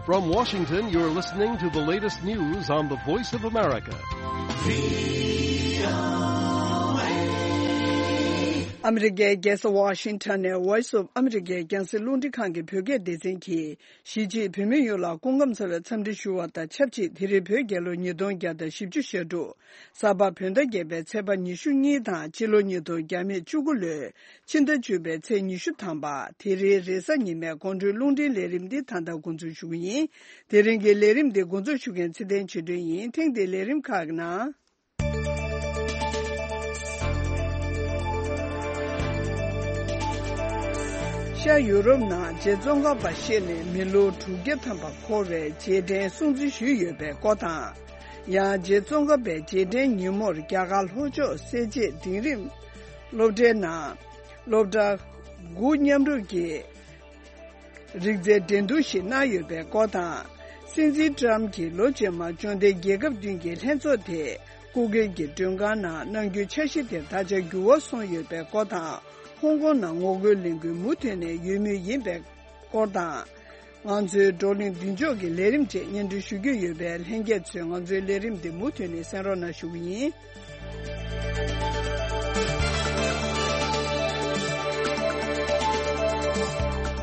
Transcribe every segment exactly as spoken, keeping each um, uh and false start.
From Washington, you're listening to the latest news on the Voice of America. ཨ་མི་རི་ཀའི་རྒྱལ་ས་ཝ་ཤིང་ཊོན་ནས་Voice of America རྒྱང་སྲིང་རླུང་འཕྲིན་ཁང་གི་བོད་སྐད་སྡེ་ཚན་གྱིས། གཞིས་བྱེས་བོད་མི་ཡོངས་ལ་སྐུ་ཁམས་བཟང་བའི་འཚམས་འདྲི་ཞུ་བ་དང་ཆབས་ཅིག་དེ་རིང་བོད་རྒྱལ་ལོ་ཉིས་སྟོང་བརྒྱ་དང་བཞི་བཅུ་ཞེ་དྲུག་གཟའ་པ་བོད་ཟླ་བརྒྱད་པའི་ཚེས་པ་ཉི་ཤུ་གཉིས་དང་སྤྱི་ལོ་ཉིས་སྟོང་བརྒྱ་མེད་བཅུ་དགུ་ལོའི་ཕྱི་ཟླ་བཅུ་པའི་ཚེས་ཉི་ཤུ་ཐམ་པ། དེ་རིང་རེས་གཟའ་ཉི་མའི་དགོང་དྲོའི་རླུང་འཕྲིན་ལས་རིམ་འདི་ད་ལྟ་འགོ་འཛུགས་ཞུ་གི་ཡིན། དེ་རིང་གི་ལས་རིམ་འདི་འགོ་འཛུགས་ཞུ་མཁན་ཚེ་བརྟན་ཆོས་སྒྲོན་ཡིན། ཐེངས་འདིའི་ལས་རིམ་ཁག་གི་ནང་། ཤར་ཡུ་རོབ་ནང་རྗེ་ཙོང་ཁ་པ་གཤེགས་ནས་མི་ལོ་དྲུག་བརྒྱ་ཐམ་པ་འཁོར་བའི་རྗེས་དྲན་སྲུང་བརྩི་ཞུས་ཡོད་པའི་སྐོར་དང་། ཡང་རྗེ་ཙོང་ཁ་པའི་རྗེས་དྲན་ཉིན་མོར་རྒྱ་གར་ལྷོ་ཕྱོགས་སེར་བྱེས་འབྲིང་རིམ་སློབ་གྲྭའི་ནང་སློབ་གྲྭ་དགུ་མཉམ་རུབ་ཀྱིས་རིག་རྩལ་འགྲན་བསྡུར་ཞིག་གནང་ཡོད་པའི་སྐོར་དང་། སྲིད་འཛིན་ཀྲམ་གྱིས་ལོ་རྗེས་མར་འབྱོར་ལྡན་རྒྱལ་ཁབ་བདུན་གྱི་ལྷན་ཚོགས་དེ་སྐུ་སྒེར་གྱི་མགྲོན་ཁང་ནང་གནང་རྒྱུའི་འཆར་གཞི་དེ་ད་ཆ་འགྱུར་བ་སོང་ཡོད་པའི་སྐོར་དང་། ཧོང་ཀོང་ནང་ངོ་རྒོལ་ལས་འགུལ་མུ་མཐུད་ནས་ཡོད་མུས་ཡིན་པའི་སྐོར་དང་། ང་ཚོའི་བགྲོ་གླེང་མདུན་ལྕོག་གི་ལས་རིམ་བཅས་སྙན་སྒྲོན་ཞུ་རྒྱུ་ཡོད་པས། ལྷན་རྒྱས་ཚོས་ང་ཚོའི་ལས་རིམ་འདི་མུ་མཐུད་ནས་གསན་རོགས་གནང་ཞུ་གི་ཡིན།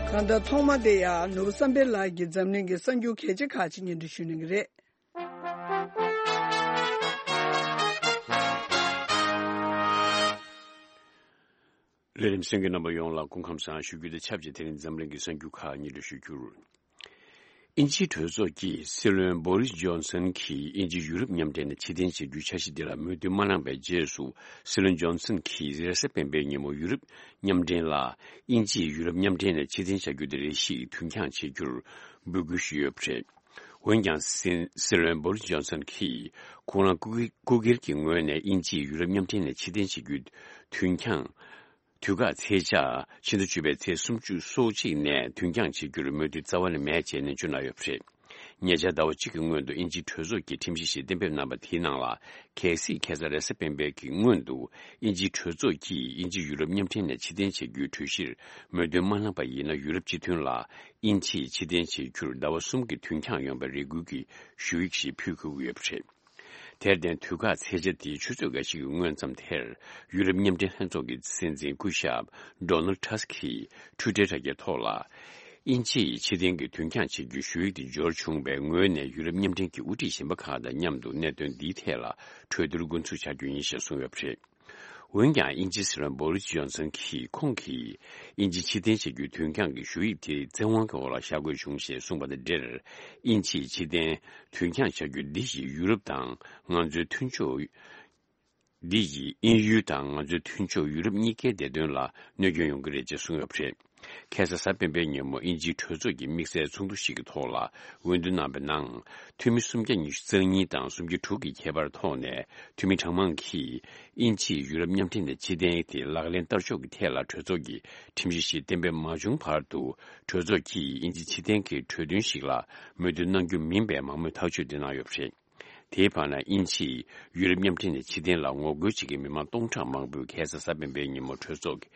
གང་ལྟར་ཐོག་མ་དེ་ཡང་ནོར་བུ་བསམ་འཕེལ་ལགས་ཀྱིས་འཛམ་གླིང་གི་གསར་འགྱུར་གལ་ཆེ་ཁག་ཅིག་སྙན་སྒྲོན་ཞུ་གནང་གི་རེད། ལས་རིམ་གསན་མཁན་རྣམ་པ་ཡོངས་ལ་སྐུ་ཁམས་བཟང་ཞུ་རྒྱུ་དང་ཆབས་ཅིག་དེ་རིང་འཛམ་གླིང་གི་གསར་འགྱུར་ཁག་སྙན་སྒྲོན་ཞུ་རྒྱུར། དབྱིན་ཇིའི་གྲོས་ཚོགས་ཀྱིས་སྲིད་བློན་བོ་རིས་ཇོན་སན་གྱིས་དབྱིན་ཇི་ཡུ་རོབ་མཉམ་འབྲེལ་ནས་ཕྱིར་འཐེན་བྱེད་རྒྱུའི་འཆར་གཞི་འདི་ལ་མོས་མཐུན་མ་གནང་པའི་རྗེས་སུ། སྲིད་བློན་ཇོན་སན་གྱིས་རེས་གཟའ་སྤེན་པའི་ཉིན་མོ་ཡུ་རོབ་མཉམ་འབྲེལ་ལ་དབྱིན་ཇིས་ཡུ་རོབ་མཉམ་འབྲེལ་ནས་ཕྱིར་འཐེན་བྱ་རྒྱུ་དེ་རེ་ཞིག་དུས་འགྱངས་བྱེད་རྒྱུར་འབོད་སྐུལ་ཞུས་ཡོད་པ་རེད། འོན་ཀྱང་སྲིད། སྲིད་བློན་བོ་རིས་ཇོན་སན་གྱིས་ཁོང་རང་སྐུ་སྒེར། སྐུ་སྒེར་གྱི་ངོས་ནས་དབྱིན་ཇིས་ཡུ་རོབ་མཉམ་འབྲེལ་ནས་ཕྱིར་འཐེན་བྱེད་རྒྱུའི་དུས་འགྱངས། དུས་བཀག་ཚེས་ཆ་ཕྱི་ཟླ་བཅུ་པའི་ཚེས་སུམ་ཅུ་སོ་གཅིག་ནས་དུས་འགྱངས་བྱེད་རྒྱུར་མོས་མཐུན་རྩ་བ་ནས་མེད་ཅེས་ནན་བརྗོད་གནང་ཡོད་པ་རེད། ཉེ་ཆར་ཟླ་བ་གཅིག་གི་སྔོན་དུ་དབྱིན་ཇིའི་གྲོས་ཚོགས་ཀྱིས་ཁྲིམས་གཞི་ཞིག་གཏན་འབེབས་གནང་པ་དེའི་ནང་ལ། གལ་སྲིད་ཁ་སང་རེས་གཟའ་སྤེན་པའི་གི་སྔོན་དུ་དབྱིན་ཇིའི་གྲོས་ཚོགས་ཀྱིས་དབྱིན་ཇི་ཡུ་རོབ་མཉམ་འབྲེལ་ནས་ཕྱིར་འཐེན་བྱེད་རྒྱུའི་གྲོས་གཞིར་མོས་མཐུན་མ་གནང་པ་ཡིན་ན། ཡུ་རོབ་སྤྱི་མཐུན་ལ་དབྱིན་ཇིས་ཕྱིར་འཐེན་བྱེད་རྒྱུར་ཟླ་བ་གསུམ་གྱི་དུས་འགྱངས་ཡོང་བའི་རེ་སྐུལ་གྱི་ཞུ་ཡིག་ཞིག་ཕུལ་དགོས་ཀྱི་ཡོད་པ་རེད། དེར་བརྟེན། དུས་བཀག་ཚེས་ཆ་དེའི་ཆུ་ཚོད་འགའ་ཞིག་གི་སྔོན་ཙམ་དེར། ཡུ་རོབ་མཉམ་འབྲེལ་ལྷན་ཚོགས་ཀྱི་སྲིད་འཛིན་སྐུ་ཞབས་ཌོ་ནལ་ཊ་སི་ཀིས་ཊུའི་ཊར་དྲ་རྒྱའི་ཐོག་ལ། དབྱིན་ཇིས་ཕྱིར་འཐེན་གྱི་དུས་འགྱངས་བྱེད་རྒྱུའི་ཞུ་ཡིག་དེ་འབྱོར་བྱུང་བའི་ངོས་ནས། ཡུ་རོབ་མཉམ་འབྲེལ་གྱི་དབུ་ཁྲིད་གཞན་པ་ཁག་དང་མཉམ་དུ་གནད་དོན་འདིའི་ཐད་ལ་གྲོས་བསྡུར་འགོ་འཛུགས་བྱ་རྒྱུ་ཡིན་ཞེས་གསུངས་ཡོད་པ་རེད། འོན་ཀྱང་། དབྱིན་ཇིའི་སྲིད་བློན་བོ་རིས་ཇོན་སན་གྱིས། ཁོང་གིས་དབྱིན་ཇི་ཕྱིར་འཐེན་བྱ་རྒྱུའི་དུས་འགྱངས་ཀྱི་ཞུ་ཡིག་དེ་བཙན་དབང་གི་འོག་ལ་བཞག་དགོས་བྱུང་ཞེས་གསུངས་པ་དང་འབྲེལ། དབྱིན་ཇིས་ཕྱིར་འཐེན་དུས་འགྱངས་བྱ་རྒྱུ་འདི་ཡིས་ཡུ་རོབ་དང་ང་ཚོའི་མཐུན་ཕྱོགས། འདི་ཡིས་དབྱིན་ཡུལ་དང་ང་ཚོའི་མཐུན་ཕྱོགས་ཡུ་རོབ་གཉིས་ཀའི་བདེ་དོན་ལ་གནོད་སྐྱོན་ཡོང་གི་རེད་ཅེས་གསུངས་ཡོད་པ་རེད། ཁ་སང་གཟའ་སྤེན་པའི་ཉིན་མོ་དབྱིན་ཇིའི་གྲོས་ཚོགས་ཀྱི་དམིགས་བསལ་ཚོགས་འདུ་ཞིག་གི་ཐོག་ལ་འོས་བསྡུ་གནང་པའི་ནང་། འཐུས་མི་སུམ་བརྒྱ་ཉི་ཤུ་རྩ་གཉིས་དང་སུམ་བརྒྱ་དྲུག་གི་ཁྱད་པར་ཐོག་ནས། འཐུས་མི་གྲངས་མང་གིས་དབྱིན་ཇིས་ཡུ་རོབ་མཉམ་འབྲེལ་ནས་ཕྱིར་འཐེན་དེ་ལག་ལེན་བསྟར་ཕྱོགས་ཀྱི་ཐད་ལ་གྲོས་ཚོགས་ཀྱིས་ཁྲིམས་གཞི་ཞིག་གཏན་འབེབས་མ་བྱུང་བར་དུ། གྲོས་ཚོགས་ཀྱིས་དབྱིན་ཇི་ཕྱིར་འཐེན་གྱི་གྲོས་མཐུན་ཞིག་ལ་མོས་མཐུན་གནང་རྒྱུ་མིན་པའི་མང་མོས་ཐག་གཅོད་དེ་གནང་ཡོད་པ་རེད། དེའི་བར་ན། དབྱིན་ཇིས་ཡུ་རོབ་མཉམ་འབྲེལ་ནས་ཕྱིར་འཐེན་ལ་ངོ་རྒོལ་བྱེད་མཁན་མི་མང་སྟོང་ཕྲག་མང་པོས་ཁ་སང་གཟའ་སྤེན་པའི་ཉིན་མོ་གྲོས་ཚོགས་ཀྱི་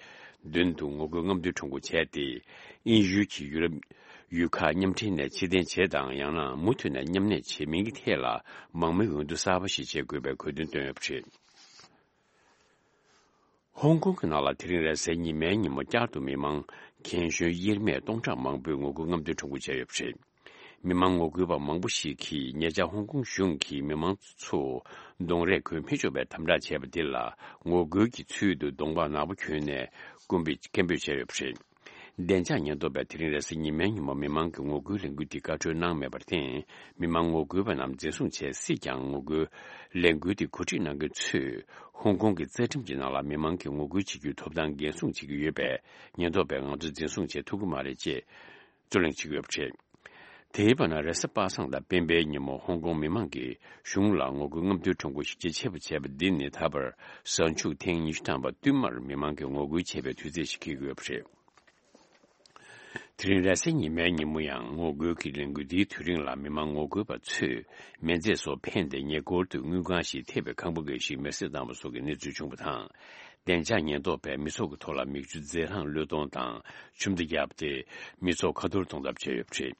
མདུན་དུ་ངོ་རྒོལ་རྔམ་སྟོན་ཁྲོམ་སྐོར་བྱས་ཏེ། དབྱིན་ཡུལ་གྱི་ཡུ་རོབ་ཡུལ་ཁག་མཉམ་འབྲེལ་ནས་ཕྱིར་འཐེན་བྱེད་དང་། ཡང་ན་མུ་མཐུད་ནས་མཉམ་གནས་བྱེད་མིན་གྱི་ཐད་ལ་མང་མོས་འོས་བསྡུ་གསར་པ་ཞིག་བྱེད་དགོས་པའི་དགོས་འདུན་བཏོན་ཡོད་པ་རེད། ཧོང་ཀོང་གི་ནང་ལ་དེ་རིང་རེས་གཟའ་ཉི་མའི་ཉིན་མོ་བསྐྱར་དུ་མི་མང་རྒན་གཞོན་དབྱེར་མེད་སྟོང་ཕྲག་མང་པོས་ངོ་རྒོལ་རྔམ་སྟོན་ཁྲོམ་སྐོར་བྱས་ཡོད་པ་རེད། མི་མང་ངོ་རྒོལ་པ་མང་པོ་ཞིག་གིས་ཉེ་ཆར་ཧོང་ཀོང་གཞུང་གིས་མི་མང་ཚོ་གདོང་རས་གོན་མི་ཆོག་པའི་དམ་དྲག་བྱས་པ་འདི་ལ་ངོ་རྒོལ་གྱི་ཚུལ་དུ་གདོང་པ་ནག་པོ་གྱོན་ནས་སྐུ་འབོད་སྐད་འབོད་བྱས་ཡོད་པ་རེད། བདེ་འཇགས་ཉེན་རྟོག་པས་དེ་རིང་རེས་གཟའ་ཉི་མའི་ཉིན་མོ་མི་མང་གི་ངོ་རྒོལ་ལས་འགུལ་འདི་བཀའ་འཁྲོལ་གནང་མེད་པར་བརྟེན། མི་མང་ངོ་རྒོལ་པ་རྣམས་འཛིན་བཟུང་བྱས་སྲིད་ཀྱང་། ངོ་རྒོལ་ལས་འགུལ་འདི་གོ་སྒྲིག་གནང་མཁན་ཚོས་ཧོང་ཀོང་གི་རྩ་ཁྲིམས་ཀྱི་ནང་ལ་མི་མང་གི་ངོ་རྒོལ་བྱེད་རྒྱུའི་ཐོབ་ཐང་འགན་སྲུང་བྱེད་ཀྱི་ཡོད་པས། ཉེན་རྟོག་པས་ང་ཚོ་འཛིན་བཟུང་བྱེད་ཐུབ་ཀྱི་མ་རེད་ཅེས་རྩོད་གླེང་བྱེད་ཀྱི་ཡོད་པ་རེད། དེའི་བར་ན། རེས་གཟའ་པ་སངས་དང་སྤེན་པའི་ཉིན་མོ་ཧོང་ཀོང་མི་མང་གིས་གཞུང་ལ་ངོ་རྒོལ་རྔམ་སྟོན་ཁྲོམ་སྐོར་ཞིབ་དཔྱད་ཆེ་བ་བྱས་པ་འདི་ནི་ད་བར་གཟའ་མཇུག་ཐེངས་ཉི་ཤུ་ཐམ་པ་བསྟུད་མར་མི་མང་གིས་ངོ་རྒོལ་བྱས་པའི་དུས་ཚོད་ཅིག་འཁེལ་གྱི་ཡོད་པ་རེད། དེ་རིང་རེས་གཟའ་ཉི་མའི་ཉིན་མོ་ཡང་ངོ་རྒོལ་གྱི་ལས་འགུལ་འདིའི་དུས་རིང་ལ་མི་མང་ངོ་རྒོལ་པ་ཚོས་མེ་མཛད་སོགས་འཕེན་ཏེ་ཉེ་འཁོར་དུ་དངུལ་ཁང་ཞིག་ཐེབས་པའི་ཁང་པ་འགའ་ཞིག་མེར་སྲེག་བཏང་བ་སོགས་ཀྱི་གནས་ཚུལ་བྱུང་བ་དང་། བདེ་འཇགས་ཉེན་རྟོག་པས་མི་ཚོགས་ཀྱི་ཐོག་ལ་མིག་ཆུ་རྫས་རླངས་བློས་གཏོང་དང་ཆུ་མདའ་བརྒྱབ་སྟེ་མི་ཚོགས་ཁ་ཐོར་གཏོང་ཐབས་བྱས་ཡོད་པ་རེད།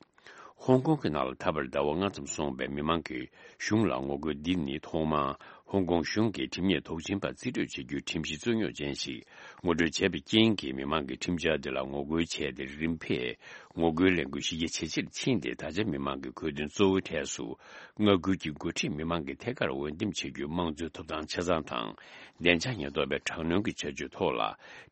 ཧོང་ཀོང་གི་ནང་ལ་ད་བར་ཟླ་བ་ལྔ་ཙམ་སོང་བའི་མི་མང་གིས་གཞུང་ལ་ངོ་རྒོལ་འདི་ནི་ཐོག་མར་ཧོང་ཀོང་གཞུང་གིས་ཁྲིམས་ཉེས་དོགས་ཟོན་པ་རྩིས་སྤྲོད་བྱེད་རྒྱུའི་ཁྲིམས་གཞི་རྩོད་རྙོག་ཅན་ཞིག་ངོ་སྤྲོད་བྱས་པའི་རྐྱེན་གྱིས་མི་མང་གིས་ཁྲིམས་འཆར་འདི་ལ་ངོ་རྒོལ་བྱས་ཏེ། རིམ་འཕེལ་ངོ་རྒོལ་ལས་འགུལ་གཞི་རྒྱ་ཇེ་ཆེར་ཕྱིན་ཏེ། ད་ཆ་མི་མང་གི་དགོས་འདུན་གཙོ་བོའི་གྲས་སུ་མངའ་ཁུལ་གྱི་འགོ་ཁྲིད་མི་མང་གི་ཐད་ཀར་འོས་འདེམས་བྱེད་རྒྱུའི་དམངས་གཙོའི་ཐོབ་ཐང་ཆ་ཚང་དང་། བདེ་འཇགས་ཉེན་རྟོག་པའི་དྲག་གནོན་གྱི་བྱ་སྤྱོད་ཐོག་ལ་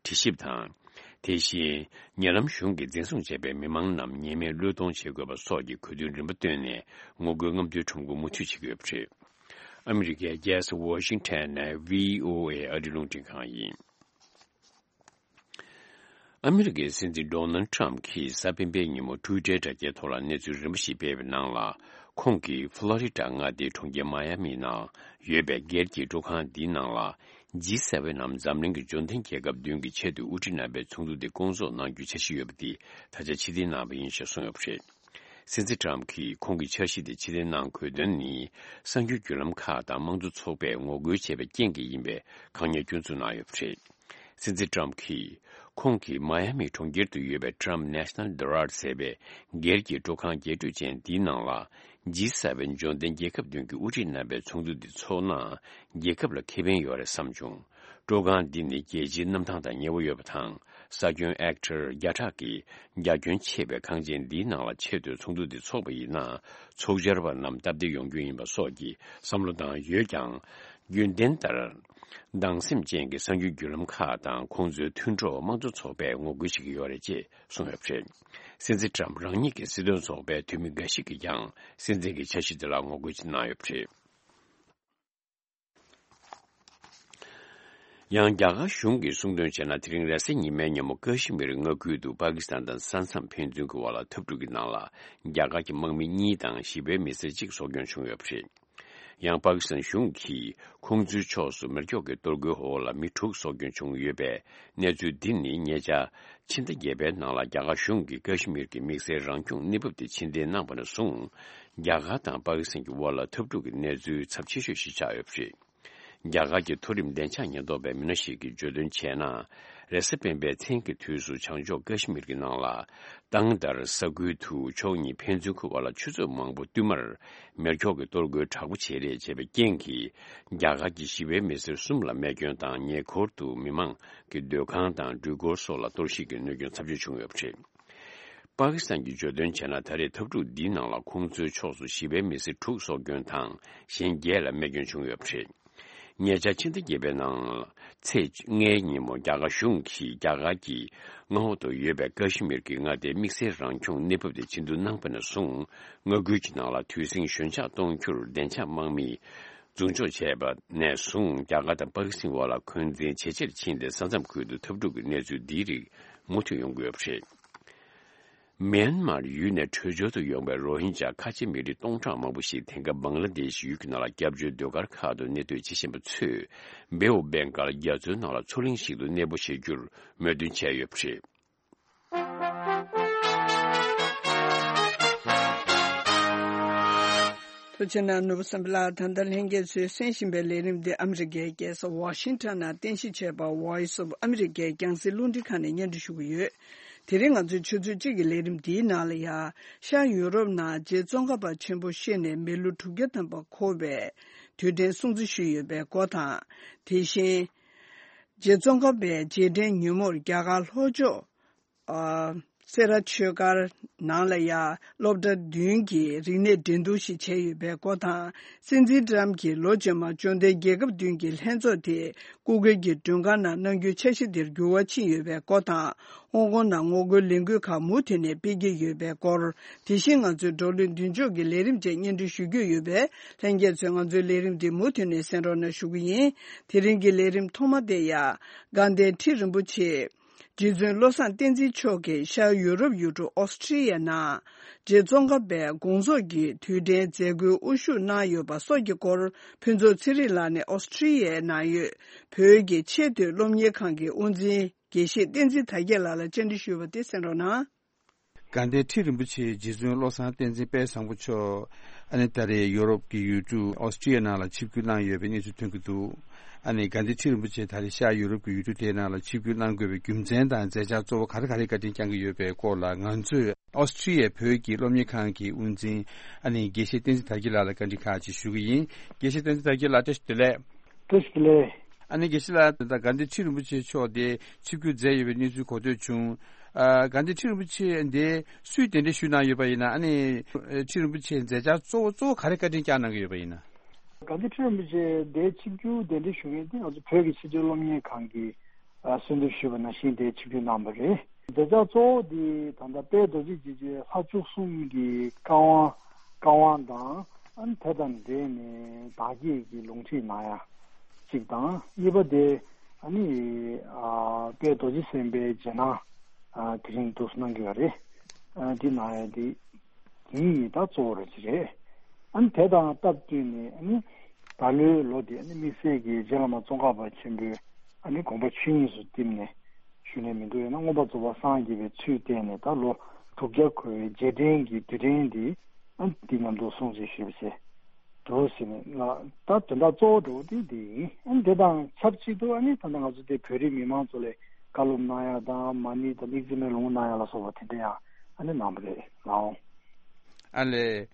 དྲི་ཞིབ་དང་། དེ་བཞིན། ཉེ་ལམ་གཞུང་གིས་འཛིན་བཟུང་བྱས་པའི་མི་མང་རྣམས་ཉེས་མེད་བློས་གཏོང་བྱེད་དགོས་པ་སོགས་ཀྱི་དགོས་འདུན་རིམ་པ་བཏོན་ནས། ངོ་རྒོལ་རྔམ་སྟོན་ཁྲོམ་སྐོར་མུ་མཐུད་བྱེད་ཀྱི་ཡོད་པ་རེད། ཨ་མི་རི་ཀའི་རྒྱལ་ས་ཝ་ཤིང་ཊོན་ནས་ཝི་ཨོ་ཨེ་ཨ་རིའི་རླུང་འཕྲིན་ཁང་ཡིན། ཨ་མི་རི་ཀའི་སྲིད་འཛིན་ཌོ་ནལ་ཊམ་གྱིས་གཟའ་སྤེན་པའི་ཉིན་མོ་ཊུའི་ཊར་དྲ་རྒྱའི་ཐོག་ལ་གནས་ཚུལ་རིམ་པ་ཞིག་སྤེལ་བའི་ནང་ལ། ཁོང་གིས་ཕོ་ལོ་རི་ཌ་མངའ་སྡེའི་གྲོང་ཁྱེར་མ་ཡ་མི་ནང་ཡོད་པའི་སྒེར་གྱི་སྤྲོ་ཁང་འདིའི་ནང་ལ། ཇི་སེ་ཝེན་ནམ་འཛམ་གླིང་གི་འབྱོར་ལྡན་རྒྱལ་ཁབ་བདུན་གྱི་ཆེས་མཐོའི་དབུ་ཁྲིད་རྣམ་པའི་ཚོགས་འདུ་དེ་སྐོང་ཚོགས་གནང་རྒྱུའི་འཆར་གཞི་ཡོད་པ་དེ་ད་ཆ་ཕྱིར་འཐེན་གནང་བ་ཡིན་ཞེས་གསུངས་ཡོད་པ་རེད། སྲིད་འཛིན་ཊམ་གྱིས་ཁོང་གི་འཆར་གཞི་དེ་ཕྱིར་འཐེན་གནང་དགོས་དོན་ནི། གསར་འགྱུར་བརྒྱུད་ལམ་ཁག་དང་དམངས་གཙོ་ཚོགས་པས་ངོ་རྒོལ་བྱས་པའི་རྐྱེན་གྱིས་ཡིན་པའི་དགག་ཉེས་སྐྱོན་འཛུགས་གནང་ཡོད་པ་རེད། སྲིད་འཛིན་ཊམ་གྱིས། ཁོང་གིས་མ་ཡ་མི་གྲོང་ཁྱེར་དུ་ཡོད་པའི་Trump National Dorad ཟེར་བའི་སྒེར་གྱི་སྤྲོ་ཁང་རྒྱས་སྤྲོས་ཅན་འདིའི་ནང་ལ། ཇི་སེ་ཝེན་འབྱོར་ལྡན་རྒྱལ་ཁབ་བདུན་གྱི་དབུ་ཁྲིད་རྣམ་པའི་ཚོགས་འདུ་འདི་འཚོགས་ན། རྒྱལ་ཁབ་ལ་ཁེ་ཕན་ཡོད་རེད་བསམ་བྱུང་། སྤྲོ་ཁང་འདི་ནི་རྒྱལ་སྤྱིའི་གནམ་ཐང་དང་ཉེ་བོ་ཡོད་པ་དང་། ས་ཁྱོན་ཧེག་ཊར་བརྒྱ་ཕྲག་གི་རྒྱ་ཁྱོན་ཆེ་བའི་ཁང་ཆེན་འདིའི་ནང་ལ་ཆེད་དུ་ཚོགས་འདུ་འདི་འཚོགས་པ་ཡིན་ན། ཚོགས་བཅར་བ་རྣམས་སྟབས་བདེ་ཡོང་རྒྱུ་ཡིན་པ་སོགས་ཀྱི་བསམ་བློ་བཏང་ཡོད་ཀྱང་། རྒྱུན་ལྡན་ལྟར། སྡང་སེམས་ཅན་གྱི་གསར་འགྱུར་བརྒྱུད་ལམ་ཁག་དང་ཁོང་ཚོའི་མཐུན་གྲོགས་དམངས་གཙོ་ཚོགས་པས་ངོ་རྒོལ་བྱེད་ཀྱི་ཡོད་རེད་ཅེས་གསུངས་ཡོད་པ་རེད། སྲིད་འཛིན་ཊམ་རང་ཉིད་ཀྱི་སྲིད་དོན་ཚོགས་པའི་འཐུས་མི་འགའ་ཞིག་གིས་ཀྱང་སྲིད་འཛིན་གྱི་འཆར་གཞི་དེ་ལ་ངོ་རྒོལ་གནང་ཡོད་པ་རེད། ཡང་རྒྱ་གར་གཞུང་གིས་གསུངས་དོན་བྱས་ན། དེ་རིང་རེས་གཟའ་ཉི་མའི་ཉིན་མོ་ཀ་ཤི་མིར་མངའ་ཁུལ་དུ་པ་ཀི་སི་ཐན་དང་ས་མཚམས་ཕན་ཚུན་གྱི་དབར་ལ་འཐབ་འཁྲུག་གི་ནང་ལ་རྒྱ་གར་གྱི་དམག་མི་གཉིས་དང་ཞི་བའི་མི་སེར་གཅིག་སྲོག་སྐྱོན་བྱུང་ཡོད་པ་རེད། ཡང་པ་ཀི་སི་ཐན་གཞུང་གིས་ཁོང་ཚོའི་ཕྱོགས་སུ་མེ་སྒྱོགས་ཀྱི་གཏོར་རྒོལ་འོག་ལ་མི་དྲུག་སྲོག་སྐྱོན་བྱུང་ཡོད་པའི་གནས་ཚུལ་འདི་ནི་ཉེ་ཆར་ཕྱི་ཟླ་བརྒྱད་པའི་ནང་ལ་རྒྱ་གར་གཞུང་གིས་ཀ་ཤི་མིར་གྱི་དམིགས་བསལ་རང་སྐྱོང་གནས་བབ་དེ་ཕྱིར་འཐེན་གནང་བ་ནས་བཟུང་། རྒྱ་གར་དང་པ་ཀི་སི་ཐན་གྱི་དབར་ལ་འཐབ་འཁྲུག་གི་གནས་ཚུལ་ཚབས་ཆེ་ཤོས་ཤིག་ཆགས་ཡོད་པ་རེད། རྒྱ་གར་གྱི་མཐོ་རིམ་བདེ་འཇགས་ཉེན་རྟོག་པའི་མི་སྣ་ཞིག་གིས་བརྗོད་དོན་བྱས་ན། རེས་གཟའ་སྤེན་པའི་མཚན་གྱི་དུས་སུ་བྱང་ཕྱོགས་ཀ་ཤི་མིར་གྱི་ནང་ལ། ཏང་དར་ས་ཁུལ་དུ་ཕྱོགས་གཉིས་ཕན་ཚུན་གྱི་དབར་ལ་ཆུ་ཚོད་མང་པོ་བསྟུད་མར་མེ་སྒྱོགས་ཀྱི་གཏོར་རྒོལ་དྲག་པོ་བྱས་རེས་བྱས་པའི་རྐྱེན་གྱིས། རྒྱ་གར་གྱི་ཞི་བའི་མི་སེར་གསུམ་ལ་རྨས་སྐྱོན་དང་། ཉེ་འཁོར་དུ་མི་མང་གི་སྡོད་ཁང་དང་འགྲུལ་འཁོར་སོགས་ལ་གཏོར་བཤིག་གི་གནོད་སྐྱོན་ཚབས་ཆེ་བྱུང་ཡོད་པ་རེད། པ་ཀི་སི་ཐན་གྱིས་བརྗོད་དོན་བྱས་ན། ད་རེས་འཐབ་འཁྲུག་འདིའི་ནང་ལ་ཁོང་ཚོའི་ཕྱོགས་སུ་ཞི་བའི་མི་སེར་དྲུག་སྲོག་སྐྱོན་དང་། གཞན་བརྒྱད་ལ་རྨས་སྐྱོན་བྱུང་ཡོད་པ་རེད། ཉེ་ཆར་ཕྱི་ཟླ་བརྒྱད་པའི་ནང་ཚེས་ལྔའི་ཉིན་མོ་རྒྱ་གར་གཞུང་གིས་རྒྱ་གར་གྱི་མངའ་འོག་ཏུ་ཡོད་པའི་ཀ་ཤི་མིར་གྱི་མངའ་སྡེའི་དམིགས་བསལ་རང་སྐྱོང་གནས་བབ་དེ་ཕྱིར་བསྡུ་གནང་བ་ནས་བཟུང་། མངའ་ཁུལ་གྱི་ནང་ལ་དུས་ཟིང་ཞོད་འཇགས་གཏོང་རྒྱུར་བདེ་འཇགས་དམག་མིས་འཛུལ་འཇོག་བྱས་པ་ནས་བཟུང་། རྒྱ་གར་དང་པ་ཀི་སི་ཐན་དབར་ལ་འཁོན་འཛིན་ཇེ་ཆེར་ཕྱིན་ཏེ། ས་མཚམས་ཁུལ་དུ་འཐབ་འཁྲུག་གི་གནས་ཚུལ་འདིའི་རིགས་མུ་མཐུད་ཡོང་གི་ཡོད་པ་རེད། མེན་མར་ཡུལ་ནས་བྲོས་བྱོལ་དུ་ཡོང་བའི་རོ་ཧིན་ཇཱ་ཁ་ཆེ་མི་རིགས་སྟོང་ཕྲག་མང་པོ་ཞིག་དེང་སྐབས་བང་ལ་དེཤ་ཡུལ་གྱི་ནང་ལ་སྐྱབས་བཅོལ་ཟློས་གར་ཁག་ཏུ་གནས་སྡོད་བྱེད་བཞིན་པ་ཚོས་བེ་ཨོ་བེང་གལ་རྒྱ་མཚོའི་ནང་ལ་མཚོ་གླིང་ཞིག་ཏུ་གནས་སྤོ་བྱེད་རྒྱུར་མོས་མཐུན་བྱས་ཡོད་པ་རེད། ཐུགས་རྗེ་གནང་། ནོར་བུ་བསམ་འཕེལ་ལགས། ད་ལྟ་ལྷན་རྒྱས་ཚོས་གསན་བཞིན་པའི་ལས་རིམ་འདི་ཨ་མི་རི་ཀའི་རྒྱལ་ས་ཝ་ཤིང་ཊོན་ནང་རྟེན་གཞི་བྱས་པ་Voice of America རྒྱང་སྲིང་རླུང་འཕྲིན་ཁང་ནས་སྙན་སྒྲོན་ཞུ་གི་ཡོད། དེ་རིང་ང་ཚོའི་ཆུ་ཚོད་གཅིག་གི་ལས་རིམ་འདིའི་ནང་ལ་ཡ། ཤར་ཡུ་རོབ་ནང་རྗེ་ཙོང་ཁ་པ་ཆེན་པོ་གཤེགས་ནས་མི་ལོ་དྲུག་བརྒྱ་ཐམ་པ་འཁོར་བའི་དུས་དྲན་སྲུང་བརྩི་ཞུས་ཡོད་པའི་སྐོར་དང་། དེ་བཞིན། རྗེ་ཙོང་ཁ་པའི་རྗེས་དྲན་ཉིན་མོར་རྒྱ་གར་ལྷོ་ཕྱོགས། ཨ། སེ་ར་ཆོས་སྒར་ནང་ལ་ཡ་སློབ་གྲྭ་བདུན་གྱིས་རིག་གནས་འགྲན་བསྡུར་ཞིག་བྱས་ཡོད་པའི་སྐོར་དང་། སྲིད་འཛིན་ཏྲམ་གྱིས་ལོ་རྗེས་མར་འབྱོར་ལྡན་རྒྱལ་ཁབ་བདུན་གྱི་ལྷན་ཚོགས་དེ་སྐུ་སྒེར་གྱི་མགྲོན་ཁང་ནང་གནང་རྒྱུའི་འཆར་གཞི་དེར་འགྱུར་བ་ཕྱིན་ཡོད་པའི་སྐོར་དང་། ཧོང་ཀོང་ནང་ངོ་རྒོལ་ལས་འགུལ་ཁག་མུ་མཐུད་ནས་སྤེལ་གྱི་ཡོད་པའི་སྐོར། དེ་བཞིན་ང་ཚོའི་བགྲོ་གླེང་མདུན་ལྕོག་གི་ལས་རིམ་བཅས་སྙན་སྒྲོན་ཞུ་རྒྱུ་ཡོད་པས། ལྷན་རྒྱས་ཚོས་ང་ཚོའི་ལས་རིམ་འདི་མུ་མཐུད་ནས་གསན་རོགས་གནང་ཞུ་གི་ཡིན། དེ་རིང་གི་ལས་རིམ་ཐོག་མ་དེ་ཡ། དགའ་ལྡན་ཁྲི་རིན་པོ་ཆེ། རྗེ་བཙུན་བློ་བཟང་བསྟན་འཛིན་མཆོག་གིས་ཤར་ཡུ་རོབ་ཡུལ་གྲུ་ཨོ་སི་ཁྲི་ཡའི་ནང་རྗེ་ཙོང་ཁ་པའི་དགོངས་རྫོགས་ཀྱི་དུས་དྲན་མཛད་སྒོའི་དབུ་བཞུགས་གནང་ཡོད་པ་སོགས་ཀྱི་སྐོར། ཕུན་ཚོགས་ཚེ་རིང་ལགས་ནས་ཨོ་སི་ཁྲི་ཡའི་ནང་ཡོད་བོད་ཀྱི་ཆེས་མཐོའི་སློབ་གཉེར་ཁང་གི་དབུ་འཛིན་དགེ་བཤེས་བསྟན་འཛིན་དར་རྒྱས་ལགས་ལ་བཅར་འདྲི་ཞུས་པ་དེ་གསན་རོགས་གནང་། དགའ་ལྡན་ཁྲི་རིན་པོ་ཆེ་རྗེ་བཙུན་བློ་བཟང་བསྟན་འཛིན་དཔལ་བཟང་པོ་མཆོག་ཨ་ནི་ད་རེས་ཡོ་རོབ་ཀྱི་ཡུལ་གྲུ་ཨོ་སི་ཁྲི་ཡའི་ནང་ལ་ཆིབས་བསྒྱུར་གནང་ཡོད་པའི་གནས་ཚུལ་ཐོན་གྱི་འདུག། ཨ་ནི་དགའ་ལྡན་ཁྲི་རིན་པོ་ཆེ་ད་རེས་ཤར་ཡུ་རོབ་ཀྱི་ཡུལ་གྲུ་དེའི་ནང་ལ་ཆིབས་བསྒྱུར་གནང་དགོས་པའི་རྒྱུ་མཚན་དང་མཛད་འཆར་གཙོ་བོ་ག་རེ་ག་རེ་བཀའ་དྲིན་བསྐྱང་གི་ཡོད་པའི་སྐོར་ལ། ང་ཚོས་ཨོ་སི་ཁྲི་ཡའི་བོད་ཀྱི་སློབ་གཉེར་ཁང་གི་དབུ་འཛིན་ཨ་ནི་དགེ་བཤེས་བསྟན་འཛིན་དར་རྒྱས་ལགས་ལ་བཀའ་འདྲི་ཁག་ཅིག་ཞུ་གི་ཡིན། དགེ་བཤེས་བསྟན་འཛིན་དར་རྒྱས་ལགས། བཀྲ་ཤིས་བདེ་ལེགས། བཀྲ་ཤིས་བདེ་ལེགས། ཨ་ནི་དགེ་བཤེས་ལགས། ད་དགའ་ལྡན་ཁྲི་རིན་པོ་ཆེ་མཆོག་དེ་ཆིབས་བསྒྱུར་མཛད་ཡོད་པའི་གནས་ཚུལ་གོ་ཐོས་བྱུང་། ཨ། དགའ་ལྡན་ཁྲི་རིན་པོ་ཆེ་འདི་སུས་གདན་འདྲེན་ཞུས་གནང་ཡོད་པ་ཡིན་ན། ཨ་ནི་ཁྲི་རིན་པོ་ཆེའི་མཛད་འཆར་གཙོ་བོ་གཙོ་བོ་ག་རེ་བཀའ་དྲིན་བསྐྱངས་གནང་གི་ཡོད་པ་ཡིན་ན། དགའ་ལྡན་ཁྲི་རིན་པོ་ཆེ་འདི་ཆིབས་བསྒྱུར་གདན་འདྲེན་ཞུ་མཁན་དེ་ང་ཚོ་བོད་ཀྱི་ཆེས་མཐོའི་སློབ་གཉེར་ཁང་གིས་ཨ་གསོལ་འདེབས་ཞུས་པ་ནང་བཞིན་དེ་ཆིབས་བསྒྱུར་གནང་བ་རེད། མཛད་འཆར་གཙོ་བོ་འདི་ད་ལྟ་དཔལ་རྡོ་རྗེ་འཇིགས་བྱེད་ལྷ་བཅུ་གསུམ་གྱི་བཀའ་དབང་བཀའ་དབང་དང་། ཨ་ནི་དེ་དང་འབྲེལ་ནས་བདག་བསྐྱེད་ཀྱི་ལུང་ཁྲིད་གནང་ཡ་གཅིག་དང་། གཉིས་པ་དེ་ཨ་ནི་ཨ་དཔལ་རྡོ་རྗེ་སེམས་དཔའི་རྗེས་གནང་ཨ་དེ་རིང་འདུག་སེ་གནང་གི་ཡོད་རེད། ཨ་འདི་གནང་ཡ་དེ་གཉིས་ད་གཙོ་བོ་རེད་ཅི་རེད། ཨ་ནི་དེ་དང་སྟབས་བསྟུན་ནས་ཨ་ནི་ད་ལོའི་ལོ་འདི་ཨ་ནི་དམིགས་བསལ་གྱི་རྗེ་བླ་མ་ཙོང་ཁ་པ་ཆེན་པོའི་ཨ་ནི་དགོངས་པ་ཆོས་དབྱིངས་སུ་བསྟིམས་ནས་ཞུ་ནས་མི་འདུག་ཡང་ན་མངོན་པར་རྫོགས་པར་སངས་རྒྱས་པའི་ཚུལ་བསྟན་ནས་ད་ལོ་དྲུག་བརྒྱ་འཁོར་བའི་རྗེས་དྲན་གྱི་དུས་དྲན་འདི་ཨ་ནི་འདི་མཉམ་དུ་སྲུང་བརྩི་ཞུས་པ་བྱས། འདུག་ཟེར་ནས་ལ་ད་དོན་དག་གཙོ་བོ་འདྲ་བོ་དེ་འདི་ཡིན། ཨ་ནི་དེ་དང་ཆབས་ཅིག་ཏུ་ཨ་ནི་ད་ལྟ་ང་ཚོ་དེ་བོད་རིགས་མི་མང་ཚོ་ལ་བཀའ་སློབ་གནང་ཡ་དང་མ་ཎི་དང་དམིགས་བརྩེ་མའི་ལུང་གནང་ཡ་ལ་སོགས་པ་དེ་འདྲ་ཡང་ཨ་ནི་གནང་བ་རེད་ལགས། ཨ་ལས།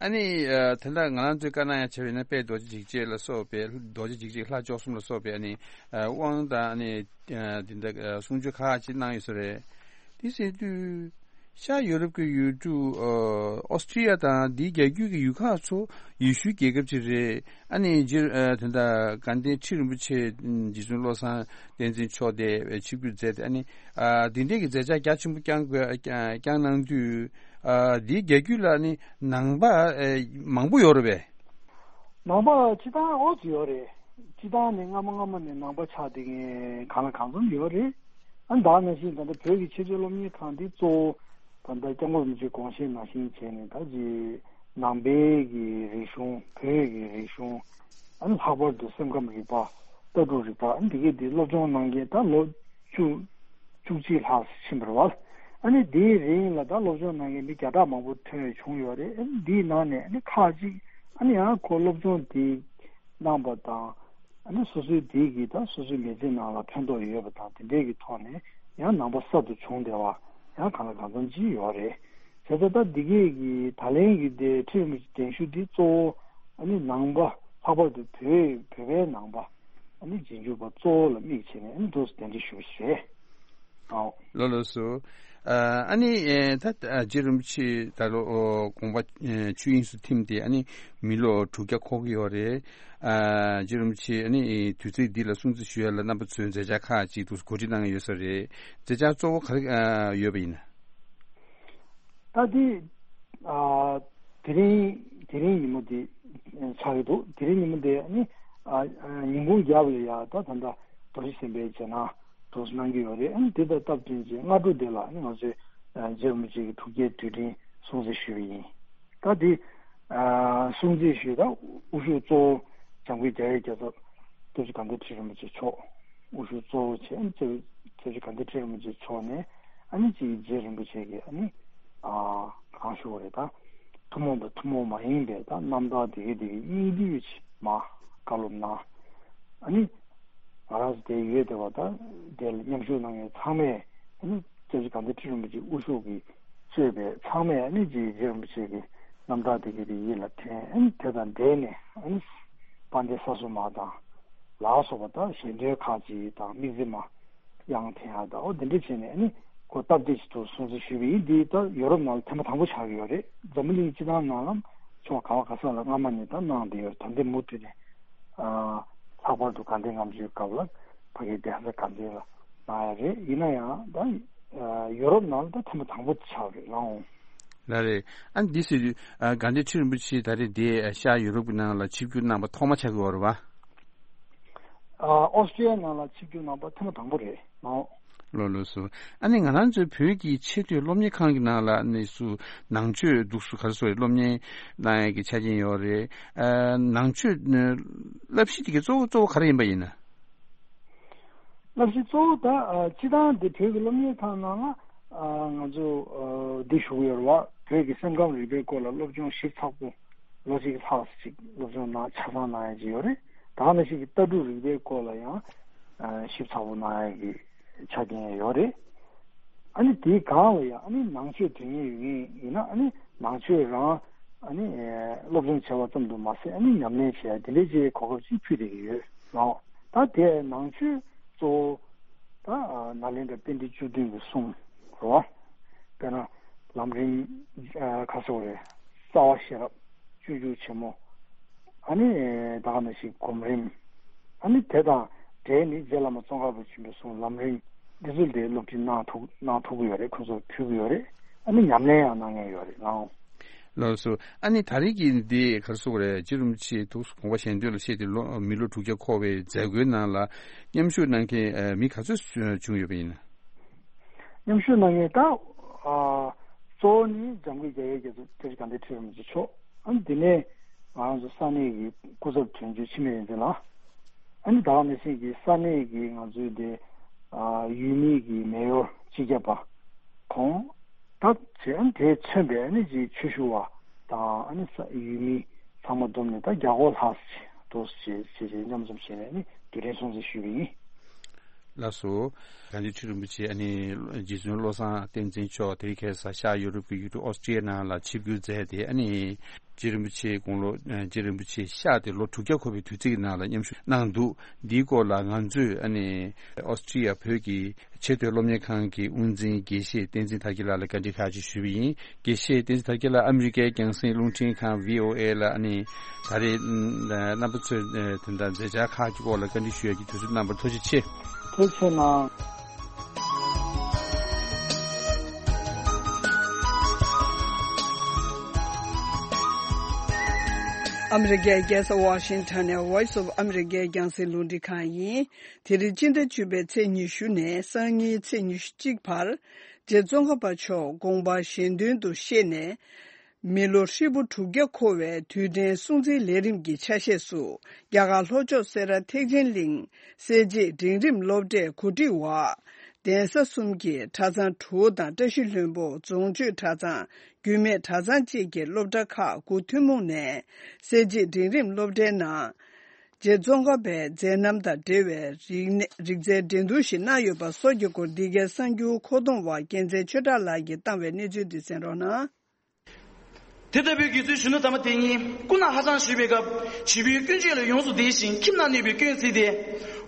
ཨ་ནི་ཨ་ད་ལྟ་ང་རང་ཚོས་བཀའ་གནང་ཡ་བྱས་པ་ཡིན་ན་དཔལ་རྡོ་རྗེ་འཇིགས་བྱེད་ལ་སོགས་པའི་རྡོ་རྗེ་འཇིགས་བྱེད་ལྷ་བཅུ་གསུམ་ལ་སོགས་པའི་ཨ་ནི་ཨ་དབང་དང་ཨ་ནི་ཨ་དེ་འདྲ་ཨ་གསུང་ཆོས་ཁག་ཅིག་གནང་ཡོད་ས་རེད། དེ་ཟེར་དུས། ཤར་ཡུ་རོབ་ཀྱི་ཡུལ་གྲུ་ཨོ་སི་ཀྲི་ཡ་དང་དེའི་རྒྱ་རྒྱུད་ཀྱི་ཡུལ་ཁག་ཚོ་ཡེ་ཤུའི་རྒྱལ་ཁབ་ཅིག་རེད། ཨ་ནི་རྗེ་ཨ་དེ་འདྲ་དགའ་ལྡན་ཁྲི་རིན་པོ་ཆེ་རྗེ་བཙུན་བློ་བཟང་བསྟན་འཛིན་མཆོག་དེ་ཆིབས་བསྒྱུར་མཛད་དེ། ཨ་ནི་ཨ་འདི་འདྲའི་གི་མཛད་འཆར་རྒྱ་ཆེན་པོ་བསྐྱངས་དགོས་བསྐྱངས་གནང་དུས། ཨ་འདིའི་རྒྱ་རྒྱུད་ལ་ནི་ནང་པ་ཨ་མང་པོ་ཡོད་རེད་པས། ནང་པ་སྤྱི་བཏང་ཨོ་ཙི་ཡོད་རེད། སྤྱི་བཏང་ནས་སྔ་མ་སྔ་མ་ནས་ནང་པ་ཆགས་བསྡད་མཁན་གང་ལ་གང་འཚམ་ཡོད་རེད། ཨ་ནི་ད་ནང་བཞིན་ད་ལྟ་བོད་ཀྱི་ཆེས་མཐོའི་སློབ་གཉེར་ཁང་འདི་གཙོ་བོ་ད་ལྟ་སྐྱབས་མགོན་རིན་པོ་ཆེའི་དགོངས་བཞེད་ནང་བཞིན་བྱས་ནས་ད་ཅི་ནང་པའི་གི་རིག་གཞུང་། བོད་ཀྱི་རིག་གཞུང་། ཨ་ནི་ལྷག་པར་དུ་སེམས་ཁམས་རིག་པ། ལྟ་གྲུབ་རིག་པ། ཨ་ནི་འདི་གའི་འདི་སློབ་སྦྱོང་གནང་མཁན་ད་ལོ་བཅུ་བཅུ་གཅིག་ལྷག་ཕྱིན་པ་རེད་བ། ཨ་ནི་དེའི་རིང་ལ་ད་སློབ་སྦྱོང་གནང་མཁན་མི་བརྒྱ་ཕྲག་མང་པོ་ཐོན་བྱུང་ཡོད་རེད། ཨ་ནི་འདིའི་ནང་ནས་ཨ་ནི་ཁག་ཅིག་ཨ་ནི་ཡང་ཁོ་སློབ་སྦྱོང་དེ་གནང་པ་དང་། ཨ་ནི་སོ་སོའི་དེའི་གི་ད་སོ་སོའི་མི་ཚེའི་ནང་ལ་ཕན་ཐོགས་ཡོད་པ་དང་། དེ་འདྲའི་གི་ཐོག་ནས་ཡང་ནང་པ་གསར་དུ་བྱུང་བསྡད་པ་ཡང་གང་ལ་གང་འཚམ་ཅིག་ཡོད་རེད། བྱས་ཙང་ད་འདི་གའི་གི་ད་ལན་གི་དེ་ཁྲི་རིན་པོ་ཆེ་གདན་ཞུ་འདི་གཙོ་བོ་ཨ་ནི་ནང་པ། ལྷག་པར་དུ་བོད་བོད་པའི་ནང་པ་ཨ་ནི་རྗེས་འཇུག་པ་གཙོ་བོ་ལ་དམིགས་བྱས་ནས་ཨ་ནི་འདུག་སེ་གདན་འདྲེན་ཞུ་བ་ཞིག་རེད། ཨའོ། ལགས་ལགས་སོ། ཨ་ཨ་ནི་ཨེ་ད་ཨ་རྗེ་རིན་པོ་ཆེ་ད་ལོ་ཨོ་དགོངས་པ་ཨེ་ཆོས་དབྱིངས་སུ་ཐིམ་སྟེ་ཨ་ནི་མི་ལོ་དྲུག་བརྒྱ་འཁོར་གྱི་ཡོད་རེད། ཨ་རྗེ་རིན་པོ་ཆེ་ཨ་ནི་དུས་ཚིགས་འདི་ལ་སྲུང་བརྩི་ཞུ་ཡ་ལ་རྣམ་པ་ཚོས་མཛད་འཆར་ཁག་ཅིག་འདུག་གོ་སྒྲིག་གནང་གི་ཡོད་ས་རེད། མཛད་འཆར་གཙོ་བོ་ག་རེ་ཨ་ཡོད་པ་ཡིན་ན། ད་དེ་ཨ་དེ་རིང་དེ་རིང་ཉིན་མོ་དེ་ཆགས་ཀྱི་འདུག་དེ་རིང་ཉིན་མོ་དེ་ཨ་ནི་ཨ་ཨ་ཉིན་གུང་རྒྱབ་ལ་ཡ་ད་ད་ལྟ་རྡོ་རྗེ་སེམས་དཔའི་རྗེས་གནང་འདུག་སེ་གནང་གི་ཡོད་རེད། ཨ་ནི་དེ་དང་སྟབས་བསྟུན་བྱས་སྔ་དྲོ་དེ་ལ་ཨ་ནི་ང་ཚོས་ཨ་རྗེ་རིན་པོ་ཆེ་གི་དྲུག་བརྒྱའི་དུས་དྲན་སྲུང་བརྩི་ཞུས་པ་ཡིན། ད་དེ་ཨ་སྲུང་བརྩི་ཞུས་ད་དབུ་བཞུགས་གཙོ་བོ་འཇམ་མགོན་རྒྱལ་བའི་རྒྱལ་ཚབ་སྐྱབས་རྗེ་དགའ་ལྡན་ཁྲི་རིན་པོ་ཆེ་མཆོག་དབུ་བཞུགས་གཙོ་བོ་བྱས། ཨ་ནི་སྐྱབས་སྐྱབས་རྗེ་དགའ་ལྡན་ཁྲི་རིན་པོ་ཆེ་མཆོག་ནས་ཨ་ནི་ཅིག་རྗེ་རིན་པོ་ཆེ་གི་ཨ་ནི་ཨ་གང་ཞུ་བ་རེད། ད་ཐུན་མོང་དང་ཐུན་མོང་མ་ཡིན་པའི་ད་རྣམ་ཐར་དེ་གའི་དེ་གའི་སྙིང་བསྡུས་ཅིག་མར་བཀའ་སློབ་གནང་། ཨ་ནི་ང་རང་ཚོ་དེ་ཡོད་བསྡད་པ་ད་དེ་ལ་མཉམ་ཞུགས་གནང་མཁན་ཚང་མས་ཨ་ནི་སྐྱབས་རྗེ་དགའ་ལྡན་ཁྲི་རིན་པོ་ཆེ་དབུ་བཞུགས་ཀྱིས་གཙོས་པའི་ཚང་མས་ཨ་ནི་རྗེ་རྗེ་རིན་པོ་ཆེ་གི་རྣམ་ཐར་དེ་གའི་དེ་ཡིད་ལ་དྲན། ཨ་ནི་དེ་དང་འབྲེལ་ནས་ཨ་ནི་དཔལ་ལྡན་ས་སྲུང་མ་དང་ལ་སོགས་པ་དང་ཞལ་འདོན་ཁག་ཅིག་དང་དམིགས་བརྩེ་མ་དབྱངས་འཐེན་ཡག་དང་། འོ་དེ་འདྲ་བྱས་ནས་ཨ་ནི་ཁོ་སྟབས་བདེ་ཞིག་ཏུ་སྲུང་བརྩི་ཞུས་པ་ཡིན། འདི་ད་ཡོ་རོབ་ནང་ལ་ཐེངས་མ་དང་པོ་ཆགས་ཀྱི་ཡོད་རེད། འཛམ་བུ་གླིང་སྤྱི་བཏང་ནང་ལ་ཕྱོགས་ག་བ་ག་ས་ལ་སྔ་མ་ནས་ད་གནང་བསྡད་ཡོད་རེད། ད་འདི་མུ་མཐུད་ནས་ཨ་ལྷག་པར་དུ་དགའ་ལྡན་ལྔ་མཆོད་སྐབས་ལ་ཕ་གིའི་གདན་ས་དགའ་ལྡན་ལ་གནང་ཡ་རེད། ཡིན་ན་ཡང་ད་ཨ་ཡོ་རོབ་ནང་ལ་ད་ཐེངས་མ་དང་པོ་ཆགས་རེད་ལགས། ལགས་རེད། ཨ་འདི་ཟེར་དུས་ཨ་དགའ་ལྡན་ཁྲི་རིན་པོ་ཆེ་ད་རེས་འདི་ཨ་ཤར་ཡུ་རོབ་ཀྱི་ནང་ལ་ཆིབས་བསྒྱུར་གནང་པ་ཐོག་མ་ཆགས་ཀྱི་ཡོད་རེད་པ། ཨ་ཨོ་སི་ཀྲི་ཡ་ནང་ལ་ཆིབས་བསྒྱུར་གནང་པ་ཐེངས་མ་དང་པོ་རེད་ལགས། ལགས་ལགས་སོ། ཨ་ནི་ང་རང་ཚོའི་བོད་ཀྱི་ཆེས་མཐོའི་སློབ་གཉེར་ཁང་གི་ནང་ལ་ཨ་ནི་སུ་ནང་ཆོས་འདུག་སུ་ག་རེ་ཟེར་སློབ་གཉེར་གནང་ཡ་གི་ཆ་རྐྱེན་ཡོད་རེད། ཨ་ནང་ཆོས་ཨ་བསླབ་གཞི་དེ་གའི་གཙོ་བོ་གཙོ་བོ་ག་རེ་ཡིན་པ་ཡིན་ན། བསླབ་གཞི་གཙོ་བོ་ད་ཨ་སྤྱི་བཏང་འདི་བོད་ཀྱི་སློབ་གཉེར་ཁང་ནང་ལ་ཨ་ང་ཚོ་ཨ་འདི་ཞུ་གི་ཡོད་རེད་བ། བོད་ཀྱི་སེམས་ཁམས་རིག་པའི་སྐོར་ལ་སློབ་སྦྱོང་ཞིབ་ཚགས་པོ་ལོ་གཅིག་ལྷག་ཅིག་སློབ་སྦྱོང་གནང་ཆ་ཚང་གནང་ཡ་ཅིག་ཡོད་རེད། ད་ག་ནང་བཞིན་གྱི་ལྟ་གྲུབ་རིག་པའི་སྐོར་ལ་ཡང་ཞིབ་ཚགས་པོ་གནང་ཡ་གི་ཆ་རྐྱེན་ཡོད་རེད། ཨ་ནི་དེའི་སྒང་ལ་ཡང་ཨ་ནི་ནང་ཆོས་དོན་གཉེར་ཡོད་མཁན་ཡིན་ན་ཨ་ནི་ནང་ཆོས་རང་ཨ་ནི་སློབ་སྦྱོང་བྱས་པ་ཙམ་དུ་མ་ཟད་ཨ་ནི་ཉམས་ལེན་བྱས་དེ་འདྲའི་ཅིག་གོ་སྐབས་ཅིག་ཕུལ་བསྡད་ཀྱི་ཡོད་རེད། ད་དེ་ནང་ཆོས་གཙོ་བོ་ད་ནཱ་ལེནྡྲ་པཎྜི་ཏ་བཅུ་བདུན་གྱི་གསུང་རེད་བ། དཔེར་ན་ལམ་རིམ་ག་ཟེར་དགོས་རེད། རྩ་བ་ཤེས་རབ། སྤྱོད་འཇུག་ཆེན་མོ། ཨ་ནི་ད་ག་ནང་བཞིན་སྒོམ་རིམ། ཨ་ནི་དེ་དང་འབྲེལ་ནས་རྗེ་བླ་མ་ཙོང་ཁ་པ་ཆེན་པོའི་གསུང་ལམ་རིམ་འདི་ཚོ་དེ་སློབ་ཁྲིད་གནང་ཐུབ་གནང་ཐུབ་ཀྱི་ཡོད་རེད། ཁོང་ཚོར་ཕུལ་གྱི་ཡོད་རེད། ཨ་ནི་ཉམས་ལེན་ཡང་གནང་མཁན་ཡོད་རེད་ལགས། ལགས་སོ། ཨ་ནི་ད་རེས་ཀྱི་འདི་ག་རེ་ཟེར་དགོས་རེད། རྗེ་རིན་པོ་ཆེ་ཐུགས་དགོངས་པ་གཞན་དོན་ལ་གཤེགས་ཏེ་ལོ་མི་ལོ་དྲུག་བརྒྱ་འཁོར་བའི་མཛད་སྒོའི་ནང་ལ་མཉམ་ཞུགས་གནང་མཁན་མི་ག་ཚོད་བྱུང་ཡོད་པ་ཡིན་ན། མཉམ་ཞུགས་གནང་མཁན་ད་ཨ་གཙོ་བོ་ནི་འཇམ་མགོན་རྒྱ་བོད་རྒྱལ་མཚན་བཀྲ་ཤིས་དགའ་ལྡན་ཁྲི་རིན་པོ་ཆེ་མཆོག་ཨ་ནི་དེ་ནས་ང་ཚོ་ས་གནས་ཀྱི་སྐུ་ཚབ་དོན་གཅོད་འཆི་མེད་བསྟན་འཛིན་ལགས། ཨ་ནི་ད་ག་ནང་བཞིན་གྱི་ས་གནས་ཀྱི་ང་ཚོའི་དེ་ཨ་ཡུལ་མི་གི་མེ་ཡོར་སྤྱི་ཁྱབ་པ་ཁོང་ད་བྱས་ཨ་ནི་དེས་མཚོན་པའི་ཨ་ནི་ཅིག་ཆོས་ཞུ་བ་དང་ཨ་ནི་ས་ཡུལ་མི་ཚང་མ་བསྡོམས་ནས་ད་བརྒྱ་སྐོར་ལྷག་ཙམ་ཅིག་འདུག་ཅེས་བྱས་བྱས་མཉམ་འཛོམས་བྱས་ནས་ཨ་ནི་དུས་དྲན་སྲུང་བརྩི་ཞུས་པ་ཡིན། ལགས་སོ། དགའ་ལྡན་ཁྲི་རིན་པོ་ཆེ་ཨ་ནི་རྗེ་བཙུན་བློ་བཟང་བསྟན་འཛིན་མཆོག་དེ་རིང་ཁ་སང་ཤར་ཡུ་རོབ་ཀྱི་ཡུལ་གྲུ་ཨོ་སི་ཀྲི་ཡ་ནང་ལ་ཆིབས་བསྒྱུར་མཛད་དེ་ཨ་ནི་རྗེ་རིན་པོ་ཆེ་དགུང་ལོ་རྗེ་རིན་པོ་ཆེ་གཤེགས་ཏེ་ལོ་དྲུག་བརྒྱ་འཁོར་བའི་དུས་ཚིགས་ནང་ལ་མཉམ་ཞུགས་གནང་འདུག་འདིའི་སྐོར་ལ་ང་ཚོས་ཨ་ནི་ཨོ་སི་ཀྲི་ཡ་བོད་ཀྱི་ཆེས་མཐོའི་སློབ་གཉེར་ཁང་གི་དབུ་འཛིན་དགེ་བཤེས་བསྟན་འཛིན་དར་རྒྱས་ལགས་ལ་བཀའ་འདྲི་ཁག་ཅིག་ཞུས་པ་ཡིན། དགེ་བཤེས་བསྟན་འཛིན་དར་རྒྱས་ལགས་ཨ་མི་རི་ཀའི་རྒྱང་སྲིང་རླུང་འཕྲིན་ཁང་བྷི་ཨོ་ཨེ་ལ་ཨ་ནི་ད་རེས་རྣམ་པ་ཚོས་དེ་འདྲ་མཛད་འཆར་ཁག་གི་སྐོར་ལ་བཀའ་འདྲི་ཞུ་ཡག་གི་དུས་ཚོད་གནང་བར་ཐུགས་རྗེ་ཆེ། ཐུགས་རྗེ་གནང་། ཨ་མི་རི་ཀའི་རྒྱལ་ས་ཝ་ཤིང་ཊོན་ནས་Voice of America རྒྱང་སྲིང་རླུང་འཕྲིན་ཁང་ཡིན། དེ་རིང་སྤྱི་ཟླ་བཅུ་པའི་ཚེས་ཉི་ཤུ་ནས་སང་ཉིན་ཚེས་ཉི་ཤུ་གཅིག་བར་རྗེ་ཙོང་ཁ་པ་མཆོག་དགོངས་པ་གཞན་དོན་དུ་གཤེགས་ནས། མི་ལོ་ཧྲིལ་པོ་དྲུག་བརྒྱ་འཁོར་བའི་དུས་དྲན་སྲུང་བརྩིའི་ལས་རིམ་གྱི་ཆ་ཤས་སུ་རྒྱ་གར་ལྷོ་ཕྱོགས་སེ་ར་ཐེག་ཆེན་གླིང་གསལ་བྱེད་འབྲིང་རིམ་སློབ་གྲྭའི་གོ་སྒྲིག་འོག་གདན་ས་གསུམ་གྱི་གྲྭ་ཚང་དྲུག་དང་བཀྲ་ཤིས་ལྷུན་པོ་རྫོང་ཆོས་གྲྭ་ཚང་རྒྱུད་སྨད་གྲྭ་ཚང་བཅས་ཀྱི་སློབ་གྲྭ་ཁག་དགུ་ཐུན་མོང་ནས་གསལ་བྱེད་འབྲིང་རིམ་སློབ་གྲྭའི་ནང་རྗེ་ཙོང་ཁ་པའི་མཛད་རྣམ་དང་འབྲེལ་བའི་རིག་གནས་རིག་རྩལ་འགྲན་བསྡུར་ཞིག་གནང་ཡོད་པ་སོགས་ཀྱི་སྐོར་འདི་གའི་གསར་འགྱུར་མཁོ་གཏོང་བ་རྒྱལ་མཚན་ཆོས་གྲགས་ལགས་ཀྱིས་བཏང་བའི་གནས་ཚུལ་འདི་གསན་རོགས་གནང་། དེ་ལྟ་བུའི་དགེ་ཚུལ་གཞོན་ནུ་དམ་པ་དེ་ཉིད་སྐུ་ན་ཧ་ཅང་གཞོན་པའི་སྐབས་བྱིས་པའི་ཀུན་སྤྱོད་ལ་ཡོངས་སུ་བདེ་ཞིང་ཁྱིམ་ན་གནས་པའི་སྐྱོན་བརྩིས་ཏེ།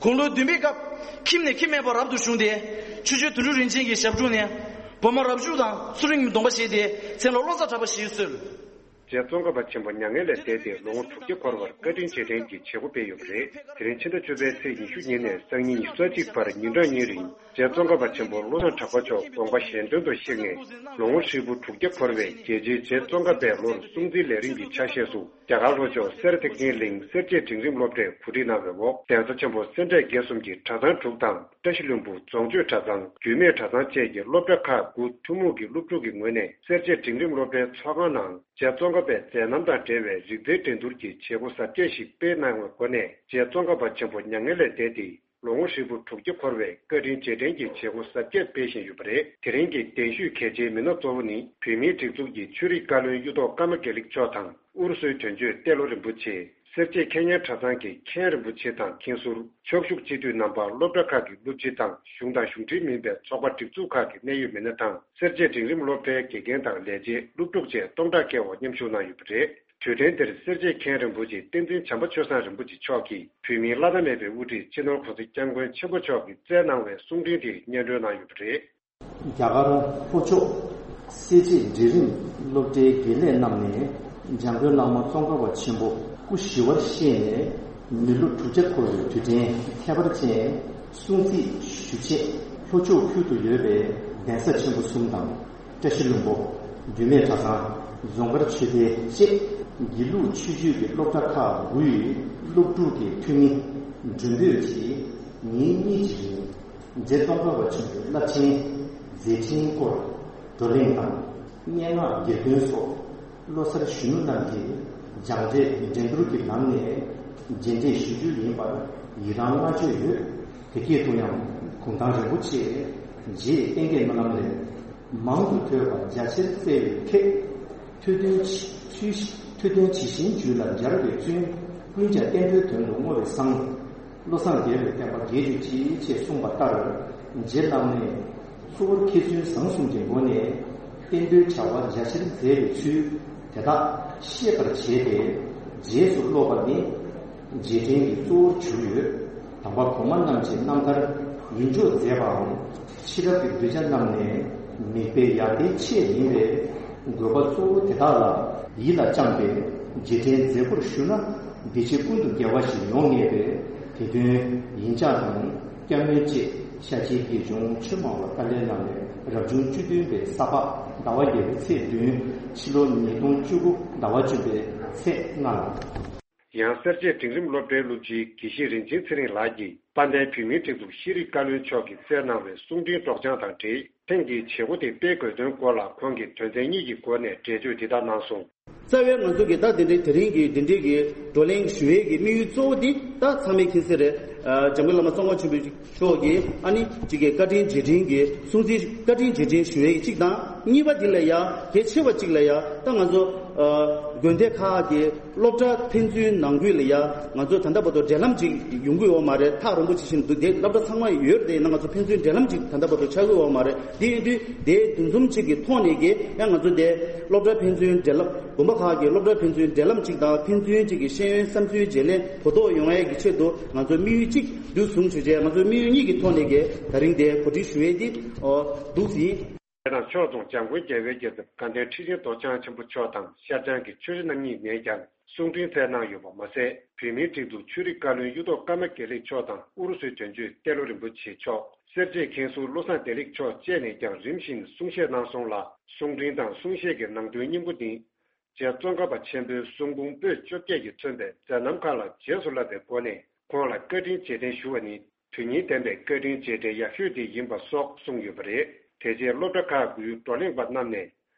དགུང་ལོ་བདུན་པའི་སྐབས་ཁྱིམ་ནས་ཁྱིམ་མེད་པར་རབ་ཏུ་བྱུང་སྟེ། ཆོས་རྗེ་དོན་གྲུབ་རིན་ཆེན་གྱི་ཞབས་དྲུང་ནས་བི་མ་རབ་བྱུང་དང་ཚུལ་ཁྲིམས་ཀྱི་སྡོམ་པ་བཞེས་ཏེ་མཚན་ལ་བློ་བཟང་གྲགས་པ་ཞེས་གསོལ། རྗེ་ཙོང་ཁ་པ་ཆེན་པོ་མྱ་ངན་ལས་འདས་ཏེ་ལོ་ངོ་དྲུག་བརྒྱ་འཁོར་བར་བཀའ་དྲིན་རྗེས་དྲན་གྱི་བྱེད་སྒོ་སྤེལ་ཡོད་པ་རེད། དེ་རིང་ཕྱི་ཟླ་བཅུ་པའི་ཚེས་ཉི་ཤུ་ཉིན་ནས་སང་ཉིན་ཉི་ཤུ་རྩ་གཅིག་བར་ཉིན་གྲངས་གཉིས་རིང་རྗེ་ཙོང་ཁ་པ་ཆེན་པོ་བློ་བཟང་གྲགས་པ་མཆོག་དགོངས་པ་གཞན་དོན་དུ་གཤེགས་ནས་ལོ་ངོ་ཧྲིལ་པོ་དྲུག་བརྒྱ་འཁོར་བའི་རྒྱལ་ཆེན་རྗེ་ཙོང་ཁ་པའི་ལོར་སྲུང་བརྩིའི་ལས་རིམ་གྱི་ཆ་ཤས་སུ་རྒྱ་གར་ལྷོ་ཕྱོགས་སེ་ར་ཐེག་ཆེན་གླིང་གསལ་བྱེད་འབྲིང་རིམ་སློབ་གྲྭས་གོ་སྒྲིག་གནང་བའི་འོག་གདན་ས་ཆེན་པོ་སེ་འབྲས་དགེ་གསུམ་གྱི་གྲྭ་ཚང་དྲུག་དང་བཀྲ་ཤིས་ལྷུན་པོ་རྫོང་ཆོས་གྲྭ་ཚང་རྒྱུད་སྨད་གྲྭ་ཚང་བཅས་ཀྱི་སློབ་གྲྭ་ཁག་དགུ་ཐུན་མོང་གི་སློབ་ཕྲུག་གི་ངོས་ནས་སེར་བྱེས་འབྲིང་རིམ་སློབ་གྲྭའི་ཚོགས་ཁང་ནང་རྗེ་ཙོང་ཁ་པའི་མཛད་རྣམ་དང་འབྲེལ་བའི་རིག་རྩལ་འགྲན་བསྡུར་གྱི་བྱེད་སྒོ་གཟབ་རྒྱས་ཤིག་སྤེལ་གནང་བའི་སྒོ་ནས་རྗེ་ཙོང་ཁ་པ་ཆེན་པོ་མྱ་ངན་ལས་འདས་ཏེ་ལོ་ངོ་ཧྲིལ་པོ་དྲུག་བརྒྱ་འཁོར་བའི་བཀའ་དྲིན་རྗེས་དྲན་གྱི་བྱེད་སྒོ་གཟབ་རྒྱས་སྤེལ་བཞིན་ཡོད་པ་རེད། དེ་རིང་གི་གདན་ཞུས་གལ་ཆེའི་མི་སྣ་གཙོ་བོ་ནི་བོད་མིའི་སྒྲིག་འཛུགས་ཀྱི་ཆོས་རིག་བཀའ་བློན་གཡུ་ཐོག་ཀརྨ་དགེ་ལེགས་མཆོག་དང་། ཨུ་རུ་སུའི་དོན་གཅོད་ཏེ་ལོ་རིན་པོ་ཆེ། སེར་བྱེས་མཁས་སྙན་གྲྭ་ཚང་གི་མཁན་རིན་པོ་ཆེ་དང་མཁན་ཟུར། ཕྱོགས་བཞུགས་སྤྱི་འཐུས་རྣམ་པ། སློབ་གྲྭ་ཁག་གི་སློབ་སྤྱི་དང་གཞུང་དང་གཞུང་འབྲེལ་མིན་པའི་ཚོགས་པ་སྒྲིག་འཛུགས་ཁག་གི་གནད་ཡོད་མི་སྣ་དང་། སེར་བྱེས་འབྲིང་རིམ་སློབ་གྲྭའི་དགེ་རྒན་དང་ལས་བྱེད། སློབ་ཕྲུག་བཅས་སྟོང་ཕྲག་བརྒལ་བ་མཉམ་ཞུགས་གནང་ཡོད་པ་རེད། དུས་དྲན་འདིར་སེར་བྱེས་མཁན་རིན་པོ་ཆེ་བསྟན་འཛིན་བྱམས་པ་ཆོས་བཟང་རིན་པོ་ཆེ་མཆོག་གིས་བོད་མིའི་བླ་ན་མེད་པའི་དབུ་ཁྲིད་སྤྱི་ནོར་གོང་ས་སྐྱབས་མགོན་ཆེན་པོ་མཆོག་གིས་བསྩལ་གནང་བའི་གསུང་འཕྲིན་དེ་སྙན་སྒྲོན་གནང་ཡོད་པ་རེད། རྒྱ་གར་ལྷོ་ཕྱོགས་སེར་བྱེས་འབྲིང་རིམ་སློབ་གྲྭའི་དགེ་ལས་རྣམས་ནས་འཇམ་མགོན་བླ་མ་ཙོང་ཁ་པ་ཆེན་པོ་སྐུ་ཞི་བར་གཤེགས་ནས་མི་ལོ་དྲུག་བརྒྱ་འཁོར་བའི་དུས་དྲན་ཁྱད་པར་ཅན་སྲུང་བརྩི་ཞུ་ཆེད་ལྷོ་ཕྱོགས་ཁུལ་དུ་ཡོད་པའི་གདན་ས་ཆེན་པོ་གསུམ་དང་། བཀྲ་ཤིས་ལྷུན་པོ། རྒྱུད་སྨད་གྲྭ་ཚང་། རྫོང་དཀར་ཆོས་སྡེ་བཅས་དགེ་ལུགས་ཆོས་བརྒྱུད་ཀྱི་སློབ་གྲྭ་ཁག་དགུའི་སློབ་ཕྲུག་གི་འཐུས་མི་མགྲོན་འབོད་ཀྱིས་ཉིན་གཉིས་ཀྱི་རིང་རྗེ་ཙོང་ཁ་པ་ཆེན་པོའི་རླབས་ཆེན་མཛད་འཕྲིན་སྐོར་བགྲོ་གླེང་དང་། སྙན་ངག་གྱེར་འདོན་སོགས་བློ་གསར་གཞོན་ནུ་རྣམས་ཀྱིས་སྦྱངས་འབྲས་འགྲན་བསྡུར་གྱི་ལམ་ནས་རྗེས་འདེད་ཞུ་རྒྱུ་ཡིན་པར་ཡི་རང་བསྔགས་བརྗོད་ཡོད། དེ་སྐད་དུ་ཡང་གུང་ཐང་རིན་པོ་ཆེ་རྗེ་བསྟན་རྒྱས་སྨོན་ལམ་ལས། མང་དུ་ཐོས་པ་རྒྱ་ཆེར་བཙལ་བའི་ཁྱད། ཐོས་དོན་ཇི་ཐོས་ཐོས་དོན་ཇི་བཞིན་རྒྱུད་ལ་སྦྱར་བའི་བཙུན། ཀུན་ཀྱང་བསྟན་པའི་དོན་དུ་བསྔོ་བས་བསང་། བློ་བཟང་རྒྱལ་བའི་བསྟན་པ་རྒྱས་གྱུར་ཅིག་ཅེས་གསུངས་པ་ལྟར། རྗེ་བླ་མས་གཙོ་བོར་མཁས་བཙུན་བཟང་གསུམ་གྱི་སྒོ་ནས་བསྟན་དོན་བྱ་བ་རྒྱ་ཆེར་མཛད་པའི་ཚུལ་དེ་དག་ཤེས་པར་བྱས་ཏེ། རྗེས་སུ་སློབ་པ་ནི་རྗེས་དྲན་གྱི་གཙོ་བོར་གྱུར་ཡོད། དམ་པ་གོང་མ་རྣམས་ཀྱི་རྣམ་ཐར་ཡིད་འཇོག་མཛད་པའམ། ཕྱི་རབས་ཀྱི་གདུལ་བྱ་རྣམས་ནས་མིག་དཔེ་ཡར་ལྟའི་ཆེད་ཡིན་པས། དགོས་པ་གཙོ་བོ་དེ་དག་ལ་ཡིད་ལ་བཅངས་ཏེ་རྗེས་དྲན་མཛད་སྒོར་ཞུགས་ན། འདི་ཕྱི་ཀུན་ཏུ་དགེ་བ་ཞིག་ཡོང་ངེས་པས། དེ་དོན་ཡིན་ཅག་དང་སྐྱབས་གནས་བཅས་ཤཱཀྱའི་དགེ་སྦྱོང་ཆོས་སྨྲ་བ་ཏཱ་ལའི་བླ་མའི་རབ་བྱུང་བཅུ་བདུན་པའི་ས་ཕག་ཟླ་བ་བརྒྱད་པའི་ཚེས་བདུན། ཕྱི་ལོ་ཉིས་སྟོང་བཅུ་དགུ་ཟླ་བ་བཅུ་པའི་ཚེས་ལྔ་ལ། ཡང་སེར་བྱེས་འབྲིང་རིམ་སློབ་གྲྭའི་སློབ་སྤྱི་དགེ་བཤེས་རིན་ཆེན་ཚེ་རིང་ལགས་ཀྱིས་དཔལ་ལྡན་བོད་མིའི་སྒྲིག་འཛུགས་ཤེས་རིག་བཀའ་བློན་མཆོག་གིས་བསྩལ་གནང་བའི་གསུང་འཕྲིན་སྒྲོག་སྦྱང་དང་འབྲེལ། ཐེངས་འདིའི་བྱེད་སྒོ་དེ་སྤེལ་དགོས་དོན་སྐོར་ལ་ཁོང་གིས་དོན་ཚན་གཉིས་ཀྱི་སྒོ་ནས་འགྲེལ་བརྗོད་འདི་ལྟར་གནང་སོང་། རྩ་བའི་ང་ཚོ་གི་ད་དེ་འདྲའི་དེ་རིང་གི་འདི་འདྲའི་གི་བགྲོ་གླེང་ཞུ་ཡས་ཀྱི་དམིགས་ཡུལ་གཙོ་བོ་འདི་ད་ཚང་མས་མཁྱེན་གསལ་རེད། ཨ། འཇམ་མགོན་བླ་མ་ཙོང་ཁ་ཆེན་པོ་མཆོག་གིས་ཨ་ནི་གཅིག་གི་བཀའ་དྲིན་རྗེས་དྲན་གྱི་སྲུང་བརྩི་བཀའ་དྲིན་རྗེས་དྲན་ཞུ་ཡས་ཀྱི་གཅིག་དང་། གཉིས་པ་འདི་ལ་ཡ་གལ་ཆེ་བ་གཅིག་ལ་ཡ་ད་ང་ཚོ་ཨ་དགོན་སྡེ་ཁག་གི་སློབ་གྲྭ་ཕན་ཚུན་ནང་ཁུལ་ལ་ཡ་ང་ཚོ་ད་ལྟ་བར་དུ་འབྲེལ་ལམ་ཅིག་ཡོང་གི་ཡོད་མ་རེད། ཐག་རིང་པོ་ཅིག་བཞིན་དུ་དེ་སློབ་གྲྭ་ཚང་མ་ཡོད་དེ་ན་ང་ཚོ་ཕན་ཚུན་འབྲེལ་ལམ་ཅིག་ད་ལྟ་བར་དུ་ཆགས་ཀྱི་ཡོད་མ་རེད། དེ་ཡིན་དུས་དེ་འདུ་འཛོམས་ཅིག་གི་ཐོག་ནས་ཀྱི་ཡང་ང་ཚོ་དེ་སློབ་གྲྭ་ཕན་ཚུན་འབྲེལ་ལམ་དགོན་པ་ཁག་གི་སློབ་གྲྭ་ཕན་ཚུན་འབྲེལ་ལམ་ཅིག་དང་ཕན་ཚུན་ཅིག་གི་ཤེས་ཡོན་བསམ་ཚུལ་བརྗེ་ལེན་གོ་རྟོགས་ཡོང་ཡས་ཀྱི་ཆེད་དུ་ང་ཚོ་དམིགས་ཡུལ་གཅིག་འདུ་བཟུང་བྱས་རྗེས་ང་ཚོ་དམིགས་ཡུལ་གཉིས་ཀྱི་ཐོག་ནས་ཀྱི་ད་རིང་དེ་གོ་སྒྲིག་ཞུ་ཡས་དེ་འདུག་ཟིན། དེ་དང་ཕྱོགས་མཚུངས་འཇམ་མགོན་རྒྱལ་བའི་རྒྱལ་ཚབ་དགའ་ལྡན་ཁྲི་ཆེན་རྡོ་རྗེ་འཆང་ཆེན་པོ་མཆོག་དང་ཤར་བྱང་གི་ཆོས་རྗེ་རྣམ་གཉིས་ནས་ཀྱང་གསུང་འཕྲིན་བསྩལ་གནང་ཡོད་པ་མ་ཟད། བོད་མིའི་སྒྲིག་འཛུགས་ཆོས་རིག་བཀའ་བློན་གཡུ་ཐོག་ཀརྨ་དགེ་ལེགས་མཆོག་དང་ཨུ་རུ་སུའི་དོན་གཅོད་ཏེ་ལོ་རིན་པོ་ཆེ་མཆོག་སེར་བྱེས་མཁན་ཟུར་བློ་བཟང་བདེ་ལེགས་མཆོག་བཅས་ནས་ཀྱང་རིམ་བཞིན་གསུང་བཤད་གནང་སོང་ལ། གསུང་འཕྲིན་དང་གསུང་བཤད་ཀྱི་ནང་དོན་སྙིང་པོ་ནི། རྗེ་ཙོང་ཁ་པ་ཆེན་པོའི་གསུང་འབུམ་པོད་བཅོ་བརྒྱད་ཀྱིས་མཚོན་པའི་མཛད་རྣམ་ཁག་ལ་རྗེས་སུ་བསླབ་པའི་སྒོ་ནས་ཁོང་ལ་བཀའ་དྲིན་རྗེས་དྲན་ཞུ་བ་ནི། དོན་སྙིང་ལྡན་པའི་བཀའ་དྲིན་རྗེས་དྲན་ཡག་ཤོས་དེ་ཡིན་པ་སོགས་གསུངས་ཡོད་པ་རེད། དེ་རྗེས་སློབ་གྲྭ་ཁག་གི་བགྲོ་གླེང་པ་རྣམས་ནས།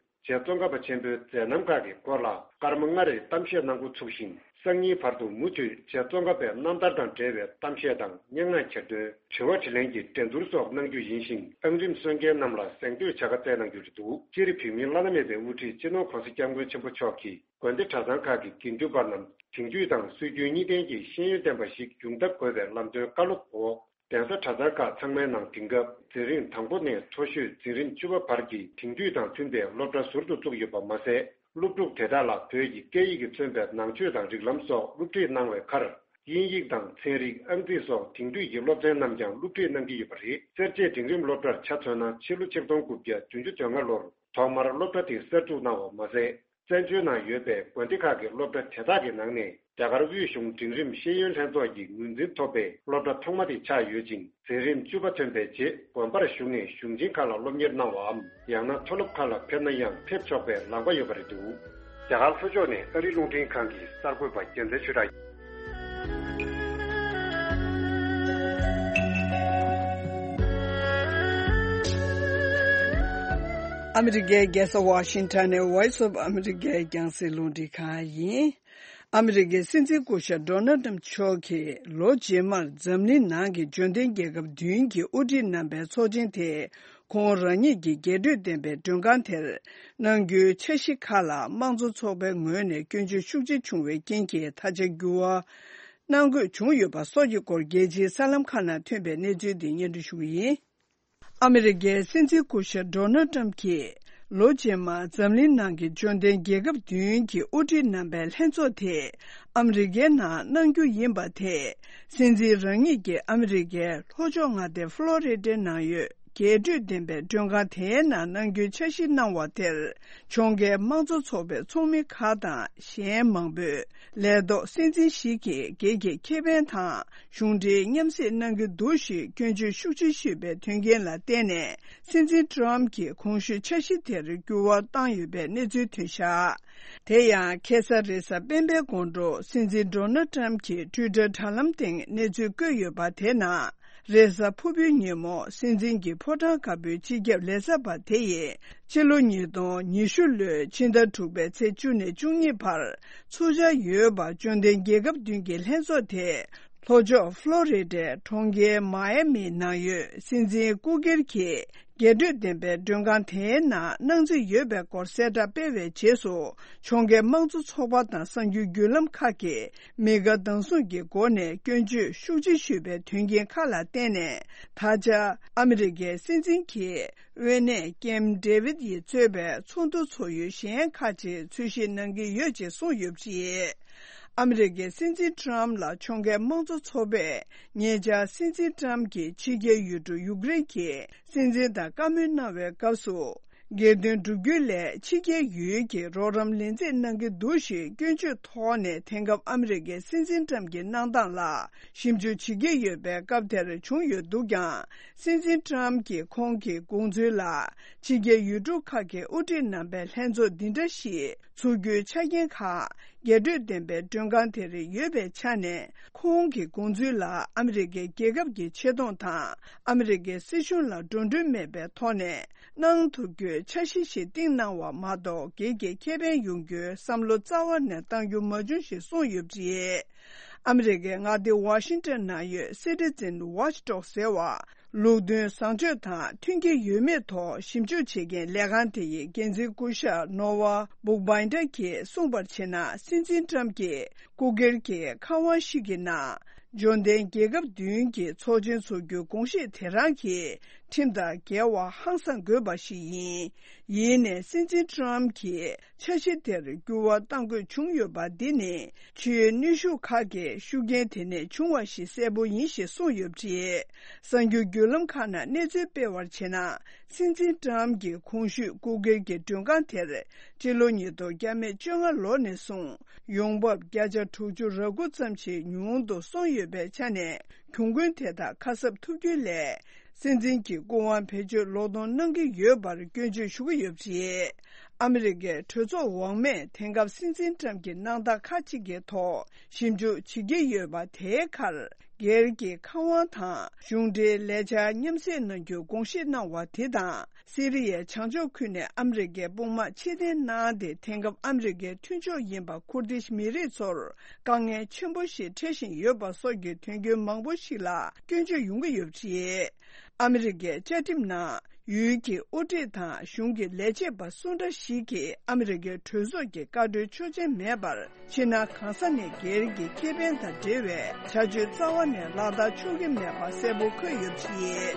རྗེ་ཙོང་ཁ་པ་ཆེན་པོའི་མཛད་རྣམ་ཁག་གི་སྐོར་ལ་སྐར་མ་ལྔ་རེའི་གཏམ་བཤད་གནང་འགོ་ཚུགས་ཤིང་། སང་ཉིན་བར་དུ་མུ་མཐུད་རྗེ་ཙོང་ཁ་པའི་རྣམ་ཐར་དང་འབྲེལ་བའི་གཏམ་བཤད་དང་སྙན་ངག་གྱེར་འདོན། དྲི་བ་དྲིས་ལན་གྱི་འགྲན་བསྡུར་སོགས་གནང་རྒྱུ་ཡིན་ཞིང་། ཨང་རིམ་གསོལ་མཁན་རྣམས་ལ་གཟེངས་བསྟོད་བྱ་དགའ་བསྩལ་གནང་རྒྱུ་རེད་འདུག་སྤྱིར་བོད་མིའི་བླ་ན་མེད་པའི་དབུ་ཁྲིད་སྤྱི་ནོར་༸གོང་ས་༸སྐྱབས་མགོན་ཆེན་པོ་མཆོག་གིས་དགོན་སྡེ་གྲྭ་ཚང་ཁག་གི་དགེ་འདུན་པ་རྣམས་དེང་དུས་དང་སྲོལ་རྒྱུན་གཉིས་ལྡན་གྱི་ཤེས་ཡོན་ལྡན་པ་ཞིག་ཡོང་ཐབས་དགོས་པའི་ལམ་སྟོན་བཀའ་སློབ་འོག་གདན་ས་གྲྭ་ཚང་ཁག་ཚང་མའི་ནང་དེང་སྐབས་འཛིན་རིམ་དང་པོ་ནས་མཐོ་ཤོས་འཛིན་རིམ་བཅུ་པ་བར་གྱི་དེང་དུས་དང་མཐུན་པའི་སློབ་གྲྭ་ཟུར་དུ་བཙུགས་ཡོད་པ་མ་ཟད། སློབ་ཕྲུག་དེ་དག་ལ་བོད་ཀྱི་སྐད་ཡིག་གིས་མཚོན་པའི་ནང་ཆོས་དང་རིགས་ལམ་སོགས་སློབ་ཁྲིད་གནང་བའི་ཁར། དབྱིན་ཡིག་དང་ཚན་རིག་ཨང་རྩིས་སོགས་དེང་དུས་ཀྱི་སློབ་ཚན་རྣམས་ཀྱང་སློབ་ཁྲིད་གནང་གི་ཡོད་པ་རེད། སེར་བྱེས་འབྲིང་རིམ་སློབ་གྲྭར་ཆ་མཚོན་ན་ཕྱི་ལོ་ཆིག་སྟོང་དགུ་བརྒྱ་བདུན་ཅུ་དོན་ལྔ་ལོར་ཐོག་མར་སློབ་གྲྭ་དེ་གསར་འཛུགས་གནང་བ་མ་ཟད། བཙན་བྱོལ་ནང་ཡོད་པའི་དགོན་སྡེ་ཁག་གི་སློབ་གྲྭ་དེ་དག་གི་ནང་ནས་རྒྱ་གར་དབུས་གཞུང་འབྲིང་རིམ་ཤེས་ཡོན་ལྷན་ཚོགས་ཀྱི་ངོས་འཛིན་ཐོབ་པའི་སློབ་གྲྭ་ཐོག་མ་དེ་ཆགས་ཡོད་ཅིང་། འཛིན་རིམ་བཅུ་པ་ཐོན་པའི་རྗེས་དགོན་པར་ཞུགས་ནས་གཞུང་ཆེན་ཁག་ལ་སློབ་གཉེར་གནང་བའམ། ཡང་ན་མཐོ་སློབ་ཁག་ལ་ཕེབས་ན་ཡང་ཕེབས་ཆོག་པའི་ལམ་ཁ་ཡོད་པ་རེད་འདུག་རྒྱ་གར་ལྷོ་ཕྱོགས་ནས་ཨ་རིའི་རླུང་འཕྲིན་ཁང་གི་གསར་འགོད་པ་རྒྱལ་མཚན་ཆོས་གྲགས། ཨ་མི་རི་ཀའི་རྒྱལ་ས་ཝ་ཤིང་ཊོན་ནས་Voice of America་རྒྱང་སྲིང་རླུང་འཕྲིན་ཁང་ཡིན། ཨ་མི་རི་ཀའི་སྲིད་འཛིན་སྐུ་ཞབས་ཌོ་ནལ་ཊམ་མཆོག་གིས་ལོ་རྗེས་མར་འཛམ་གླིང་ནང་གི་འབྱོར་ལྡན་རྒྱལ་ཁབ་བདུན་གྱི་དབུ་ཁྲིད་རྣམ་པའི་ཚོགས་ཆེན་དེ་ཁོང་རང་ཉིད་ཀྱི་རྒྱས་སྤྲོས་ལྡན་པའི་མགྲོན་ཁང་དེར་གནང་རྒྱུའི་འཆར་གཞི་ཁག་ལ་དམངས་གཙོ་ཚོགས་པའི་ངོས་ནས་སྐྱོན་བརྗོད་ཤུགས་ཆེ་བྱུང་བའི་རྐྱེན་གྱིས་ཐག་བཅད་འགྱུར་བ་གནང་དགོས་བྱུང་ཡོད་པ་སོགས་ཀྱི་སྐོར་རྒྱལ་སྤྱིའི་གསར་ལམ་ཁག་ནང་ཐོན་པའི་གནས་ཚུལ་འདི་སྙན་སྒྲོན་ཞུ་གི་ཡིན། ཨ་མི་རི་ཀའི་སྲིད་འཛིན་སྐུ་ཞབས་ཌོ་ནལ་ཊམ་གྱིས་ལོ་རྗེས་མར་འཛམ་གླིང་ནང་གི་འབྱོར་ལྡན་རྒྱལ་ཁབ་བདུན་གྱི་དབུ་ཁྲིད་རྣམ་པའི་ལྷན་ཚོགས་དེ་ཨ་མི་རི་ཀའི་ནང་གནང་རྒྱུ་ཡིན་པ་དེ་སྲིད་འཛིན་རང་ཉིད་ཀྱིས་ཨ་མི་རི་ཀའི་ལྷོ་ཕྱོགས་མངའ་སྡེ་ཕློ་རི་ཌའི་ནང་ཡོད་རྒྱས་སྤྲོས་ལྡན་པའི་མགྲོན་ཁང་དེའི་ནང་གནང་རྒྱུའི་འཆར་གཞི་གནང་བ་དེར་ཕྱོགས་འགལ་དམངས་གཙོ་ཚོགས་པའི་ཚོགས་མི་ཁག་དང་གཞན་མང་པོས་ལས་ཐོག་སྲིད་འཛིན་ཞིག་གིས་སྒེར་གྱི་ཁེ་ཕན་དང་གཞུང་འབྲེལ་མཉམ་བསྲེས་གནང་གི་འདུག་ཞེས་སྐྱོན་བརྗོད་ཤུགས་ཆེ་ཞུས་པའི་དོན་རྐྱེན་ལ་བརྟེན་ནས་སྲིད་འཛིན་ཊམ་གྱིས་གོང་ཞུས་འཆར་གཞི་དེར་འགྱུར་བ་བཏང་ཡོད་པའི་གནས་ཚུལ་ཐོན་བཞག་དེ་ཡང་ཁ་སང་རེས་གཟའ་སྤེན་པའི་དགོང་དྲོ་སྲིད་འཛིན་ཌོ་ནལ་ཊམ་གྱིས་ཊུའི་ཊར་དྲ་ལམ་སྟེང་གནས་ཚུལ་བཀོད་ཡོད་པ་དེ་ནང་། རེས་གཟའ་ཕུར་བུའི་ཉིན་མོ་སྲིད་འཛིན་གྱི་ཕོ་བྲང་དཀར་པོའི་སྤྱི་ཁྱབ་ལས་བྱ་བ་དེ་ཡིས་ཕྱི་ལོ་ཉིས་སྟོང་ཉི་ཤུ་ལོའི་ཕྱི་ཟླ་དྲུག་པའི་ཚེས་བཅུ་ནས་བཅུ་གཉིས་བར་ཚོགས་འཆར་ཡོད་པ་འབྱོར་ལྡན་རྒྱལ་ཁབ་བདུན་གྱི་ལྷན་ཚོགས་དེ་ ལྷོ་ཕྱོགས་ཕློ་རི་ཌའི་གྲོང་ཁྱེར་མ་ཡ་མིའི་ནང་ཡོད་སྲིད་འཛིན་སྐུ་སྒེར་གྱི་རྒྱས་སྤྲོས་ལྡན་པའི་མགྲོན་ཁང་དེའི་ནང་གནང་རྩིས་ཡོད་པའི་སྐོར་གསལ་བསྒྲགས་སྤེལ་བའི་རྗེས་སུ། ཕྱོགས་འགལ་དམངས་གཙོ་ཚོགས་པ་དང་གསར་འགྱུར་བརྒྱུད་ལམ་ཁག་གིས་མི་དགའ་སྡང་ཟུང་གི་སྒོ་ནས་སྐྱོན་བརྗོད་ཤུགས་ཆེ་ཞུས་པའི་དོན་རྐྱེན་ཁག་ལ་བརྟེན་ནས། ད་ཆ་ཨ་མི་རི་ཀའི་སྲིད་འཛིན་གྱི་དབུས་ནས་ཀེམ་ཌེ་ཝིད་ཡིས་གཙོས་པའི་ཚོགས་འདུ་ཚོགས་ཡུལ་གཞན་ཁག་ཅིག་འཚོལ་ཞིབ་གནང་གི་ཡོད་ཅེས་གསུངས་ཡོད་པ་རེད། ཨ་མི་རི་ཀའི་སྲིད་འཛིན་ཊམ་ལ་ཕྱོགས་འགལ་དམངས་གཙོ་ཚོགས་པས་ཉེ་ཆར་སྲིད་འཛིན་ཊམ་གྱིས་ཕྱི་རྒྱལ་ཡུལ་གྲུ་ཡུཀ་རེན་གྱི་སྲིད་འཛིན་དང་བཀའ་མོལ་གནང་བའི་སྐབས་སུ། སྒེར་དོན་བསྒྲུབ་རྒྱུའི་སླད་ཕྱི་རྒྱལ་ཡུལ་གྱི་རོགས་རམ་ལེན་རྩིས་གནང་གི་འདུག་ཞེས་སྐྱོན་བརྗོད་ཐོག་ནས། དེང་སྐབས་ཨ་མི་རི་ཀའི་སྲིད་འཛིན་ཊམ་གྱི་གནང་སྟངས་ལ་ཞིབ་འཇུག་བྱེད་ཀྱི་ཡོད་པའི་སྐབས་དེར་བྱུང་ཡོད་འདུག་ཀྱང་། སྲིད་འཛིན་ཊམ་གྱིས་ཁོང་གི་དགོངས་ཚུལ་ལ་ཕྱི་རྒྱལ་ཡུལ་གྲུ་ཁག་གི་དབུ་ཁྲིད་རྣམ་པའི་ལྷན་ཚོགས་འདི་འདྲ་ཞིག་ཚུགས་རྒྱུའི་ཆ་རྐྱེན་ཁག་རྒྱས་སྤྲོས་ལྡན་པའི་མགྲོན་ཁང་དེར་ཡོད་པའི་ཆ་ནས། ཁོང་གི་དགོངས་ཚུལ་ལ་ཨ་མི་རི་ཀའི་རྒྱལ་ཁབ་ཀྱི་ཆེ་མཐོང་དང་ཨ་མི་རི་ཀའི་སྲིད་གཞུང་ལ་འགྲོ་གྲོན་མེད་པའི་ཐོག་ནས་གནང་ཐུབ་རྒྱུའི་འཆར་གཞི་ཞིག་བཏིང་གནང་བ་མ་གཏོགས། སྒེར་གྱི་ཁེ་ཕན་ཡོང་རྒྱུའི་བསམ་བློ་རྩ་བ་ནས་གཏང་རྒྱུ་མ་བྱུང་ཞེས་གསུངས་ཡོད་པ་རེད། ཨ་མི་རི་ཀའི་མངའ་སྡེ་ཝ་ཤིང་ཏོན་ནང་ཡོད་Citizen Watchdog ཟེར་བ། ལུགས་མཐུན་བཟང་སྤྱོད་དང་མཐུན་གྱི་ཡོད་མེད་ཐོག་ཞིབ་འཇུག་བྱེད་མཁན་ལས་ཁང་དེ་ཡི་འགན་འཛིན་སྐུ་ཞབས་ནོ་ཝ་སྦུག་བྷའིན་ཌར་གྱིས་གསུངས་པར་བྱས་ན། སྲིད་འཛིན་ཊམ་གྱིས་སྐུ་སྒེར་གྱི་ཁང་བ་ཞིག་གི་ནང་འབྱོར་ལྡན་རྒྱལ་ཁབ་བདུན་གྱི་ཚོགས་ཆེན་འཚོགས་རྒྱུའི་དགོངས་བཞེས་དེ་རང་གི་ཁྲིམས་དང་འགལ་བ་ཧང་སང་དགོས་པ་ཞིག་ཡིན། ཡིན་ནའི་སྲིད་འཛིན་ཊམ་གྱིས་འཆར་གཞི་དེར་འགྱུར་བ་གཏང་དགོས་བྱུང་ཡོད་པ་འདི་ནི་ཆེས་ནུས་ཤུགས་ཁག་གི་ཤུགས་རྐྱེན་དེ་ནས་བྱུང་བ་ཞིག་གསལ་པོ་ཡིན་ཞེས་གསུངས་ཡོད་པ་རེད། གསར་འགྱུར་བརྒྱུད་ལམ་ཁག་ནང་གནས་ཚུལ་སྤེལ་བར་བྱས་ན། སྲིད་འཛིན་ཊམ་གྱིས་གོང་ཞུས་སྐུ་སྒེར་གྱི་མགྲོན་ཁང་དེར་སྤྱི་ལོ་ཉིས་སྟོང་བརྒྱ་མེད་བཅོ་ལྔ་ལོ་ནས་བཟུང་ཡོང་འབབ་བརྒྱ་ཆ་དྲུག་ཅུ་རེ་དགུ་ཙམ་ཞིག་ཉུང་དུ་སོང་ཡོད་པའི་ཆ་ནས། གྱོང་གུན་དེ་དག་ཁ་གསབ་ཐུབ་རྒྱུའི་སླད། སྲིད་འཛིན་གྱི་སྐུ་དབང་བེད་སྤྱོད་ལོག་གཏོང་གནང་གི་ཡོད་པར་སྐྱོན་བརྗོད་ཞུ་གི་ཡོད་པ་རེད། ཨ་མི་རི་ཀའི་གྲོས་ཚོགས་འོག་མས་དེང་སྐབས་སྲིད་འཛིན་ཊམ་གྱི་གནང་སྟངས་ཁག་ཅིག་གི་ཐོག་ཞིབ་འཇུག་བྱེད་ཀྱི་ཡོད་པ་དེའི་ཁར། སྒེར་གྱི་ཁང་བ་དང་གཞུང་འབྲེལ་ལས་འཆར་མཉམ་བསྲེས་གནང་རྒྱུའི་དགོངས་བཞེས་གནང་བ་དེ་དང་། སི་རི་ཡའི་བྱང་ཕྱོགས་ཁུལ་ནས་ཨ་མི་རི་ཀའི་དཔུང་དམག་ཕྱིར་འཐེན་གནང་སྟེ། དེང་སྐབས་ཨ་མི་རི་ཀའི་མཐུན་ཕྱོགས་ཡིན་པ་ཁུར་ཏིཤ་མི་རིགས་ཚོར་དཀའ་ངལ་ཆེན་པོ་ཞིག་འཕྲད་བཞིན་ཡོད་པ་སོགས་ཀྱི་དོན་རྐྱེན་མང་པོ་ཞིག་ལ་སྐྱོན་བརྗོད་ཡོང་གི་ཡོད་པ་རེད། ཨ་མི་རི་ཀའི་བཅའ་ཁྲིམས་ནང་ཡུལ་གྱི་དབུ་ཁྲིད་དང་གཞུང་གི་ལས་བྱེད་པ་སུ་འདྲ་ཞིག་གིས་ཨ་མི་རི་ཀའི་གྲོས་ཚོགས་ཀྱི་བཀའ་འཁྲོལ་ཆོག་མཆན་མེད་པར། ཕྱི་ནང་གང་ས་ནས་སྒེར་གྱི་ཁེ་ཕན་དང་འབྲེལ་བའི་བྱ་སྤྱོད་རྩ་བ་ནས་ལག་བསྟར་ཆོག་གི་མེད་པ་གསལ་པོ་འཁོད་ཡོད་པ་རེད།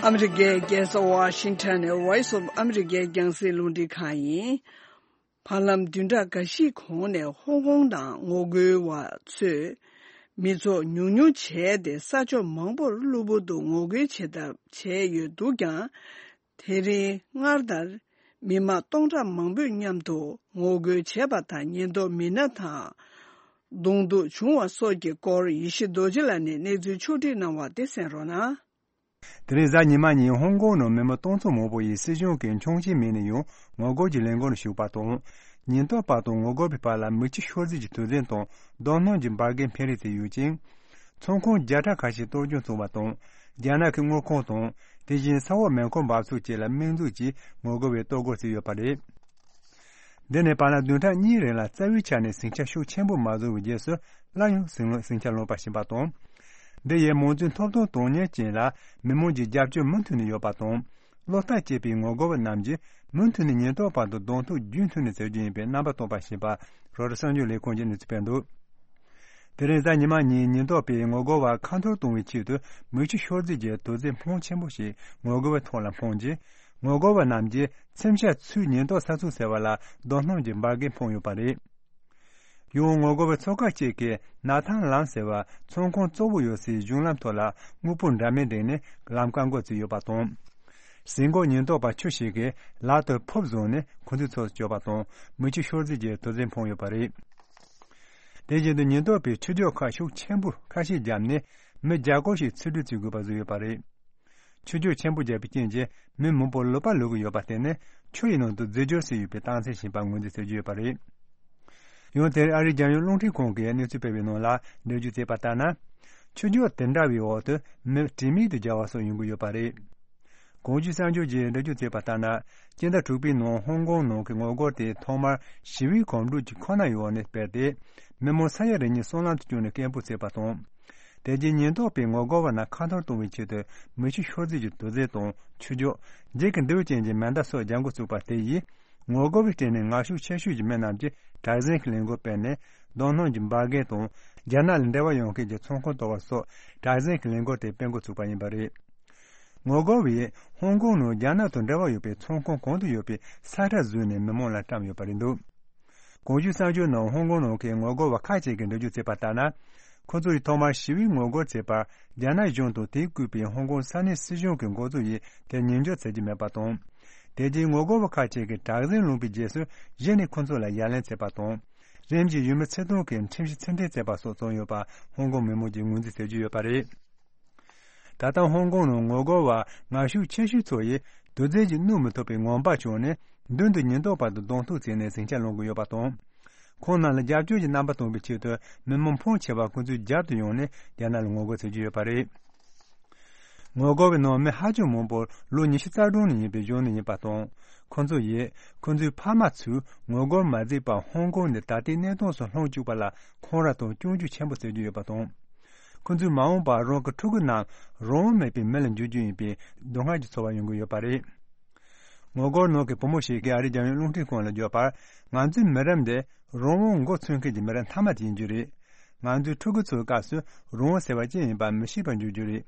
ཨ་མི་རི་ཀའི་རྒྱལ་ས་ཝ་ཤིང་ཊོན་ནས་Voice of America རྒྱང་སྲིང་རླུང་འཕྲིན་ཁང་ཡིན། བར་ལམ་བདུན་ཕྲག་འགའ་ཞིག་གོང་ནས་ཧོང་ཀོང་ནང་ངོ་རྒོལ་བ་ཚོས་མི་ཚོགས་ཉུང་ཉུང་བྱས་ཏེ་ས་ཕྱོགས་མང་པོར་གློ་བུར་དུ་ངོ་རྒོལ་བྱེད་ཐབས་བྱས་ཡོད་འདུག་ཀྱང་། དེ་རིང་སྔར་ལྟར་མི་མང་སྟོང་ཕྲག་མང་པོས་མཉམ་དུ་ངོ་རྒོལ་བྱས་པ་དང་། ཉེན་རྟོག་མི་སྣ་དང་གདོང་ཐུག་བྱུང་བ་སོགས་ཀྱི་སྐོར་ཡེ་ཤེས་རྡོ་རྗེ་ལགས་ནས་གནས་ཚུལ་ཕྱོགས་བསྒྲིགས་གནང་བ་དེ་གསན་རོགས་གནང་། དེ་རིང་གཟའ་ཉི་མ་ཉིན་ཧོང་ཀོང་ནང་མི་མང་སྟོང་ཚོ་མང་པོ་ཡིས་སྲིད་གཞུང་གི་འཁྱོངས་བྱེད་མེད་ནས་ཡང་ངོ་རྒོལ་གྱི་ལས་འགུལ་ནང་ཞུགས་པ་དང་། ཉེན་རྟོག་པ་དང་ངོ་རྒོལ་བའི་བར་ལ་མི་ཆོས་ཤོར་རྫས་ཀྱི་དོགས་ཟོན་དང་རྡོ་སྣུམ་གྱི་འབར་གས་འཕེན་རེས་བྱས་ཡོད་ཅིང་། ཚོང་ཁང་བརྒྱ་ཕྲག་ཁ་ཤས་གཏོར་སྐྱོན་བྱུང་བ་དང་། རྒྱ་ནག་གི་དངུལ་ཁང་དང་། དེ་བཞིན་ས་འོག་མེ་འཁོར་འབབ་ཚུགས་བཅས་ལ་དམིགས་འཛུགས་ཀྱིས་ངོ་རྒོལ་བས་གཏོར་རྒོལ་བྱས་ཡོད་པ་རེད། འདི་ནི་བར་ལམ་བདུན་ཕྲག་གཉིས་རིང་ལ་རྩ་བའི་ཆ་ནས་ཟིང་ཆ་ཤུགས་ཆེན་པོ་མ་བཟོ་བའི་རྗེས་སུ་སླར་ཡང་ཟིང་ཟིང་ཆ་ལངས་པ་ཞིག་ཡིན་པ་དང་། འདི་ཡིས་མང་གཙོའི་ཐོབ་ཐང་དོན་གཉེར་ཅན་ལ་མི་མང་གི་རྒྱབ་སྐྱོར་མུ་མཐུད་ནས་ཡོད་པ་དང་། བློ་ཐག་བཅད་པའི་ངོ་རྒོལ་བ་རྣམས་ཀྱིས་མུ་མཐུད་ནས་ཉེན་རྟོག་པ་དང་གདོང་ཐུག་རྒྱུན་མཐུད་ནས་བྱེད་རྒྱུ་ཡིན་པའི་རྣམ་པ་བསྟན་པ་ཞིག་ཡིན་པ་རོའི་ཊར་གསར་འགྱུར་ལས་ཁང་གིས་གནས་ཚུལ་སྤེལ་འདུག་དེ་རིང་གཟའ་ཉི་མ་ཉིན་ཉེན་རྟོག་པས་ངོ་རྒོལ་བ་ཁ་འཐོར་གཏོང་བའི་ཆེད་དུ་མེ་ཆུ་ཤོར་རྫས་ཀྱི་དོགས་ཟོན་ཕོན་ཆེན་པོ་ཞིག་ངོ་རྒོལ་བའི་ཐོག་ལ་འཕངས་རྗེས། ངོ་རྒོལ་བ་རྣམས་ཀྱིས་མཚོན་ཆ་ཚུད་ཉེན་རྟོག་ས་ཚིགས་ཟེར་བ་ལ་རྡོ་སྣུམ་གྱི་འབར་གས་འཕངས་ཡོད་པ་རེད། ཡང་ངོ་རྒོལ་བའི་ཚོགས་ཁག་ཅིག་གིས་ན་ཐང་ལམ་ཟེར་བ་ཚོང་ཁང་གཙོ་བོ་ཡོད་སའི་གཞུང་ལམ་ཐོག་ལ་དངོས་པོ་འདྲ་མིན་བསྒྲིགས་ནས་ལམ་བཀག་འགོག་བྱས་ཡོད་པ་དང་། གཟིགས་འགོག་ཉེན་རྟོག་པ་ཁྱུ་ཞིག་གིས་ལག་ཏུ་ཕུབ་བཟུང་ནས་ཁོ་ཚོའི་ཚོགས་སུ་བསྐྱོད་པ་དང་མེ་ཆུ་ཤོར་རྫས་ཀྱི་དོགས་ཟོན་འཕངས་ཡོད་པ་རེད། དེ་བཞིན་དུ་ཉེན་རྟོག་པས་ཆུ་རྒྱུག་ཁག་ཤུགས་ཆེན་པོ་ཁ་ཤས་བརྒྱབ་ནས་མི་བརྒྱ་སྐོར་ཞིག་འཚོ་སྡོད་བྱེད་དགོས་པ་བཟོས་ཡོད་པ་རེད། ཆུ་རྒྱུག་ཆེན་པོ་བརྒྱབ་པའི་རྐྱེན་གྱིས་མི་མང་པོ་ལུད་པ་ལུད་ཀྱི་ཡོད་པར་བརྟེན་ནས་ཆུ་ཡི་ནང་དུ་རྫས་སྦྱོར་བྱས་ཡོད་པའི་རྟགས་མཚན་ཞིག་ཡིན་པར་ངོས་འཛིན་བྱེད་ཀྱི་ཡོད་པ་རེད། ཡང་དེར་ཨ་རིའི་རྒྱལ་ཡོངས་རླུང་འཕྲིན་ཁང་གིས་གནས་ཚུལ་སྤེལ་བའི་ནང་ལ་འགྲེལ་བརྗོད་བྱས་པ་ལྟར་ན། ཆུ་རྒྱུག་དེ་འདྲ་བའི་འོག་ཏུ་མི་དྲི་མེད་དུ་བརྒྱལ་བ་སོགས་ཡོང་གི་ཡོད་པ་རེད། གོང་ཞུས་གསར་འགྱུར་གྱིས་འགྲེལ་བརྗོད་བྱས་པ་ལྟར་ན། སྤྱི་ཟླ་དྲུག་པའི་ནང་ཧོང་ཀོང་ནང་གི་ངོ་རྒོལ་དེ་ཐོག་མར་ཞི་བའི་གོམ་བགྲོད་ཀྱི་ཁོ་ན་ཡོད་ནས་སྤེལ་ཏེ། མི་མང་ས་ཡ་རེ་གཉིས་སྲང་ལམ་དུ་བསྐྱོད་ནས་སྐད་འབོད་བྱས་པ་དང་། དེ་རྗེས་ཉེན་རྟོག་པས་ངོ་རྒོལ་བ་རྣམས་ཁ་འཐོར་གཏོང་བའི་ཆེད་དུ་མེ་ཆུ་ཤོག་རྫས་ཀྱི་དུག་རྫས་དང་ཆུ་རྒྱུག་འགྱིག་གི་མདེའུ་ཅན་གྱི་མེ་མདའ་སོགས་རྒྱག་འགོ་བཙུགས་པ་དེ་ཡིས། ངོ་རྒོལ་བའི་སྐྲན་ནི་ངར་ཤུགས་ཆེ་ཤོས་ཀྱི་མི་རྣམས་ཀྱིས་དྲག་ཟིང་གི་ལས་འགུལ་སྤེལ་ནས། རྡོ་སྣུམ་གྱི་འབར་གས་དང་། རྒྱ་ནག་ལ་འབྲེལ་བ་ཡོད་མཁན་གྱི་ཚོང་ཁང་གཏོར་བ་སོགས་དྲག་ཟིང་གི་ལས་འགུལ་དེ་སྤེལ་འགོ་ཚུགས་པ་ཡིན་པ་རེད། ངོ་རྒོལ་བས་ཧོང་ཀོང་ནང་རྒྱ་ནག་དང་འབྲེལ་བ་ཡོད་པའི་ཚོང་ཁང་གང་དུ་ཡོད་པའི་ས་ཁྲ་བཟོས་ནས་མི་མང་ལ་བཀྲམ་ཡོད་པ་རེད་འདུག་གོང་ཞུས་གསར་འགྱུར་ནང་ཧོང་ཀོང་ནང་གི་ངོ་རྒོལ་བ་ཁག་ཅིག་གིས་འགྲེལ་བརྗོད་བྱས་པ་ལྟར་ན། ཁོ་ཚོ་ཡིས་ཐོག་མར་ཞི་བའི་ངོ་རྒོལ་བྱས་པར་རྒྱ་ནག་གཞུང་དང་དེས་བཀོད་པའི་ཧོང་ཀོང་ས་གནས་སྲིད་གཞུང་གི་འགོ་གཙོ་ཡིས་དེར་ཉན་འཇོག་བྱེད་ཀྱི་མེད་པ་དང་། དེ་རྗེས་ངོ་རྒོལ་བ་ཁག་ཅིག་གིས་དྲག་ཟིང་བསླངས་པའི་རྗེས་སུ་གཞི་ནས་ཁོ་ཚོ་ལ་ཡ་ལན་བྱས་པ་དང་། རིམ་བཞིན་ཡུལ་མི་ཆིག་སྟོང་གིས་ཁྲིམས་གཞི་ཕྱིར་འཐེན་བྱས་པ་སོགས་བྱུང་ཡོད་པ་ཧོང་ཀོང་མི་མང་གིས་ངོས་འཛིན་བྱེད་ཀྱི་ཡོད་པ་རེད། ད་ལྟ་ཧོང་ཀོང་ནང་ངོ་རྒོལ་བ་ངར་ཤུགས་ཆེ་ཤོས་ཚོ་ཡིས་དུག་རྫས་ཀྱིས་བསྣུབ་མི་ཐུབ་པའི་ངང་པ་བྱུང་ནས། མདུན་དུ་ཉེན་རྟོག་པ་དང་གདོང་ཐུག་བྱས་ནས་ཟིང་ཆ་སློང་གི་ཡོད་པ་དང་། ཁོང་རྣམས་ལ་རྒྱབ་སྐྱོར་གྱི་རྣམ་པ་སྟོན་པའི་ཆེད་དུ་མི་མང་ཕོན་ཆེ་བ་ཁོ་ཚོའི་རྒྱབ་ཏུ་ཡོང་ནས་རྒྱ་ནག་ལ་ངོ་རྒོལ་བྱེད་ཀྱི་ཡོད་པ་རེད། ངོ་རྒོལ་བའི་ནང་མི་ཧ་ཅང་མང་པོ་ལོ་ཉི་ཤུ་རྩ་གྲངས་ནས་ཡིན་པའི་གཞུང་ནས་ཡིན་པ་དང་། ཁོ་ཚོ་ཡིས་ཁོ་ཚོའི་ཕ་མ་ཚོས་ངོ་རྒོལ་མ་མཛད་པར་ཧོང་ཀོང་ནས་ད་ལྟའི་གནས་སྟངས་སུ་ལྷུང་བཅུག་པ་ལ་འཁང་ར་དང་སྐྱོན་བརྗོད་ཆེན་པོ་བྱེད་ཀྱི་ཡོད་པ་དང་། ཁོ་ཚོས་མ་འོངས་པར་རང་གི་ཕྲུ་གུ་རྣམས་རང་དབང་མེད་པའི་མི་ལ་འགྱུར་རྒྱུ་ཡིན་པའི་སྡུག་བསྔལ་གྱི་ཚོར་བ་ཡོང་གི་ཡོད་པ་རེད། ངོ་རྒོལ་ནང་གི་བུ་མོ་ཞིག་གིས་ཨ་རིའི་རྒྱལ་ཡོངས་རླུང་འཕྲིན་ཁང་ལ་བརྗོད་པར། ང་ཚོའི་མི་རབས་འདི་རང་དབང་མགོ་ཚོས་མཁན་གྱི་མི་རབས་མཐའ་མ་དེ་ཡིན་རྒྱུ་རེད། ང་ཚོའི་ཕྲུ་གུ་ཚོའི་སྐབས་སུ་རང་དབང་ཟེར་བ་ཅི་ཡིན་པ་མི་ཤེས་པར་འགྱུར་རྒྱུ་རེད།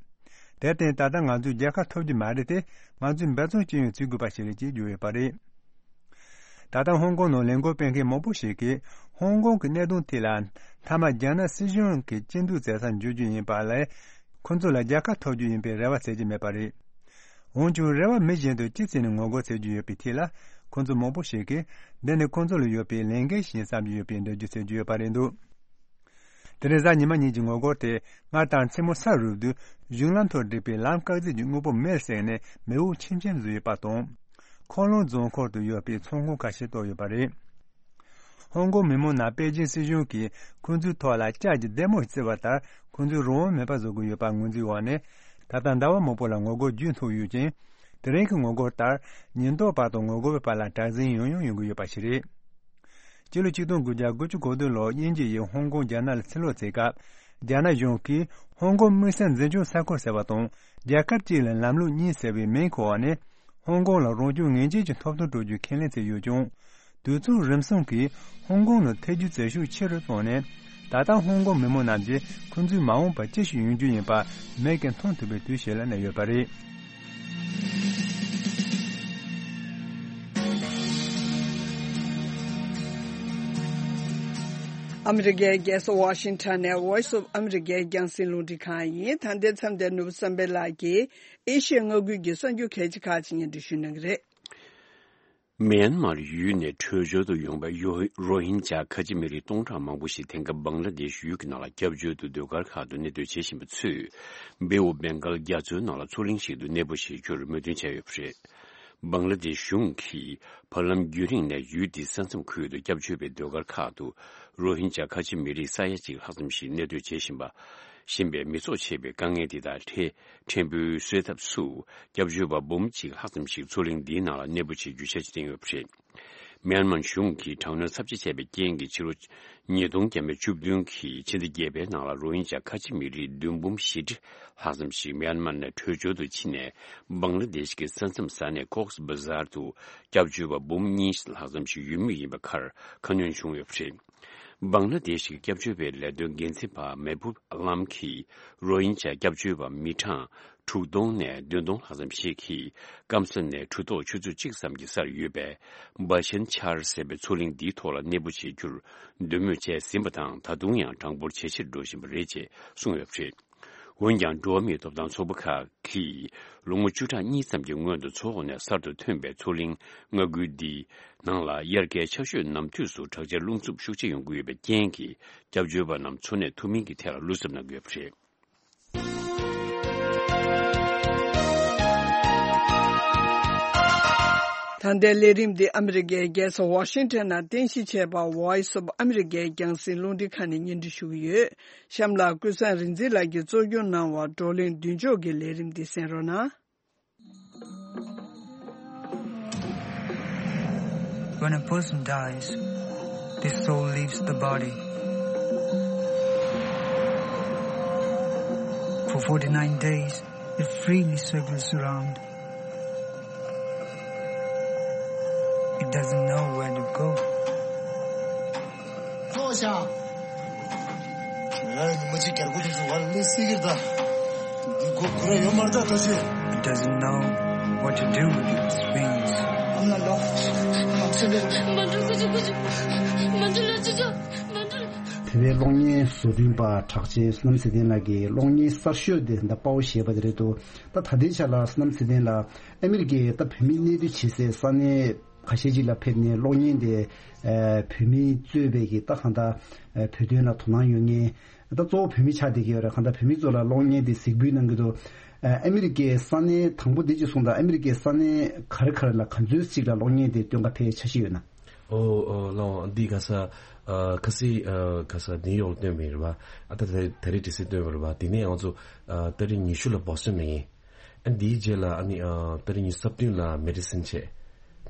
དེར་བརྟེན་ད་ལྟ་ང་ཚོས་རྒྱལ་ཁ་ཐོབ་རྒྱུ་མ་རེད་དེ། ང་ཚོས་འབད་བརྩོན་ཅི་ཡང་བྱེད་དགོས་པ་ཞིག་རེད་ཅེས་བརྗོད་ཡོད་པ་རེད། ད་ལྟ་ཧོང་ཀོང་ནང་ལས་འགུལ་སྤེལ་མཁན་མང་པོ་ཞིག་གིས་ཧོང་ཀོང་གི་གནད་དོན་ཐད་ལ་མཐའ་མ་རྒྱ་ནག་སྲིད་གཞུང་གི་སྐྱིད་སྡུག་བྱེད་སར་འགྱུར་རྒྱུ་ཡིན་པ་ལས། ཁོ་ཚོ་ལ་རྒྱལ་ཁ་ཐོབ་རྒྱུ་ཡིན་པའི་རེ་བ་བྱེད་ཀྱི་མེད་པ་རེད། འོན་ཀྱང་རེ་བ་མེད་བཞིན་དུ་ཅི་བྱས་ནས་ངོ་རྒོལ་བྱེད་རྒྱུ་ཡོད་པའི་ཐད་ལ། ཁོ་ཚོ་མང་པོ་ཞིག་གིས་འདི་ནི་ཁོ་ཚོ་ལ་ཡོད་པའི་ལས་འགན་ཞིག་བསམ་གྱི་ཡོད་པའི་འགྲེལ་བརྗོད་བྱེད་ཀྱི་ཡོད་པ་རེད་འདུག་དེ་རིང་གཟའ་ཉི་མ་ཉིན་གྱི་ངོ་རྒོལ་དེ་སྔར་ལྟར་མཚན་མོ་ས་རུབ་དུས་གཞུང་ལམ་ཐོག་བསྒྲིགས་པའི་ལམ་བཀག་རྫས་ཀྱི་དངོས་པོ་མེར་བསྲེགས་ནས་མེ་འོབས་ཆེམ་ཆེམ་བཟོས་ཡོད་པ་དང་། ཁོ་ལོང་རྫོང་ཁོག་ཏུ་ཡོད་པའི་ཚོང་ཁང་ཁ་ཤས་གཏོར་ཡོད་པ་རེད། ཧོང་ཀོང་མི་མང་རྣམས་པེ་ཅིན་སྲིད་གཞུང་གིས་ཁོ་ཚོའི་ཐོག་ལ་ལྕགས་ཀྱི་རྡེ་མོ་བརྩི་བ་ལྟར་ཁོ་ཚོའི་རང་དབང་མེད་པ་བཟོ་གི་ཡོད་པར་ངོས་འཛིན་འོག་ནས། ད་ལྟ་ཟླ་བ་མང་པོ་ལ་ངོ་རྒོལ་རྒྱུན་མཐུད་ཡོད་ཅིང་། དེ་རིང་གི་ངོ་རྒོལ་ལྟར་ཉེན་རྟོག་པ་དང་ངོ་རྒོལ་བའི་བར་ལ་དྲག་ཟིང་ཡང་ཡང་ཡོང་གི་ཡོད་པ་ཞིག་རེད། སྤྱི་ལོ་ཆིག་སྟོང་དགུ་བརྒྱ་དགུ་བཅུ་གོ་བདུན་ལོར་དབྱིན་ཇི་ཡིས་ཧོང་ཀོང་རྒྱ་ནག་ལ་ཕྱིར་སློག་བྱེད་སྐབས། རྒྱ་ནག་གཞུང་གིས་ཧོང་ཀོང་དམིགས་བསལ་འཛིན་སྐྱོང་ས་ཁུལ་ཟེར་བ་དང་། རྒྱལ་ཁབ་གཅིག་ལ་ལམ་ལུགས་གཉིས་ཟེར་བའི་མིང་གི་འོག་ནས། ཧོང་ཀོང་ལ་རང་སྐྱོང་ངེས་ཅན་གྱི་ཐོབ་ཐང་སྤྲོད་རྒྱུའི་ཁས་ལེན་བྱས་ཡོད་ཀྱང་། དུས་ཚོད་རིམ་གསུམ་གྱིས་ཧོང་ཀོང་ནང་ཐེ་ཇུས་བྱེད་ཤུགས་ཆེ་རུ་བཏང་ནས། ད་ལྟ་ཧོང་ཀོང་མི་མང་རྣམས་ཀྱིས་ཁོ་ཚོའི་མ་འོངས་པ་ཅི་ཞིག་ཡོང་རྒྱུ་ཡིན་པ་མིག་གིས་མཐོང་ཐུབ་པའི་དུས་ཤིག་ལ་གནས་ཡོད་པ་རེད། ཨ་མི་རི་ཀའི་རྒྱལ་ས་ཝ་ཤིང་ཊོན་ནས་Voice of America་རྒྱང་སྲིང་རླུང་འཕྲིན་ཁང་ཡིན། ད་ལྟའི་མཚམས་འདིར་ནོར་བུ་བསམ་འཕེལ་ལགས་ཀྱིས་ཨེ་ཤི་ཡ་མངའ་ཁུལ་གྱི་གསར་འགྱུར་གལ་ཆེ་ཁག་ཅིག་སྙན་སྒྲོན་ཞུ་གནང་གི་རེད། མེན་མར་ཡུལ་ནས་བྲོས་བྱོལ་དུ་ཡོང་བའི་ཡོ་རོ་ཧིན་ཇཱ་ཁ་ཆེ་མི་རིགས་སྟོང་ཕྲག་མང་པོ་ཞིག་དེང་སྐབས་བང་ལ་དེཤ་ཡུལ་གྱི་ནང་ལ་སྐྱབས་བཅོལ་དུ་ཟློས་གར་ཁག་ཏུ་གནས་སྡོད་བྱེད་བཞིན་པ་ཚོས་བྷེ་ཨོ་བེང་གལ་རྒྱ་མཚོའི་ནང་ལ་མཚོ་གླིང་ཞིག་ཏུ་གནས་སྤོ་བྱེད་རྒྱུར་མོས་མཐུན་བྱས་ཡོད་པ་རེད། བང་ལ་དེཤ་གཞུང་གིས་བར་ལམ་རྒྱུན་རིང་ནས་ཡུལ་དེའི་ས་མཚམས་ཁུལ་དུ་སྐྱབས་བཅོལ་བའི་ཟློས་གར་ཁག་ཏུ་རོ་ཧིན་ཇཱ་ཁ་ཆེ་མི་རིགས་ས་ཡ་གཅིག་ལྷག་ཙམ་ཞིག་གནས་སྡོད་བྱེད་བཞིན་པ། བཞིན་པའི་མི་ཚོགས་ཆེ་བའི་དཀའ་ངལ་འདི་དག་ཕྲན་ཕྲན་བུ་སེལ་ཐབས་སུ། སྐྱབས་བཅོལ་བ་འབུམ་གཅིག་ལྷག་ཙམ་ཞིག་མཚོ་གླིང་འདིའི་ནང་ལ་གནས་སྤོ་བྱེད་རྒྱུའི་འཆར་གཞི་བཏིང་ཡོད་པ་རེད། མེན་མར་གཞུང་གིས་དྲག་གནོན་ཚབས་ཆེ་བྱས་པའི་རྐྱེན་གྱིས་ཕྱི་ལོ་ཉིས་སྟོང་བརྒྱ་མེད་བཅུ་བདུན་གྱི་ཕྱི་ཟླ་བརྒྱད་པའི་ནང་ལ་རོ་ཧིན་ཇཱ་ཁ་ཆེ་མི་རིགས་བདུན་འབུམ་བཞི་ཁྲི་ལྷག་ཙམ་ཞིག་མེན་མར་ནས་བྲོས་བྱོལ་དུ་ཕྱིན་ནས་བང་ལ་དེཤ་གི་ས་མཚམས་ས་གནས་ཀོག་སི་བ་ཟར་དུ་སྐྱབས་བཅོལ་བ་འབུམ་གཉིས་ལྷག་ཙམ་ཞིག་ཡོད་མུས་ཡིན་པའི་ཁར་ཁ་སྣོན་བྱུང་ཡོད་པ་རེད། བང་ལ་དེཤ་གི་སྐྱབས་བཅོལ་བའི་ལས་དོན་འགན་འཛིན་པ་མེ་བྷུབ་ཨ་ལམ་གྱིས་རོ་ཧིན་ཇཱ་སྐྱབས་བཅོལ་བ་མི་གྲངས་དྲུག་སྟོང་ནས་བདུན་སྟོང་ལྷག་ཙམ་ཞིག་གིས་སྐམ་ས་ནས་གྲུ་ཐོག་ཆུ་ཚོད་གཅིག་ཙམ་གྱི་སར་ཡོད་པའི་བྷ་ཤན་ཆར་ཟེར་བའི་མཚོ་གླིང་འདིའི་ཐོག་ལ་གནས་སྤོ་བྱེད་རྒྱུར་འདོད་མོས་བྱས་ཟིན་པ་དང་། ད་དུང་ཡང་གྲངས་འབོར་ཇེ་ཆེར་འགྲོ་བཞིན་པ་རེད་ཅེས་གསུངས་ཡོད་པ་རེད། འོན་ཀྱང་། འགྲོ་བ་མིའི་ཐོབ་ཐང་ཚོགས་པ་ཁག་གིས་ལོ་ངོ་བཅུ་ཕྲག་གཉིས་ཙམ་གྱི་སྔོན་དུ་མཚོ་འོག་ནས་གསར་དུ་ཐོན་པའི་མཚོ་གླིང་མངའ་ཁུལ་འདིའི་ནང་ལ་དབྱར་ཁའི་ཆར་ཞོད་ནམ་དུས་སུ་དྲག་ཆར་རླུང་འཚུབ་ཤུགས་ཆེ་ཡོང་གི་ཡོད་པའི་རྐྱེན་གྱིས། སྐྱབས་བཅོལ་བ་རྣམས་འཚོ་གནས་ཐུབ་མིན་གྱི་ཐད་ལ་བློ་འཚབ་གནང་གི་ཡོད་པ་རེད། ད་ལྟའི་ལས་རིམ་འདི་ཨ་མི་རི་ཀའི་རྒྱལ་ས་ཝ་ཤིང་ཊོན་ནས་རྟེན་གཞི་བྱས་པ་Voice of America་རྒྱང་སྲིང་རླུང་འཕྲིན་ཁང་ནས་སྙན་སྒྲོན་ཞུ་གི་ཡོད། གཤམ་ལ་ཀུན་བཟང་རིག་འཛིན་ལགས་ཀྱིས་གཙོ་སྐྱོང་གནང་བ་བགྲོ་གླེང་མདུན་ལྕོག་གི་ལས་རིམ་འདི་གསན་རོགས་གནང་། When a person dies, the soul leaves the body. For forty-nine days, it freely circles around. It doesn't know where to go. ལྟོས་ཤག་ང་ཉི་མ་གཅིག་རྒྱལ་སྒོ་དེ་ཚོ་བར་ལས་སྲིད་ཀྱི་རེད་ད། འདི་སྒོ་སྒོ་ར་ཡོད་མ་རེད་ད་ལྟོས་ཤིག It doesn't know what to do with its wings. ཨ་མ་ལོ། མ་འགྲོ་ཁུ་ཆུ་ཁུ་ཆུ། མ་འགྲོ་ལ་ཆུ་ཆུ། མ་འགྲོ་ལ། དེ་བས་གློག་བརྙན་བཟོ་སྐྲུན་པ་གྲགས་ཅན་བསོད་ནམས་ཚེ་བརྟན་ལགས་ཀྱིས་གློག་བརྙན་གསར་ཤོས་དེ་ད་དཔའ་བོ་ཞེས་པ་དེ་རེད་འདུག་ད་ད་ལྟའི་ཆ་ལ་བསོད་ནམས་ཚེ་བརྟན་ལགས་ཨ་མི་རི་ཀའི་ད་བོད་མི་གནས་སྡོད་བྱེད་སའི་ས་གནས་ཁ་ཤས་ཅིག་ལ་ཕེབས་ནས་གློག་བརྙན་དེ་ཨ་བོད་མིས་གཙོས་པའི་གི་ད་གང་ལྟར་ཨ་བོད་དོན་ལ་དོ་སྣང་ཡོད་མཁན། ད་གཙོ་བོ་བོད་མི་ཆགས་བསྡད་ཀྱི་ཡོད་རེད། གང་ལྟར་བོད་མི་ཚོ་ལ་གློག་བརྙན་དེ་གཟིགས་འབུལ་གནང་གི་འདུག་ཨ་ཨ་མི་རི་ཀའི་ས་གནས་དང་པོ་དེ་གཅིག་གསུངས་དང་། ཨ་མི་རི་ཀའི་ས་གནས་ག་རེ་ག་རེ་ལ་ག་ཚོད་ཅིག་ལ་གློག་བརྙན་དེ་སྟོན་ག་ཕེབས་འཆར་གཞི་ཡོད་ན། ཨོ་ཨོ་ལའོ་འདི་ག་ས་ཨ་ཁ་སི་ཨ་ག་ས་ནིའུ་ཡོག་སྟོན་པ་རེད་བ། ཨ་ད་ད་ད་རེས་ཌི་སི་སྟོན་པ་རེད་བ། དེ་ནས་ང་ཚོ་ཨ་ཏ་རིག་ཉི་ཤུ་ལ་བོ་སི་ཊོན་ལ་ཡིན། ཨ་འདིའི་རྗེས་ལ་ཨ་ནི་ཨ་ཏ་རིག་ཉི་ཤུ་རྩ་བདུན་ལ་མེ་ཌི་སིན་བྱས།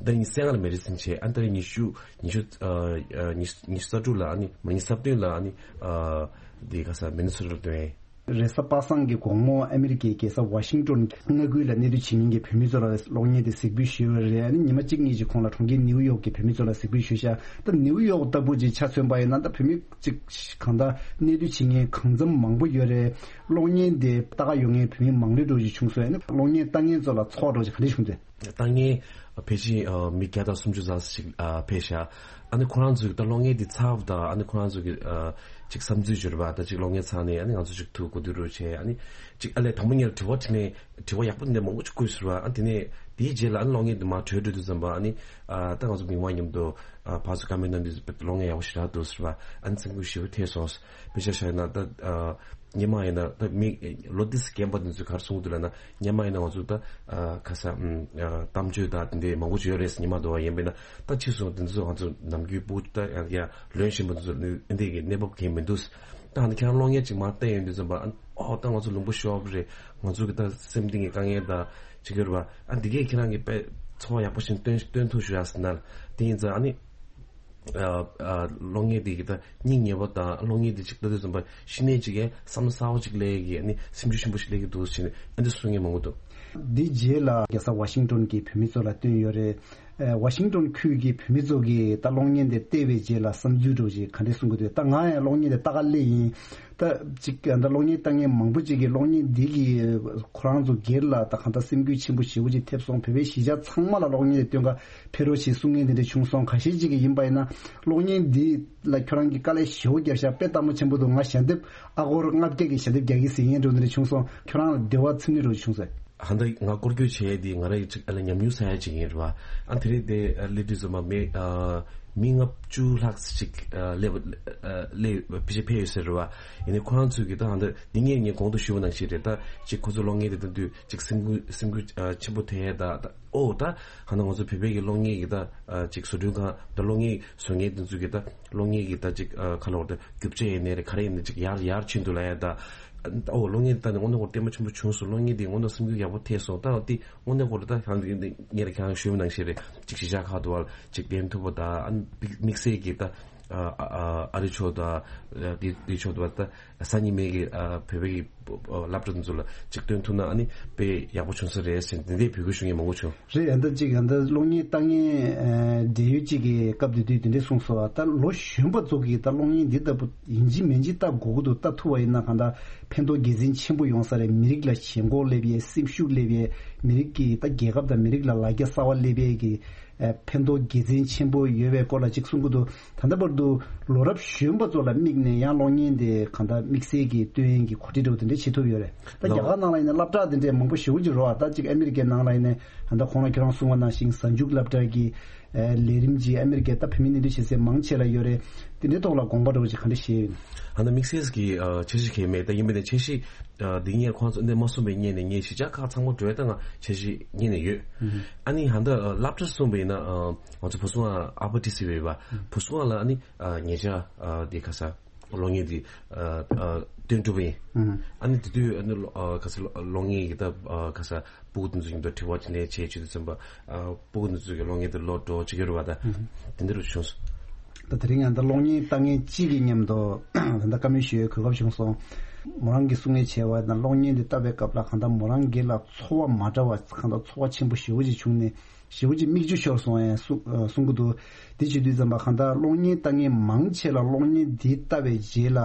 ཏ་རིག་ཉི་ཤུ་རྩ་ལྔ་ལ་མེ་ཌི་སིན་བྱས། ཨ་ཏ་རིག་ཉི་ཤུ་ཉི་ཤུ་ཨ་ཨ་ཉི་ཉི་ཤུ་རྩ་དྲུག་ལ་ཨ་ནི་མ་ཉི་ཤུ་རྩ་བདུན་ལ་ཨ་ནི་ཨ་འདི་ག་ས་མི་ནི་སོ་ཊ་ལ་སྟོན། རེས་གཟའ་པ་སངས་ཀྱི་དགོང་མོ་ཨ་མི་རི་ཀའི་རྒྱལ་ས་ཝ་ཤིང་ཏོན་མངའ་ཁུལ་ལ་གནས་སྡོད་བྱེད་མཁན་གྱི་བོད་མི་ཚོ་ལ་གློག་བརྙན་དེ་གཟིགས་འབུལ་ཞུས་པ་རེད། ཨ་ནི་ཉི་མ་གཅིག་གཉིས་ཀྱི་གོང་ལ་གྲོང་ཁྱེར་ནིའུ་ཡོག་གི་བོད་མི་ཚོ་ལ་གཟིགས་འབུལ་ཞུས་ཤག་ད་ནིའུ་ཡོག་ལྟ་བུ་ཅིག་ཆ་མཚོན་པ་ཡིན་ན་ད་བོད་མི་ཅིག་གང་ལྟར་གནས་སྡོད་བྱེད་མཁན་གང་འཚམ་མང་པོ་ཡོད་རེད། གློག་བརྙན་དེ་ལྟ་ག་ཡོང་མཁན་བོད་མི་མང་རེ་འགྲོ་ཅིག་བྱུང་སོང་། ཨ་ནི་གློག་བརྙན་ལྟ་མཁན་ཚོ་ལ་ཚོར་བ་འདྲ་ཅིག་ག་འདྲ་བྱུང་འདུག་ལྟ་མཁན་ཕལ་ཆེར་ཨ་མི་བརྒྱ་དང་སུམ་ཅུ་ཙམ་ཞིག་ཨ་ཕེབས་ཤག་ཨ་ནི་ཁོ་རང་ཚོས་ད་གློག་བརྙན་འདི་ཚར་བ་དང་། ཨ་ནི་ཁོ་རང་ཚོ་གི་ཨ་ཅིག་བསམ་ཚུལ་བརྗོད་པ་དང་། ཅིག་གློག་བརྙན་ཚར་ནས་ཨ་ནི་ང་ཚོ་ཅིག་ཐུག་གོ་བསྡུར་རོགས་བྱས། ཨ་ནི་ཅིག་ཨ་ལས་དང་པོ་ཉིད་ལ་དྲི་བ་དྲིས་ནས་དྲི་བ་ཡག་པོ་འདི་འདྲ་མང་པོ་ཅིག་བཀོད་ཟེར་བ། ཨ་དེ་ནས་དེའི་རྗེས་ལ་ཨ་ནི་གློག་བརྙན་འདི་མར་གྲོལ་འགྲོ་དུས་ཙམ་པ་ཨ་ནི་ཨ་ད་ང་ཚོ་མི་མང་མཉམ་དུ་ཨ་ཕར་ཚུར་བཀའ་མོལ་གནང་དུས་གློག་བརྙན་ཡག་པོ་ཞེ་དྲག་འདུག་ཟེར་བ། ཨ་ནི་སེམས་འགུལ་ཞེ་པོ་ཐེབས་སོང་། དཔེ་ཆ་བཞག་ན་ད་ཨ། སྔོན་མ་ཡིན་ན་ད་མི་ལོ་ཏོག་ཙམ་རྒན་པ་དེ་ཚོས་ག་རེ་གསུང་གི་འདུག་ལབ་ན། སྔོན་མ་ཡིན་ན་ང་ཚོ་ད་ཨ་ཁ་ས་ཨམ་ཨ་གཏམ་བརྗོད་དང་དེ་འདྲའི་མང་པོ་ཅིག་ཡོད་རེད་ཟེར། སྔོན་མ་དུ་བ་ཡིན་པས་ན་ད་ཕྱིས་སུ་དེ་ཚོ་ང་ཚོ་ནམ་རྒྱུན་སྤུ་ད་ཡང་ཡང་ལོན་བཞིན་པ་དེ་ཚོ་ནི་འདི་གི་གནས་བབ་གང་ཡང་མི་འདུག་ད་ཨ་ནི་ཁྱེད་རང་གློག་བརྙན་ཅིག་མར་བལྟས་ཡོང་དུས་ཙམ་པ་ཨ་ཨོ་ད་ང་ཚོ་ལུང་པ་ཤོར་བ་རེད། ང་ཚོ་གི་ད་སེམས་གཏིང་གི་དཀའ་ངལ་དང་ཅིག་ཡོད་རེད་པ། ཨ་འདི་གས་ཁྱེད་རང་གི་དཔེ་ཚོར་བ་ཡག་པོ་ཞིག་སྟོན་སྟོན་ཐུབ་ཤག་ཟེར་ན། དེ་ཡིན་ཙང་ཨ་ནི། ཨ་ཨ་གློག་བརྙན་དེ་གི་ད་སྙིང་ཉེ་བ་དང་། གློག་བརྙན་དེ་ཅིག་ལྟ་དུས་ཙམ་པ་གཞི་ནས་ཅིག་གི་བསམ་བློ་གསར་པ་ཅིག་སླེབས་ཀྱི། ཨ་ནི་སེམས་ཤུགས་ཆེན་པོ་ཞིག་སླེབས་ཀྱི་འདུག་ཟེར་ནས་ཨ་འདི་གསུང་མཁན་མང་པོ་འདུག་འདི་རྗེས་ལ་རྒྱལ་ས་ཝ་ཤིང་ཏོན་གྱི་བོད་མི་ཚོ་ལ་བཏོན་ཡོད་རེད། ཨ་ཝ་ཤིང་ཏོན་ཁུལ་གྱི་བོད་མི་ཚོ་གིས་ད་གློག་བརྙན་དེ་བལྟས་པའི་རྗེས་ལ་བསམ་ཚུལ་འདྲ་ཅིག་ག་འདྲ་གསུང་གི་འདུག་ད་ང་ཡང་གློག་བརྙན་དེ་ལྟ་ག་སླེབས་ཡིན། ད་ཅིག་ད་གློག་བརྙན་ལྟ་མཁན་མང་པོ་ཅིག་གིས་གློག་བརྙན་འདི་གིས་ཁོ་རང་ཚོ་སྒེར་ལ་ད་གང་ལྟར་སེམས་འགུལ་ཆེན་པོ་ཞེ་པོ་ཅིག་ཐེབས་སོང་། བོད་པའི་གཞིས་ཆགས་ཚང་མ་ལ་གློག་བརྙན་དེ་སྟོན་ག་ཕེབས་རོགས་ཞེས་གསུང་མཁན་དེ་འདྲ་བྱུང་སོང་། ཁ་ཤས་ཅིག་གིས་ཡིན་པ་ཡིན་ན་གློག་བརྙན་འདི་ལ་ཁྱོད་རང་གིས་དཀའ་ལས་ཞེ་པོ་བརྒྱབ་ཤག་དཔེ་ལྟ་མོ་ཆེན་པོ་འདུག་ང་ཞལ་འདེབས་ཨ་སྒོར་ལྔ་བརྒྱ་གི་ཞལ་འདེབས་རྒྱག་གི་ཟེར་མཁན་འདྲ་བོ་འདི་འདྲ་བྱུང་སོང་། ཁྱོད་རང་ལ་བདེ་བ་ཚིམ་ནི་འདྲ་བོ་བྱུང་སོང་། ད་ལྟ་ང་སྐོར་སྐྱོད་བྱས་ཏེ་ང་རང་གི་ཅིག་ཨ་ལ་ཉམས་མྱོང་ཟ་ཡ་ཅིག་ཡིན་རེད་བ། ཨ་དེ་རིང་དེ་ཨ་སླེབས་དུས་ཙམ་པ་མི་ཨ་མི་ལྔ་བཅུ་ལྷག་ཅིག་ཨ་སླེབས་ཨ་སླེབས་ཕལ་ཆེར་ཕེབས་ཡོད་ཟེར་རེད་བ། ཡིན་ནའི་ཁོ་རང་ཚོས་ཀྱི་ད་ཧ་ད་འདི་ངས་ངས་གོང་དུ་ཞུས་པ་ནང་བཞིན་རེད། ད་ཅིག་ཁོ་ཚོ་གློག་བརྙན་དེ་ལྟ་དུས་ཅིག་སེམས་འགུལ་སེམས་འགུལ་ཨ་ཆེན་པོ་ཐེབས་ཡ། ད་ད་ཨོ་ད་ཧ་ད་ང་ཚོ་བོད་པའི་གི་གློག་བརྙན་གི་ད་ཨ་ཅིག་བཟོ་སྐྲུན་ཁང་ད་གློག་བརྙན་བཟོ་མཁན་དེ་ཚོས་ཀྱི་ད་གློག་བརྙན་གི་ད་ཅིག་ཨ་ག་ལ་བར་ད་རྒྱུ་ཆ་ཡིན་ནའི་རེད། ག་རེ་ཡིན་ནའི་ཅིག་ཡར་ཡར་ཕྱིན་འདུག་ལབ་ཡ། ད་ཨོ་གློག་བརྙན་དེ་ད་ནི་དངོས་གནས་ཁོ་ལྟད་མོ་ཆེན་པོ་བྱུང་སོང་། གློག་བརྙན་དེ་དངོས་གནས་སེམས་འགུལ་ཡག་པོ་ཐེབས་སོང་། ད་དེ་དངོས་གནས་ཁོ་ལ་ད་ཧ་ད་ངས་ར་ཁྱེད་རང་ཞུས་པ་ནང་བཞིན་རེད། ཅིག་གཞིས་ཆགས་ཁག་ཏུ་བ་ཅིག་བསྟན་ཐུབ་པ་ད་ཨ་དམིགས་བསལ་གྱི་ད་ཨ་ཨ་ཨ་རི་ཕྱོགས་ད་དེ་དེ་ཕྱོགས་ཏུ་བ་ད་སང་ཉིན་མའི་གི་ཨ་བོད་པའི་གི་སློབ་གྲྭ་དེ་ཚོ་ལ་ཅིག་སྟོན་ཐུབ་ན་ཨ་ནི་དཔེ་ཡག་པོ་བྱུང་ས་རེད་ཟེར་འདི་འདྲའི་འབོད་སྐུལ་ཞུ་མཁན་མང་པོ་བྱུང་། རེད། ཨ་ད་ཅིག་ཨ་ད་གློག་བརྙན་ལྟ་མཁན་ཨ་འབྲེལ་ཡོད་ཅིག་གིས་སྐབས་དེ་དུས་དེ་འདྲས་གསུངས་སོང་། ད་ལོ་གཞོན་པ་ཚོ་གིས་ད་གློག་བརྙན་འདི་ལྟ་བུ་ཡིན་གཅིག་མིན་གཅིག་ལྟ་དགོས་ཀྱི་འདུག་ལྟ་ཐུབ་པ་ཡིན་ན་གང་ལྟར་ཕན་ཐོགས་དགེ་མཚན་ཆེན་པོ་ཡོང་ས་རེད། མི་རིགས་ལ་ཞེན་ཁོག་སླེབས་ཡས། སེམས་ཤུགས་སླེབས་ཡས། མི་རིགས་ཀྱི་ད་རྒྱལ་ཁབ་དང་མི་རིགས་ལ་ལ་རྒྱ་གསར་པ་སླེབས་ཡས་ཀྱི་ཨ་ཕན་ཐོགས་དགེ་མཚན་ཆེན་པོ་ཡོད་པའི་སྐོར་ལ་ཅིག་གསུང་གི་འདུག་ད་ལྟ་བར་དུ་ལོ་རབས་གཞོན་པ་ཚོ་ལ་དམིགས་ནས་ཡང་གློག་བརྙན་དེ་གང་ལྟར་དམིགས་བསལ་གྱི་སྟོན་ཡས་ཀྱི་གོ་སྒྲིག་འདྲ་བོ་དེ་འདྲ་བྱེད་ཐུབ་ཡོད་རེད། ད་རྒྱ་གར་ནང་ལ་ཡིན་ན་སློབ་གྲྭ་དེ་འདྲས་མང་པོ་ཞེ་པོ་ཅིག་རེད་བ། ད་ཅིག་ཨ་མི་རི་ཀའི་ནང་ལ་ཡིན་ན་ད་ལྟ་གོང་ལ་ཁྱེད་རང་གསུངས་པ་ནང་བཞིན་གཟའ་མཇུག་སློབ་གྲྭ་གི་ཨ་ལས་རིམ་ཅིག་ཨ་མི་རི་ཀའི་ད་བོད་མི་གནས་སྡོད་བྱེད་སའི་མང་ཆེ་ལ་ཡོད་རེད། དེ་འདྲའི་ཐོག་ལ་དགོངས་པ་འདྲ་བོ་ཅིག་ག་འདྲ་བཞེས་ཡོད་ན། ཨ་ནི་དམིགས་བསལ་གྱི་ཨ་འཆར་གཞི་གང་ཡང་མེད། ད་ཡིན་པ་ནས་འཆར་གཞི་ཨ་འདི་ངས་ཁོང་ཚོ་འདི་མ་གསུངས་པའི་སྔོན་ནས་ངས་གཞིས་ཆགས་ཁག་ཚང་མ་འགྲོ་ཡ་ད་ང་འཆར་གཞི་སྔོན་ནས་ཡོད། ཨ་ནི་ཧ་ད་ཨ་སློབ་གྲྭ་གསུངས་པ་ཡིན་ན་ཨ་ང་ཚོ་བོད་སོང་ཨ་ཨ་པ་ཏི་སི་རེད་བ། བོད་སོང་ལ་ཨ་ནི་ཨ་ཉེ་ཆར་ཨ་འདི་ག་ས། གློག་བརྙན་འདི་ཨ་ཨ་སྟོན་གྲུབ་ཡིན། ཨ་ནི་དེ་དུས་ཨ་ནི་ཨ་ག་ས་གློག་བརྙན་གྱི་ད་ཨ་ག་ས་སྤུ་གུ་དེ་ཚོ་ཡིན་ད་དྲི་བ་དྲིས་ལན་བྱས་བྱེད་དུས་ཙམ་པ་ཨ་སྤུ་གུ་དེ་ཚོ་གི་གློག་བརྙན་དེ་ལོག་འགྲོ་བྱེད་ཀྱི་རེད་བ། ད་དེ་འདྲ་རུ་བྱུང་སོང་། ད་དེ་རིང་ཡང་ད་གློག་བརྙན་ལྟ་མཁན་གཅིག་གི་མཉམ་དུ་ད་ལྟ་བཀའ་མོལ་ཞུ་ཡའི་གོ་སྐབས་བྱུང་སོང་། མོ་རང་གིས་གསུང་ངེས་བྱས་པ་ན་གློག་བརྙན་འདི་ལྟ་བའི་སྐབས་ལ་གང་ལྟར་མོ་རང་སྒེར་ལ་ཚོར་བ་མ་འདྲ་བ་གང་ལྟར་ཚོར་བ་ཆེན་པོ་ཞེ་པོ་ཅིག་བྱུང་ནས་ཞེ་པོ་ཅིག་མིག་ཆུ་ཤོར་སོང་ཡང་གསུང་ཨ་གསུང་གི་འདུག་དེ་བྱེད་དུས་ཙམ་པ་གང་ལྟར་གློག་བརྙན་ལྟ་མཁན་མང་ཆེ་ལ་གློག་བརྙན་འདི་ལྟ་བའི་རྗེས་ལ་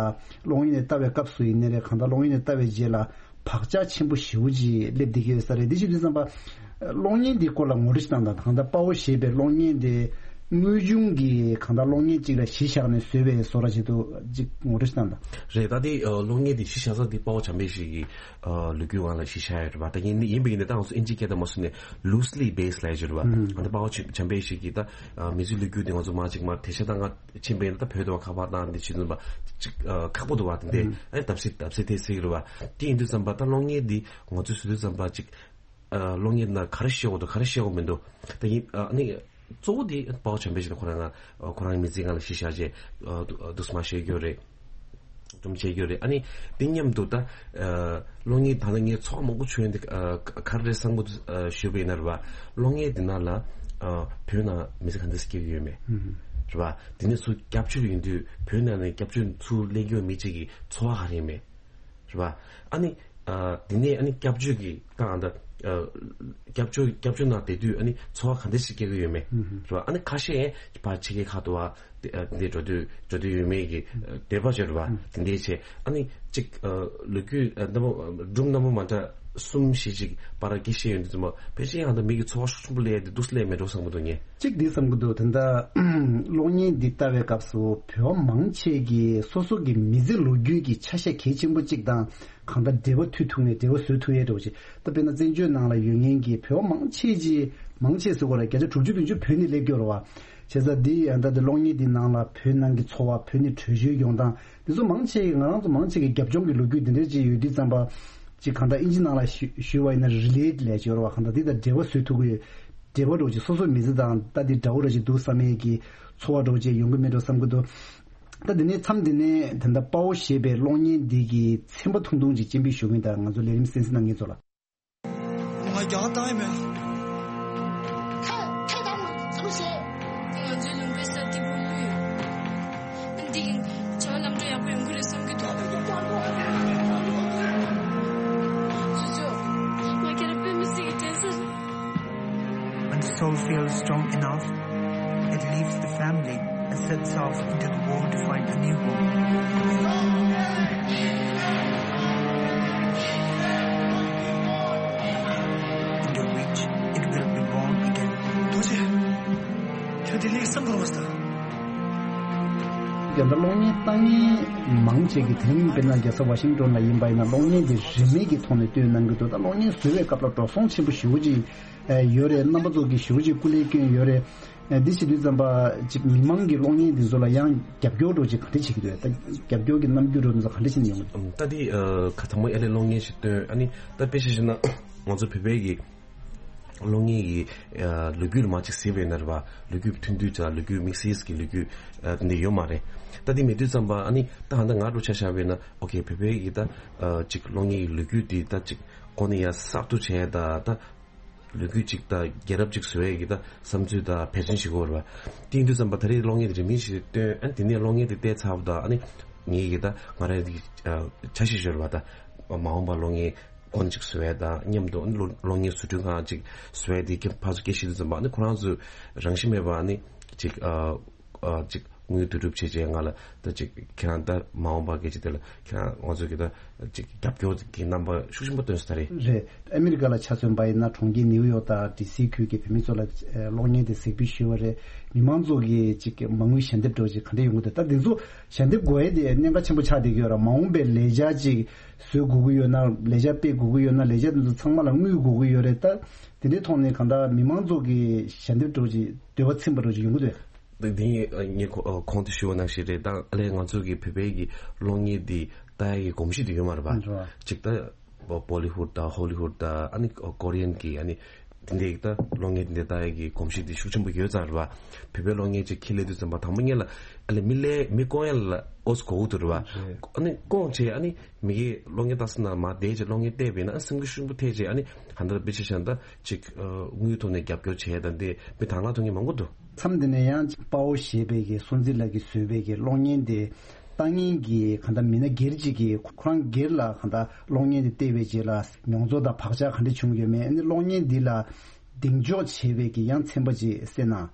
གློག་བརྙན་འདི་ལྟ་བའི་སྐབས་སུ་ཡིན་ནའི་རེད། གང་ལྟར་གློག་བརྙན་འདི་ལྟ་བའི་རྗེས་ལ་བག་ཆགས་ཆེན་པོ་ཞེ་པོ་ཅིག་སླེབས་བསྡད་ཀྱི་ཡོད་ས་རེད། དེ་བྱེད་དུས་ཙམ་པ་གློག་བརྙན་འདིའི་སྐོར་ལ་ངོ་སྤྲོད་ཅིག་གནང་དང་། གང་ལྟར་དཔའ་བོ་ཞེས་པའི་གློག་བརྙན་དེ་དངོས་བྱུང་གི་གང་ལྟར་གློག་བརྙན་ཅིག་ལ་གཞི་བཞག་ནས་བཟོས་པའི་བཟོ་འདྲ་ཅིག་འདུག་ཅིག་ངོ་སྤྲོད་ཅིག་གནང་དང་། རེད། ད་དེ་ཨ་གློག་བརྙན་དེ་གཞི་བཞག་ས་དེ་དཔའ་བོ་བྱམས་པའི་གཞིས་ཀྱི་ཨ་ལོ་རྒྱུས་སྒང་ལ་གཞི་བཞག་ཡོད་རེད་པ། ད་ཡིན་ཡིན་པ་ཡིན་ན་ད་ང་ཚོ་ཨིན་ཇིའི་སྐད་དང་མ་སུ་ནས་loosely based ལབ་ཡོད་རེད་པ། ཨ་ད་དཔའ་བོ་བྱམས་པའི་གཞིས་ཀྱི་ད་ཨ་མི་ཚེའི་ལོ་རྒྱུས་དེ་ང་ཚོ་མ་ཅིག་མ་དེ་ཤ་ད་ང་ཕྱིན་པ་ཡིན་ན་ད་བོད་དུ་བ་ཁ་པར་བཏང་དེ་བྱེད་ཙམ་པ་ཅིག་ཨ་ཁག་པོ་འདུག་བ། དེ་འདྲ་ཨ་ནི་བརྡབ་གསིག་བརྡབ་གསིག་དེ་སྲིད་རེད་པ། དེ་ཡིན་དུས་ཙམ་པ་ད་གློག་བརྙན་འདི་ང་ཚོས་བཟོ་དུས་ཙམ་པ་ཅིག་ཨ་གློག་བརྙན་ནང་ག་རེ་བཤད་དགོས་འདུག་ག་རེ་བཤད་དགོས་མི་འདུག་ད་ཡིན་ཨ་ནི་གཙོ་བོ་དེ་དཔའ་བོ་བྱམས་པའི་ཆེད་དུ་ཁོ་རང་ང་ཁོ་རང་མི་ཚེ་སྒང་ལ་གཞི་བཞག་བྱས་ཨ་དུ་ཨ་དུ་སྨ་ཤེས་རྒྱུ་རེད། སྒྲུང་བྱེད་རྒྱུ་རེད། ཨ་ནི་དེ་མཉམ་དུ་ད་ཨ་གློག་བརྙན་ད་ལྟ་ངས་ཚོར་བ་མང་པོ་བྱུང་ཡོད་འདི་ཨ་ག་རེ་རེད་བསམ་གི་འདུག་ཨ་ཞུས་པ་ཡིན་ན་རེད་བ། གློག་བརྙན་འདི་ནང་ལ་ཨ་བོད་ནང་མི་ཚེ་ག་འདྲ་སྐྱེལ་གི་ཡོད་མེད་རེད་བ། དེ་ནས་ཚུར་སྐྱབས་བཅོལ་ཡིན་དུས་བོད་ནང་ནས་སྐྱབས་བཅོལ་ཚུར་སླེབས་རྒྱུ་མི་གཅིག་གི་ཚོར་བ་ག་རེ་ཡིན་མེད། རེད་པ། ཨ་ནི། ཨ་དེ་ནས་ཨ་ནི་སྐྱབས་བཅོལ་གྱི་ད་ཨ་ད། ཨ་སྐྱབས་བཅོལ་སྐྱབས་བཅོལ་ནང་བསྡད་དུས་ཨ་ནི་འཚོ་བ་ག་འདྲ་ཞིག་སྐྱེལ་གྱི་ཡོད་མེད། རེད་པ། ཨ་ནི་ཁ་ཤས་ཕར་ཕྱི་རྒྱལ་ཁག་ཏུ་བ་དེ་ཨ་དེ་འགྲོ་དུས་འགྲོ་དུས་ཡོད་མེད་ཀྱི་ཨ་འདོད་པ་བྱས་རེད་པ། དེ་འདྲའི་ཆེད་ཨ་ནི་གཅིག་ཨ་ལོ་རྒྱུས་ཨ་རྣམ་པ་སྒྲུང་རྣམ་པ་མ་འདྲ་གསུམ་བཞི་ཅིག་པར་སྐྱེལ་བཞིན་ཡོད་དུས་ཙམ་པ་ཕལ་ཆེར་ཡང་ད་མི་གི་འཚོ་བ་ཤུགས་ཆེན་པོ་སླེབས་ཡ་དེ་འདུག་སེ་སླེབས་མེད་འགྲོ་བསམ་གྱི་འདུག་ངས། གཅིག་འདི་བསམ་གྱི་འདུག་ད་ལྟ་གློག་བརྙན་འདི་ལྟ་བའི་སྐབས་སུ་བོད་མང་ཆེ་གིས་སོ་སོ་གི་མི་ཚེ་ལོ་རྒྱུས་ཀྱི་ཆ་ཤས་གལ་ཆེན་པོ་གཅིག་དང་གང་ལྟར་འབྲེལ་བ་མཐུད་ཐུབ་ནས་འབྲེལ་བ་བཟོ་ཐུབ་ཡས་འདྲ་བོ་ཅིག་ད་དཔེར་ན་བཙན་བྱོལ་ནང་ལ་ཡོད་མཁན་གྱི་བོད་མང་ཆེ་ཅིག་མང་ཆེ་ཟེར་དགོས་རེད། བརྒྱ་ཆ་དྲུག་ཅུ་བདུན་ཅུ་བོད་ནས་སླེབས་ཀྱི་ཡོད་རེད་བ། བྱས་ཙང་འདི་ཡང་ད་འདི་གློག་བརྙན་འདི་ནང་ལ་བོད་ནང་གི་འཚོ་བ་བོད་ནས་བྲོས་བྱོལ་ཡོང་སྟངས་འདི་ཚོ་མང་ཆེ་གི་ང་རང་ཚོ་མང་ཆེ་གི་རྒྱབ་ལྗོངས་ཀྱི་ལོ་རྒྱུས་འདི་འདྲ་ཅིག་ཡོད་དུས་ཙམ་པ་ཅིག་གང་ལྟར་ཨིན་ཇི་ནང་ལ་ཞུ་ཞུས་པ་ཡིན་ན་relate ལབ་ཀྱི་ཡོད་རེད་བ། གང་ལྟར་འདི་དང་འབྲེལ་བ་བཟོ་ཐུབ་ཀྱི་ཡོད། འབྲེལ་བ་འདྲ་བོ་ཅིག་སོ་སོའི་མི་ཚེ་དང་ད་འདི་འདྲ་བོ་འདྲ་ཅིག་འདུག་བསམ་ཡས་ཀྱི་ཚོར་བ་འདྲ་བོ་ཅིག་ཡོང་གི་མེད་འགྲོ་བསམ་གྱི་འདུག་ད་འདི་ནས་མཚམས་འདི་ནས་ད་ལྟ་དཔའ་བོ་ཞེས་པའི་གློག་བརྙན་འདི་གི་ཚན་པ་ཐུང་ཐུང་ཅིག་སྤྱན་འབུལ་ཞུ་གི་ཡིན། ད་ང་ཚོ་ལས་རིམ་གསན་གཟིགས་གནང་མཁན་ཚོ་ལ། ང་རྒྱ་གར་བཏང་ཡི་མེད། ཐ་ཐ་དང་ཚུར་བྱེད། ང་ཚོའི་ལུང་པའི་ས་སྐྱིད་པོ་ལོས་ཡོད། འདི་ཡིན། བྱ་བ་ལམ་འགྲོ་ཡག་པོ་ཡོང་གི་རེད་བསམ་གྱི་འདུག་ཚུར་ཚུར། ང་ཁྱེད་རང་དཔེ་མི་སྲིད་ཀྱི་དྲན་ས་རེད། When the soul feels strong enough, it leaves the family and sets off into the world to find a new home. Into which it will be born again. ཐུགས་རྗེ་ཆེ། ཁྱོད་དེ་ལས་བསམ་བློ་བཏང་། རྒྱ་ད་གློག་བརྙན་ལྟ་མཁན་མང་ཆེ་གི་དེ་རིང་དཔེར་ན་རྒྱལ་ས་ཝ་ཤིང་ཏོན་ལ་ཡིན་པ་ཡིན་ན་གློག་བརྙན་དེ་རིན་མེད་ཀྱི་ཐོག་ནས་སྟོན་གནང་གི་འདུག་ད་གློག་བརྙན་བཟོ་བའི་སྐབས་ལ་འགྲོ་སོང་ཆེན་པོ་ཞེ་པོ་ཅིག་ཡོད་རེད། རྣམ་པ་ཚོ་གིས་ཞེ་པོ་ཅིག་སྐུ་ལས་བསྐྱོན་ཡོད་རེད། འདི་བྱེད་དུས་ཙམ་པ་ཅིག་མི་མང་གི་གློག་བརྙན་འདི་ཚོ་ལ་ཡང་རྒྱབ་སྐྱོར་འདྲ་བོ་ཅིག་ག་འདྲ་བྱེད་ཀྱི་འདུག་ད་རྒྱབ་སྐྱོར་གྱི་རྣམ་འགྱུར་འདྲ་བོ་འདི་ཚོ་ག་འདྲ་བྱེད་ནས་ཡོང་གི་འདུག་ད་འདི་ཨ་ཁ་ཚང་མ་ཨ་ལས་གློག་བརྙན་ཞིག་སྟོན་ཨ་ནི་ད་དཔེ་ཆ་བཞག་ན་ང་ཚོ་བོད་པའི་གི་གློག་བརྙན་གྱི་ཨ་ལོ་རྒྱུས་ལ་མ་ཅིག་གཟིགས་པ་ཡིན་ན་རེད་པ། ལོ་རྒྱུས་ཐུང་ཐུང་ཅིག་ལོ་རྒྱུས་དམིགས་བསལ་གྱི་ལོ་རྒྱུས་ཨ་དེ་འདྲ་ཡོད་མ་རེད། ད་དེ་མེད་དུས་ཙམ་པ་ཨ་ནི་ད་ཧ་ད་ང་འདྲ་ཆ་བཞག་པ་ཡིན་ན་ཨོ་ཁེ་བོད་པའི་གི་ད་ཨ་ཅིག་གློག་བརྙན་གྱི་ལོ་རྒྱུས་དེ་ད་ཅིག་གོ་ནས་ཡ་གསར་གཏོད་བྱས་ད་ད་ལོ་རྒྱུས་ཅིག་ད་རྒྱལ་རབས་ཅིག་བཟོ་ཡས་ཀྱི་ད་བསམ་ཚུལ་ད་ཕལ་ཆེར་ཞིག་གོ་རེད་པ། དེ་ཡིན་དུས་ཙམ་པ་ད་རེས་གློག་བརྙན་དེ་རིན་མེད་ཞིག་སྟོན་ཨ་ནི་དེ་ནས་གློག་བརྙན་དེ་བལྟས་ཚར་བ་ད་ཨ་ནི་ངེད་ཀྱི་ད་ང་རང་གི་ཨ་འཆར་གཞི་ཞིག་ཡོད་རེད་པ། ད་མ་འོངས་པ་གློག་བརྙན་ཀོན་ཅིག་བཟོ་ཡས་དང་མཉམ་དུ་གློག་གློག་བརྙན་བཟོ་སྐྲུན་ཁང་ཅིག་བཟོ་ཡས་དེ་ཕར་ཚུར་སྐད་བཤད་དུས་ཙམ་པ་ཨ་ནི་ཁོ་རང་ཚོས་རང་བཞིན་མེད་པ་ཨ་ནི་ཅིག་ཨ་ཨ་ཅིག་དངུལ་བསྡུ་རུབ་བྱས་བྱས་ང་ལ་ད་ཅིག་ཁྱེད་རང་ད་མ་འོངས་པ་སྐད་ཆ་དེ་ལ་ཁྱེད་རང་ང་ཚོ་གི་ད་ཅིག་རྒྱབ་སྐྱོར་གྱི་རྣམ་པ་ཤུགས་ཆེན་པོ་སྟོན་ས་རེད། རེད། ཨ་མི་རི་ཀ་ལ་ཆ་མཚོན་པ་ཡིན་ན་གྲོང་ཁྱེར་ནིའུ་ཡོག་དང་ཌི་སི་ཁུལ་གྱི་བོད་མི་ཚོ་ལ་ཨ་གློག་བརྙན་དེ་གཟིགས་འབུལ་ཞུས་པ་རེད། མི་མང་ཚོ་གི་ཅིག་མ་དངུལ་ཞལ་འདེབས་འདྲ་བོ་ཅིག་ག་འདྲ་ཡོང་གི་འདུག་ད་དེ་ཚོ་ཞལ་འདེབས་དགོས་ཡས་དེ་གནད་འགག་ཆེན་པོ་ཆགས་བསྡད་ཀྱི་ཡོད་རེད། མ་འོངས་པའི་ལས་འཆར་ཅིག་བཟོ་དགོས་ཀྱི་ཡོད་ན་ལས་འཆར་སྤེལ་དགོས་ཀྱི་ཡོད་ན་ལས་འཆར་དེ་ཚོ་ཚང་མ་ལ་དངུལ་དགོས་ཀྱི་ཡོད་རེད། ད་དེ་འདྲའི་ཐོག་ནས་གང་ལྟར་མི་མང་ཚོ་གི་ཞལ་འདེབས་འདྲ་བོ་ཅིག་འདོད་པ་ཚིམ་པ་འདྲ་བོ་ཅིག་ཡོང་གི་འདུག་དེ་དེ་ངས་ཨ་ངས་གོ་ཨ་གོང་དུ་ཞུས་པ་ནང་བཞིན་རེད། ད་ཨ་ལས་ང་ཚོ་གི་བོད་པའི་གི་གློག་བརྙན་འདི་ལྟ་ཡ་གི་གོམས་གཤིས་དེ་ཡོད་མ་རེད་པ། རེད། ཅིག་ད་བོ་ལི་ཧུད་དང་ཧོ་ལི་ཧུད་དང་ཨ་ནི་ཀོ་རི་ཡན་གི་ཨ་ནི་ དེ་འདྲའི་ད་གློག་བརྙན་དེ་འདྲ་ལྟ་ཡག་གི་གོམས་གཤིས་དེ་ཤུགས་ཆེན་པོ་ཡོད་ཙང་རེད་བ། བོད་པའི་གློག་བརྙན་ཅིག་ཁྱེར་སླེབས་དུས་ཙམ་པ་དང་པོ་ཉིད་ལ་ཨ་ལས་མི་ལས་མི་སྐོང་ཡ་ལ་ཨོ་ཙི་གོ་དགོས་འདུག་རེད་བ། ཨ་ནི་སྐོང་བྱས་ཨ་ནི་མི་གིས་གློག་བརྙན་ལྟ་ས་ན་མར་བསྡད་བྱས་གློག་བརྙན་བལྟས་པས་ན་ཨ་སེམས་འགུལ་ཤུགས་ཆེན་པོ་ཐེབས་བྱས། ཨ་ནི་ཧ་འདྲ་དཔེ་ཆ་བཞག་ན་ད་ཅིག་དངུལ་ཐོག་ནས་རྒྱབ་སྐྱོར་བྱས་དང་དེ་མི་དང་བླངས་ཐོབ་མཁན་མང་པོ་འདུག་མཚམས་འདི་ནས་ཡང་དཔའ་བོ་ཞེས་པའི་གི་སྲོང་བཙན་ལགས་ཀྱིས་བཟོས་པའི་གི་གློག་བརྙན་དེ་ལྟ་མཁན་གྱི་གང་ལྟར་མི་སྣ་སྒེར་གཅིག་གིས་ཁོ་རང་སྒེར་ལ་གང་ལྟར་གློག་བརྙན་དེ་བལྟས་པའི་རྗེས་ལ་མྱོང་ཚོར་དང་བག་ཆགས་ག་འདྲ་བྱུང་ཡོད་མེད། ཨ་ནི་གློག་བརྙན་འདི་ལ་གདེང་འཇོག་བྱས་པའི་གི་ཡང་ཚན་པ་ཅིག་གསན་ན།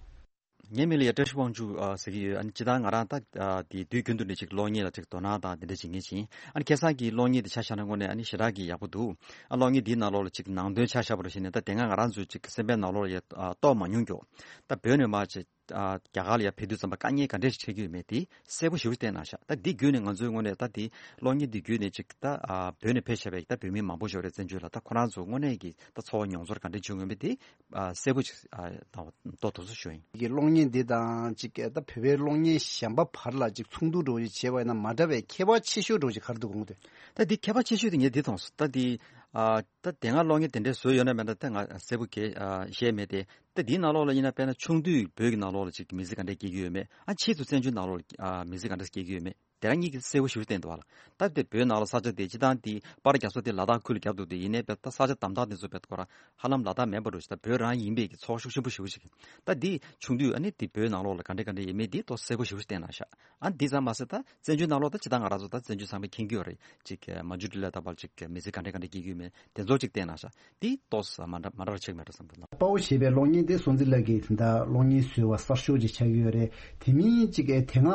ངའི་མིང་ལ་ཡ་བཀྲ་ཤིས་དབང་ཕྱུག་ཨ་ཟེར་གྱི་ཡོད། ཨ་ནི་སྤྱིར་བཏང་ང་རང་ད་ཨ་དེ་དུས་རྒྱུན་དུ་ནས་ཅིག་གློག་བརྙན་ལ་ཅིག་དོ་སྣང་དང་དེ་འདྲ་བྱེད་མཁན་ཅིག་ཡིན། ཨ་ནི་ཁ་སང་གི་གློག་བརྙན་དེ་ཆ་བཞག་ན་དངོས་གནས་ཨ་ནི་ཞེ་དྲག་གི་ཡག་པོ་འདུག་ཨ་གློག་བརྙན་འདིའི་ནང་ལོགས་ལ་ཅིག་ནང་དོན་ཆ་བཞག་པ་རེད་བྱས་ནས་ད་དེ་སྔ་ང་རང་ཚོའི་ཅིག་སེམས་པའི་ནང་ལོགས་ལ་ཡ་ཨ་རྟོགས་མ་མྱོང་མགྱོགས། ད་བོད་ནས་མར་ཅིག་ཨ་རྒྱ་གར་ལ་ཡར་ཕེབས་དུས་ཙམ་པ་དཀའ་ངལ་ག་འདྲས་ཤིག་འཕྲད་ཀྱི་ཡོད་མེད་དེ་གསལ་པོ་ཞེ་པོ་ཅིག་བསྟན་གནང་ཤག་ད་འདི་བརྒྱུད་ནས་ང་ཚོའི་ངོས་ནས་ད་དེ་གློག་བརྙན་འདི་བརྒྱུད་ནས་ཅིག་ད་ཨ་བོད་ནས་ཕེབས་བཞག་པའི་ད་བོད་མི་མང་པོ་ཞིག་ཡོད་རེད། བཙན་བྱོལ་ལ་ད་ཁོ་རང་ཚོ་དངོས་གནས་ཀྱི་ད་ཚོར་བ་མྱོང་ཚོར་ག་འདྲས་བྱུང་ཡོད་མེད་དེ་ཨ་གསལ་པོ་ཅིག་ཨ་ད་རྟོགས་ཐུབ་ས་ཞུ་ཡིན། གི་གློག་བརྙན་འདི་དང་ཅིག་ད་བོད་པའི་གློག་བརྙན་གཞན་པ་བར་ལ་ཅིག་མཚུངས་བསྡུར་འདྲ་བོ་ཅིག་བྱས་པ་ཡིན་ན་མ་འདྲ་བའི་ཁྱད་པར་ཆེ་ཤོས་འདྲ་བོ་ཅིག་ག་རེ་འདུག་དགོངས་འདུག་ད་འདི་ཁྱད་པར་ཆེ་ཤོས་དེ་ངས་འདི་མཐོང་སོང་། ད་འདི་ཨ་ད་དེ་སྔ་གློག་བརྙན་དེ་འདྲས་བཟོས་ཡོད་ན་མེད་ན་ད་ང་གསལ་པོ་གས་ཨ་ཤེས་མེད་དེ། ད་འདིའི་ནང་ལོགས་ལ་ཡིན་ན་དཔེར་ན་ཆུང་དུས་བོད་ཀྱི་ནང་ལོགས་ལ་ཅིག་མི་ཚེ་ག་འདྲས་སྐྱེལ་གྱི་ཡོད་མེད། ཨ་ཕྱིས་སུ་བཙན་བྱོལ་ནང་ལོགས་ལ་ཨ་མི་ཚེ་ག་འདྲས་སྐྱེལ་གྱི་ཡོད་མེད། དེ་རང་ཉིད་ཀྱིས་གསལ་པོ་ཞེ་པོ་བསྟན་འདུག་བ་ལ། ད་དེ་བོད་ནང་ལ་ས་ཆ་དེ་སྤྱིར་བཏང་དེ་པར་རྒྱག་ས་དེ་ལ་དྭགས་ཁུལ་ལ་རྒྱབ་འདུག་དེ་ཡིན་ནའི་བས་ད་ས་ཆ་དམ་དྲག་དེ་ཚོ་བས་ཁོ་རང་ཧ་ལམ་ལ་དྭགས་མིན་པ་འདྲ་ཞིག་ད་བོད་རང་ཡིན་པའི་གི་ཚོར་བ་ཤུགས་ཆེན་པོ་ཞེ་པོ་ཞིག་ད་དེ་ཆུང་དུས་ཨ་ནི་དེ་བོད་ནང་ལོགས་ལ་ག་འདྲ་ག་འདྲ་ཡིན་མིན་དེ་ཏོག་གསལ་པོ་ཞེ་པོ་ཞིག་བསྟན་གནང་ཤག་ཨ་འདི་ཙམ་མ་ཟད་ད་བཙན་བྱོལ་ནང་ལོགས་ད་སྤྱིར་བཏང་ང་རང་ཚོ་ད་བཙན་བྱོལ་ཚང་མས་མཁྱེན་གྱི་ཡོད་རེད། ཅིག་མ་འཇུ་འདི་ལ་ད་བར་ཅིག་མི་ཚེ་ག་འདྲ་ག་འདྲ་སྐྱེལ་གྱི་ཡོད་མེད་དེ་ཚོ་ཅིག་བསྟན་གནང་ཤག་དེ་ཏོག་ཙམ་མ་འདྲ་མ་འདྲ་བ་ཆགས་མེད་འགྲོ་བསམ་འདུག་ལ། དཔའ་བོ་ཞེས་པའི་གློག་བརྙན་དེ་སྲོང་བཙན་ལགས་ཀྱིས་ད་ལྟ་གློག་བརྙན་བཟོས་པ་གསར་ཤོས་ཅིག་ཆགས་ཀྱི་ཡོད་རེད། དེ་མིན་ཅིག་དེ་སྔ་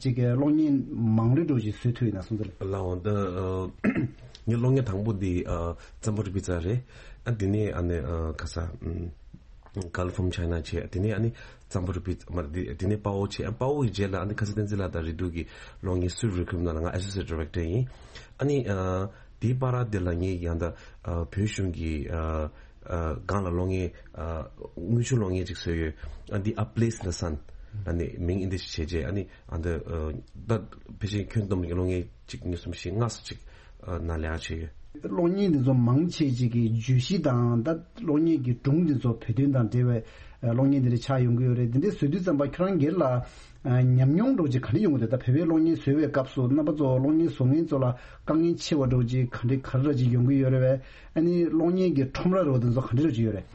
ཅིག་གློག་བརྙན་མང་རིགས་འདྲ་ཅིག་བཟོས་ཐུབ་ཡིན་ན་སྲོང་བཙན་ལགས། ལའོ་ད་ངའི་གློག་བརྙན་དང་པོ་འདི་ཙམ་པོ་རི་པི་ཙ་རེད། ཨ་དེ་ནས་ཨ་ནི་ག་ས་Girl from China བྱས། དེ་ནས་ཨ་ནི་ཙམ་པོ་རི་པི་ཙ་མ་རེད། དེ་ནས་དཔའ་བོ་བྱས། ཨ་དཔའ་བོ་ཡི་རྗེས་ལ་ཨ་ནི་ཁ་སང་བསྟན་འཛིན་ལགས་དང་རེ་ཟུང་གི་གློག་བརྙན་སུད་རི་ཁུམ་ནང་ལ་ང་Associate Director ཡིན། ཨ་ནི་དེའི་བར་དེ་ལ་ངས་ཡང་ད་བོད་གཞུང་གི་སྒང་ལ་གློག་བརྙན་དངུལ་ཆུ་གློག་བརྙན་ཅིག་བཟོས་ཡོད། ཨ་འདི་A Place in the Sun ཨ་ནི་མིང་ཨིན་ཌི་ཞིག་བྱས་རྗེས་ཨ་ནི་ཨ་འདི་ད་ཕལ་ཆེར་ཁྱོན་བསྡོམས་ཀྱི་གློག་བརྙན་གཅིག་གཉིས་གསུམ་བཞི་ལྔ་སོ་གཅིག་ནང་ལས་ཀ་བྱས་ཡོད། གློག་བརྙན་འདི་ཚོ་མང་ཆེ་ཅིག་གི་བརྗོད་གཞི་དང་ད་གློག་བརྙན་གྱི་སྒྲུང་འདི་ཚོ་བོད་དོན་དང་འབྲེལ་བའི་གློག་བརྙན་འདི་འདྲ་ཆགས་ཡོང་གི་ཡོད་རེད། འདི་འདྲའི་བཟོ་དུས་ཙམ་པ་ཁྱོད་རང་སྒེར་ལ་ཉམས་མྱོང་འདྲ་ཅིག་ག་འདྲ་ཡོང་གི་འདུག་ད་བོད་པའི་གློག་བརྙན་བཟོ་བའི་སྐབས་སུ་རྣམ་པ་ཚོ་གློག་བརྙན་བཟོ་མཁན་ཚོ་ལ་དཀའ་ངལ་ཆེ་བ་འདྲ་ཅིག་ག་འདྲ་ག་རེ་འདྲ་ཅིག་ཡོང་གི་ཡོད་རེད་བས། ཨ་ནི་གློག་བརྙན་གྱི་ཁྲོམ་ར་འདྲ་འདི་ཚོ་ག་འདྲ་འདྲ་ཅིག་ཡོད་རེད།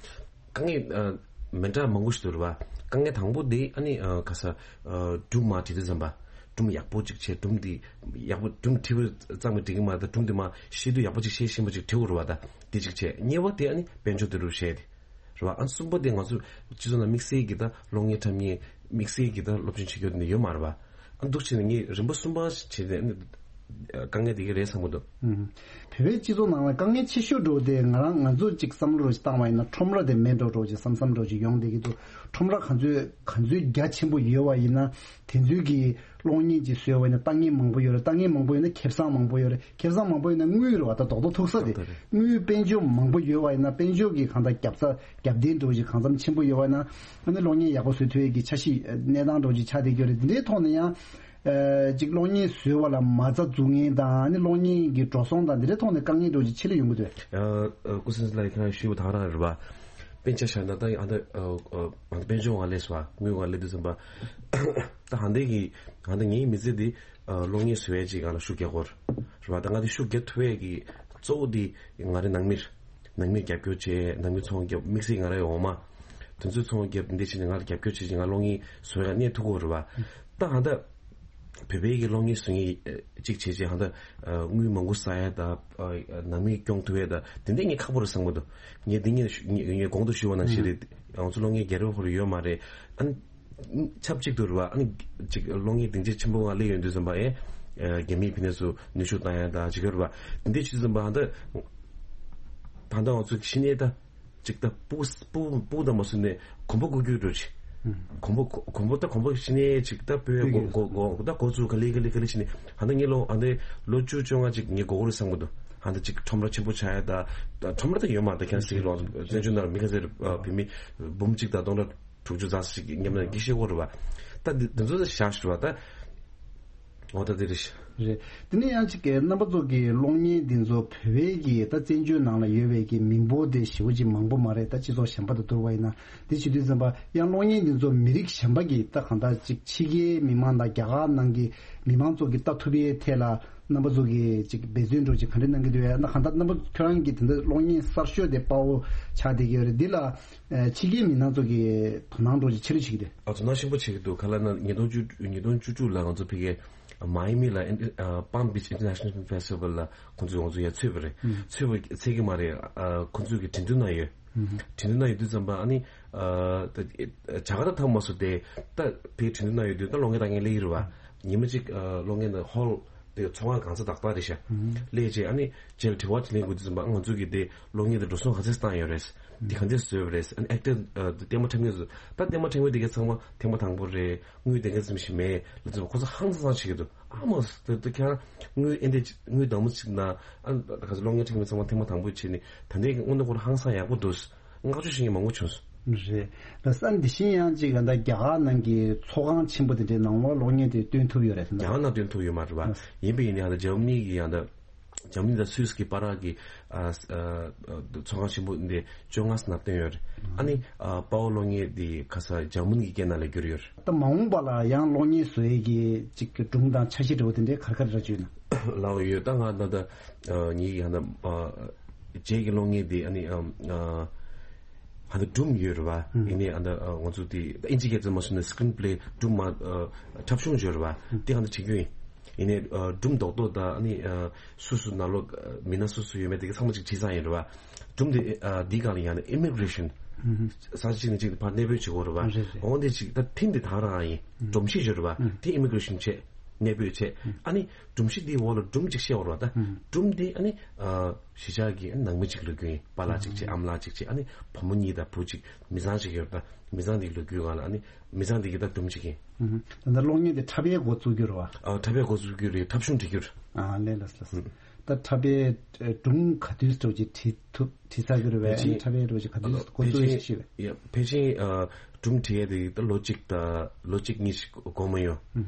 དཀའ་ངལ་མི་འདྲ་མང་པོ་ཞིག་འདུག་རེད་བ། དཀའ་ངལ་དང་པོ་དེ་ཨ་ནི་ག་ས་སྒྲུང་མར་བྲིས་དུས་ཙམ་པ་སྒྲུང་ཡག་པོ་ཅིག་བྱས། སྒྲུང་འདི་ཡག་པོ་སྒྲུང་བྲིས་པ་ཙམ་གྱིས་འགྲིག་གི་མ་རེད། སྒྲུང་དེ་མར་ཤེས་དུས་ཡག་པོ་ཅིག་ཤེས་ཤེས་པ་ཅིག་བྲིས་དགོས་རེད་བ། ད་དེ་ཅིག་བྱས། གཉིས་པ་དེ་ཨ་ནི་དཔལ་འབྱོར་དེ་རུ་བཤད་དེ་རེད་བ། ཨ་གསུམ་པ་དེ་ང་ཚོ་སྤྱི་ཚོགས་ནང་དམིགས་བསལ་གྱི་ད་གློག་བརྙན་འཁྲབ་མཁན་དམིགས་བསལ་གྱི་ད་སློབ་ཆེན་བྱེད་རྒྱུ་དེ་འདྲ་ཡོད་མ་རེད་བ། ཨ་འདུག་བྱས་ནས་ངས་རིམ་པ་གསུམ་པ་བྱས་ཏེ་ཨ་ནི་དཀའ་ངལ་དེ་ག་རེད་བསམ་གྱི་འདུག་ཨུམ། བོད་པའི་སྤྱི་ཚོགས་ནང་ལ་དཀའ་ངལ་ཆེ་ཤོས་འདྲ་བོ་དེ་ང་རང་ང་ཚོ་གཅིག་བསམ་བློ་རོ་ཞིག་བཏང་བ་ཡིན་ན་ཁྲོམ་ར་དེ་མེད་འགྲོ་འདྲ་བོ་ཅིག་བསམ་བསམ་འདྲ་བོ་ཅིག་ཡོང་བསྡད་ཀྱི་འདུག་ཁྲོམ་ར་ག་ཚོད་ག་ཚོད་རྒྱ་ཆེན་པོ་ཡོད་པ་ཡིན་ན་དེ་ཚོའི་གི་གློག་བརྙན་ཅིག་བཟོས་པ་ཡིན་ན་ལྟ་མཁན་མང་པོ་ཡོད་རེད། ལྟ་མཁན་མང་པོ་ཡོད་ན་ཁེ་བཟང་མང་པོ་ཡོད་རེད། ཁེ་བཟང་མང་པོ་ཡོད་ན་དངུལ་རེད་བ། ད་རྡོག་རྡོག་ཐུག་ས་དེ་ད་ད་རེད། དངུལ་དཔལ་འབྱོར་མང་པོ་ཡོད་པ་ཡིན་ན་དཔལ་འབྱོར་གི་གང་ལྟར་རྒྱབ་ས་རྒྱབ་རྟེན་འདྲ་བོ་ཅིག་གང་འཚམ་ཆེན་པོ་ཡོད་པ་ཡིན་ན་ཨ་ནི་གློག་བརྙན་ཡག་པོ་བཟོ་ཐུབ་ཡས་ཀྱི་འཆར་གཞི་གནས་སྟངས་འདྲ་བོ་ཅིག་ཆགས་བསྡད་ཀྱི་ཡོད་རེད། འདི་འདྲའི་ཐོག་ནས་ཡང་། ཨ་ཅིག་གློག་བརྙན་བཟོས་པ་ལ་མ་རྩ་འཛུགས་མཁན་དང་ཨ་ནི་གློག་བརྙན་གྱི་འགྲོ་སོང་དང་འདི་འདྲའི་ཐོག་ནས་དཀའ་ངལ་འདྲ་བོ་ཅིག་ཆེད་ལས་ཡོང་གི་འདུག་ཨ་ཨ་སྐུ་སྲུང་ལགས་ཁྱེད་རང་ཞུས་པ་དང་རང་རེད་བ། དཔེ་ཆ་བཞག་ན་ད་ཨ་ད་ཨ་ཨ་དཔལ་འབྱོར་ངང་ལས་སུ་བ་དངུལ་ངང་ལས་དུས་ཙམ་པ། ད་ཧ་འདས་ཀྱི་ཧ་འདས་ངའི་མི་ཚེ་འདི་ཨ་གློག་བརྙན་བཟོ་ཡས་ཅིག་ང་ལ་ཤུགས་རྒྱག་གོ་རེད་བ། ད་ང་འདི་ཤུགས་རྒྱག་ཐུབ་ཡས་ཀྱི་གཙོ་བོ་འདི་ང་རའི་ནང་མིར་ནང་མིར་རྒྱབ་སྐྱོར་བྱས། ནང་མི་ཚོང་རྒྱབ་དམིགས་བསལ་ང་རའི་འོག་མ། དེ་ཚོའི་ཚོང་རྒྱབ་འདི་བྱས་ནས་ང་ལ་རྒྱབ་སྐྱོར་བྱས་ཅིག་ང་གློག་བརྙན་བཟོ་ཡས་གནས་ཐུབ་གོ་རེད་བ། ད་ཧ་འདས། བོད་པའི་གི་གློག་བརྙན་བཟོ་མཁན་གཅིག་བྱས་རྗེས་ཧ་ད་དངུལ་མང་པོ་བསགས་ཡ་ད་ནང་མི་སྐྱོང་ཐུབ་ཡ་ད་དེ་འདྲས་ངས་ཁག་པོ་རེད་བསམ་གི་འདུག་ངས་འདི་ངས་ངས་གོང་དུ་ཞུས་པ་ནང་བཞིན་རེད། ང་ཚོ་གློག་བརྙན་རྒྱལ་རབས་ཧོར་ཡོད་མ་རེད། ཨ་ནི་ཆབས་ཅིག་ཏུ་རེད་བ། ཨ་ནི་ཅིག་གློག་བརྙན་སྡིངས་ཆ་ཆེན་པོ་ང་སླེབས་ཡོང་དུས་ཙམ་པ་ཨེ་རྒྱ་མིའི་ཕི་ནས་སུ་ནུས་ཤུགས་བཏང་ཡ་ད་ཅིག་ཡོད་རེད་བ། འདི་འདྲས་བྱེད་དུས་ཙམ་པ་ཧ་ད་ད་ལྟ་ང་ཚོ་ཤི་ནས་ད། ཅིག་ད་སྤུ་སྤུ་སྤུ་དང་མ་སུ་ནས་གོམ་པ་བསྐོར་རྒྱུ་འགྲོ་ཅིག་གོམ་པ་གོ་གོམ་པ་ད་གོམ་པ་ཤི་ནས་ཅིག་ད་སྤོས་གོ་གོ་གོ་ད་གོ་ཚུར་ག་ལེ་ག་ལེ་ག་ལེ་ཤི་ནས་ཧ་ད་ངས་ལོ་ཧ་ད་ལོ་བཅུ་བཅོ་ལྔ་ཅིག་ངས་གོ་གོ་རེ་བསམ་གི་འདུག་ཧ་ད་ཅིག་ཁྲོམ་ར་ཆེན་པོ་ཆགས་ཡ་ད་ད་ཁྲོམ་ར་ད་ཡོད་མ་ད་ཁྱེད་སི་ལོ་བཙན་བྱོལ་ནང་མི་ཁ་སེར་བུད་མེད་འབུམ་གཅིག་དང་སྟོང་ཕྲག་དྲུག་ཅུ་ཙམ་ཞིག་མཉམ་ན་གི་ཤེས་གོ་རེ་བ། ད་འདི་འདི་ཚོ་ད་བཞག་ཤི་རེ་བ་ད་འོ་ད་དེ་རེ་ཤི། རེད། དེ་ནས་ཡང་ཅིག་གི་རྣམ་པ་ཚོ་གི་གློག་བརྙན་འདི་ཚོ་བོད་པའི་གི་ད་བཙན་བྱོལ་ནང་ལ་ཡོད་པའི་གི་མི་འབོར་དེ་ཞེ་པོ་ཅིག་མང་པོ་མ་རེད། ད་སྤྱི་ཚོགས་གཞན་པ་དང་བསྡུར་བ་ཡིན་ན། དེ་བྱེད་དུས་ཙམ་པ་ཡང་གློག་བརྙན་འདི་ཚོ་མི་རིགས་གཞན་པ་གི་ད་གང་ལྟར་ཅིག་ཕྱི་རྒྱལ་མི་མང་དང་རྒྱ་གར་ནང་གི་མི་མང་ཚོ་གི་ལྟ་ཐུབ་པའི་ཐད་ལ་རྣམ་པ་ཚོ་གི་ཅིག་འབད་བརྩོན་འདྲ་ཅིག་ག་འདྲ་གནང་གི་འདུག་ཡ། ན་གང་ལྟར་རྣམ་པ་ཁྱོད་རང་གི་དེ་འདྲ་གློག་བརྙན་གསར་ཤོས་དེ་དཔའ་བོ་ཆགས་བསྡད་ཀྱི་ཡོད་རེད། འདི་ལ་ཕྱི་རྒྱལ་མི་མང་ཚོ་གི་དོ་སྣང་འདྲ་ཅིག་ཆེ་རུ་བྱེད་ཀྱི་འདུག་ཨ་དོ་སྣང་ཆེན་པོ་བྱེད་ཀྱི་འདུག་ག་ལ་ན་ཉིས་སྟོང་བཅུ་ཉིས་སྟོང་བཅུ་དྲུག་ལ་ང་ཚོ་ཕ་གིའི་མ་ཡ་མི་ལ་ཨིན་ཨ་Palm Beach International Film Festival ལ་ཁོང་ཚོས་ང་ཚོ་ཡར་ཚུད་པ་རེད། ཚུད་པ་ཚད་ཀྱི་མ་རེད། ཨ་ཁོང་ཚོས་ཀྱི་འགྲན་བསྡུར་ནང་ཡོད། འགྲན་བསྡུར་ནང་ཡོད་དུས་ཙམ་པ་ཨ་ནི་ཨ་ད་བྱ་དགའ་ད་ཐོབ་མ་སོང་སྟེ། ད་ཕ་གིའི་འགྲན་བསྡུར་ནང་ཡོད་དུས་ད་གློག་བརྙན་ལྟ་མཁན་སླེབས་ཀྱི་རེད་བ། ཉི་མ་གཅིག་ཨ་གློག་བརྙན་དང་ཧོལ་དེ་ཚོང་ཁང་གང་ས་ཏག་ཏག་རེད་ཤག་ལས་བྱས་ཨ་ནི་རྗེས་ལ་དྲི་བ་དྲིས་ལན་དགོས་དུས་ཙམ་པ་ང་ཚོ་གིས་དེ་གློག་བརྙན་དེ་འགྲོ་སོང་ག་ཚད་བཏང་ཡོད་རེད། འདི་ག་འདྲས་བཟོས་པ་རེད། ཨ་ནི་ཨེག་ཊར་ཨ་ཐེངས་མ་ཐེངས་མ་ཚོ་ད་ཐེངས་མ་ཐེངས་མ་དེ་གའི་ཚང་མ་ཐེངས་མ་དང་པོ་རེད། དངུལ་དེ་ག་ཙམ་ཞིག་མེད་ལ་ཚོ་ཁོ་ཚོ་ཧང་སང་སང་བྱེད་ཀྱི་འདུག་ཨ་མ་དེ་དེ་ཁྱེད་རང་དངུལ་ཨེ་འདྲས་དངུལ་དང་པོ་ཅིག་ན་ཨ་ག་ཚོད་གློག་བརྙན་འཁྲིད་མཁན་ཚང་མ་ཐེངས་མ་དང་པོ་བྱས་ནས་ད་ལྟའི་དངོས་གནས་ཁོ་རང་ཧང་སང་ཡག་པོ་འདུག་བསྔགས་བརྗོད་བྱེད་མཁན་མང་པོ་བྱུང་སོང་། རེད། ལ་ས་འདི་བཞིན་ཡང་ཅིག་ད་རྒྱ་གར་ནང་གི་ཚོགས་ཁང་ཆེན་པོ་དེ་འདྲའི་ནང་ལ་གློག་བརྙན་དེ་སྟོན་ཐུབ་ཡོད་རེད་ཟེར་ན། རྒྱ་གར་ནང་སྟོན་ཐུབ་ཡོད་མ་རེད་བ། ཡིན་པ་ཡིན་ནའི་ཡང་ད་འཇར་མ་ནི་གི་ཡང་ད་འཇར་མ་ནི་དང་སུད་སི་གི་བར་གྱི་ཨ་ཨ་ཚོགས་ཁང་ཆེན་པོ་འདི་བཅོ་ལྔ་ཙམ་སྟོན་ཡོད་རེད། ཨ་ནི་ཨ་དཔའ་བོ་གློག་བརྙན་འདི་ཁ་ས་འཇར་མ་ནི་གི་སྐད་ནང་ལ་བསྒྱུར་ཡོད་རེད། ད་མ་འོངས་པ་ལ་ཡང་གློག་བརྙན་བཟོ་ཡས་ཀྱི་ཅིག་གི་སྒྲུང་དང་འཆར་གཞི་འདྲ་བོ་དེ་འདྲའི་ག་རེ་ག་རེ་ར་བརྗོད་ན། ལའོ་ཡོད། ད་ང་ད་ད་ཨ་ངེད་ཀྱི་ཧ་ན་ཨ་རྗེས་ཀྱི་གློག་བརྙན་འདི་ཨ་ནི་ཨ་ཨ་ཧ་ད་སྒྲུང་ཡོད་རེད་བ། ཡིན་ནའི་ཨ་ད་ཨ་ང་ཚོ་འདི་ད་ཨིན་ཇི་སྐད་ཚོ་མ་སོང་ན་སི་ཀི་རིན་པ་ལེ་སྒྲུང་མ་ཨ་འཁྲབ་གཞུང་ཡོད་རེད་བ། དེ་ཧ་ད་བྱེད་རྒྱུ་ཡིན། ཡིན་ནའི་ཨ་སྒྲུང་རྡོག་རྡོག་ད་ཨ་ནི་ཨ་སུ་སུ་ནང་ལོགས་མི་སྣ་སུ་སུ་ཡོད་མེད་དེ་ག་ཚང་མ་ཅིག་བྲིས་ཚར་ཡིན་རེད་བ། སྒྲུང་དེ་ཨ་འདིའི་སྒང་ལ་ཡང་ན་ཨི་མི་གི་རེ་ཤན། ས་ཆ་གཅིག་ནས་གཅིག་ཏུ་ཕར་གནས་སྤོས་བྱེད་དགོས་རེད་བ། རེད་རེད། འོ་འདི་གཅིག་ད་ཐིམ་དེ་ད་རང་ཡིན། སྒྲོམ་གཞི་ཡོད་རེད་བ། དེ་ཨི་མི་གི་རེ་ཤན་བྱས། གནས་སྤོས་བྱས། ཨ་ནི་སྒྲོམ་གཞི་འདིའི་འོག་ལ་སྒྲུང་གཅིག་བཤད་དགོས་རེད་བ་ད། སྒྲུང་དེ་ཨ་ནི་ཨ་གཞིས་ཆགས་ཀྱི་ཨ་ནི་ནང་མི་གཅིག་ལོ་རྒྱུས་ཡིན། པཱ་ལགས་གཅིག་བྱས་ཨ་མ་ལགས་གཅིག་བྱས། ཨ་ནི་བུ་མོ་གཉིས་དང་བུ་གཅིག་མི་ཚང་གཅིག་ཡོད་རེད་ད། མི་ཚང་འདིའི་ལོ་རྒྱུས་སྒང་ལ་ཨ་ནི་མི་ཚང་འདི་གི་ད་སྒྲུང་གཅིག་ཡིན། ད་ལྟ་གློག་བརྙན་དེ་འཁྲབ་ཡས་འགོ་བཙུགས་རྒྱུ་རེད་བ། ཨ་འཁྲབ་ཡས་འགོ་བཙུགས་རྒྱུ་རེད། འཁྲབ་གཞུང་འབྲི་རྒྱུ་རེད། ཨ་ལས་ལས་ལས། ད་འཁྲབ་པའི་སྒྲུང་ག་དུས་སྤྲོ་ཅིག་བྲིས་ཐུབ་བྲིས་ཚར་གི་རེད་བས། ཨ་ནི་འཁྲབ་པའི་སྤྲོ་ཅིག་ག་དུས་འགོ་བཙུགས་ཡས་ཤིག་བྱེད་བས། ཕལ་ཆེར་ཨ་སྒྲུང་བྲིས་ཡས་དེ་ད་ལོ་གཅིག་དང་ལོ་གཅིག་གཉིས་ཤིག་འགོར་མ་ཡོང་།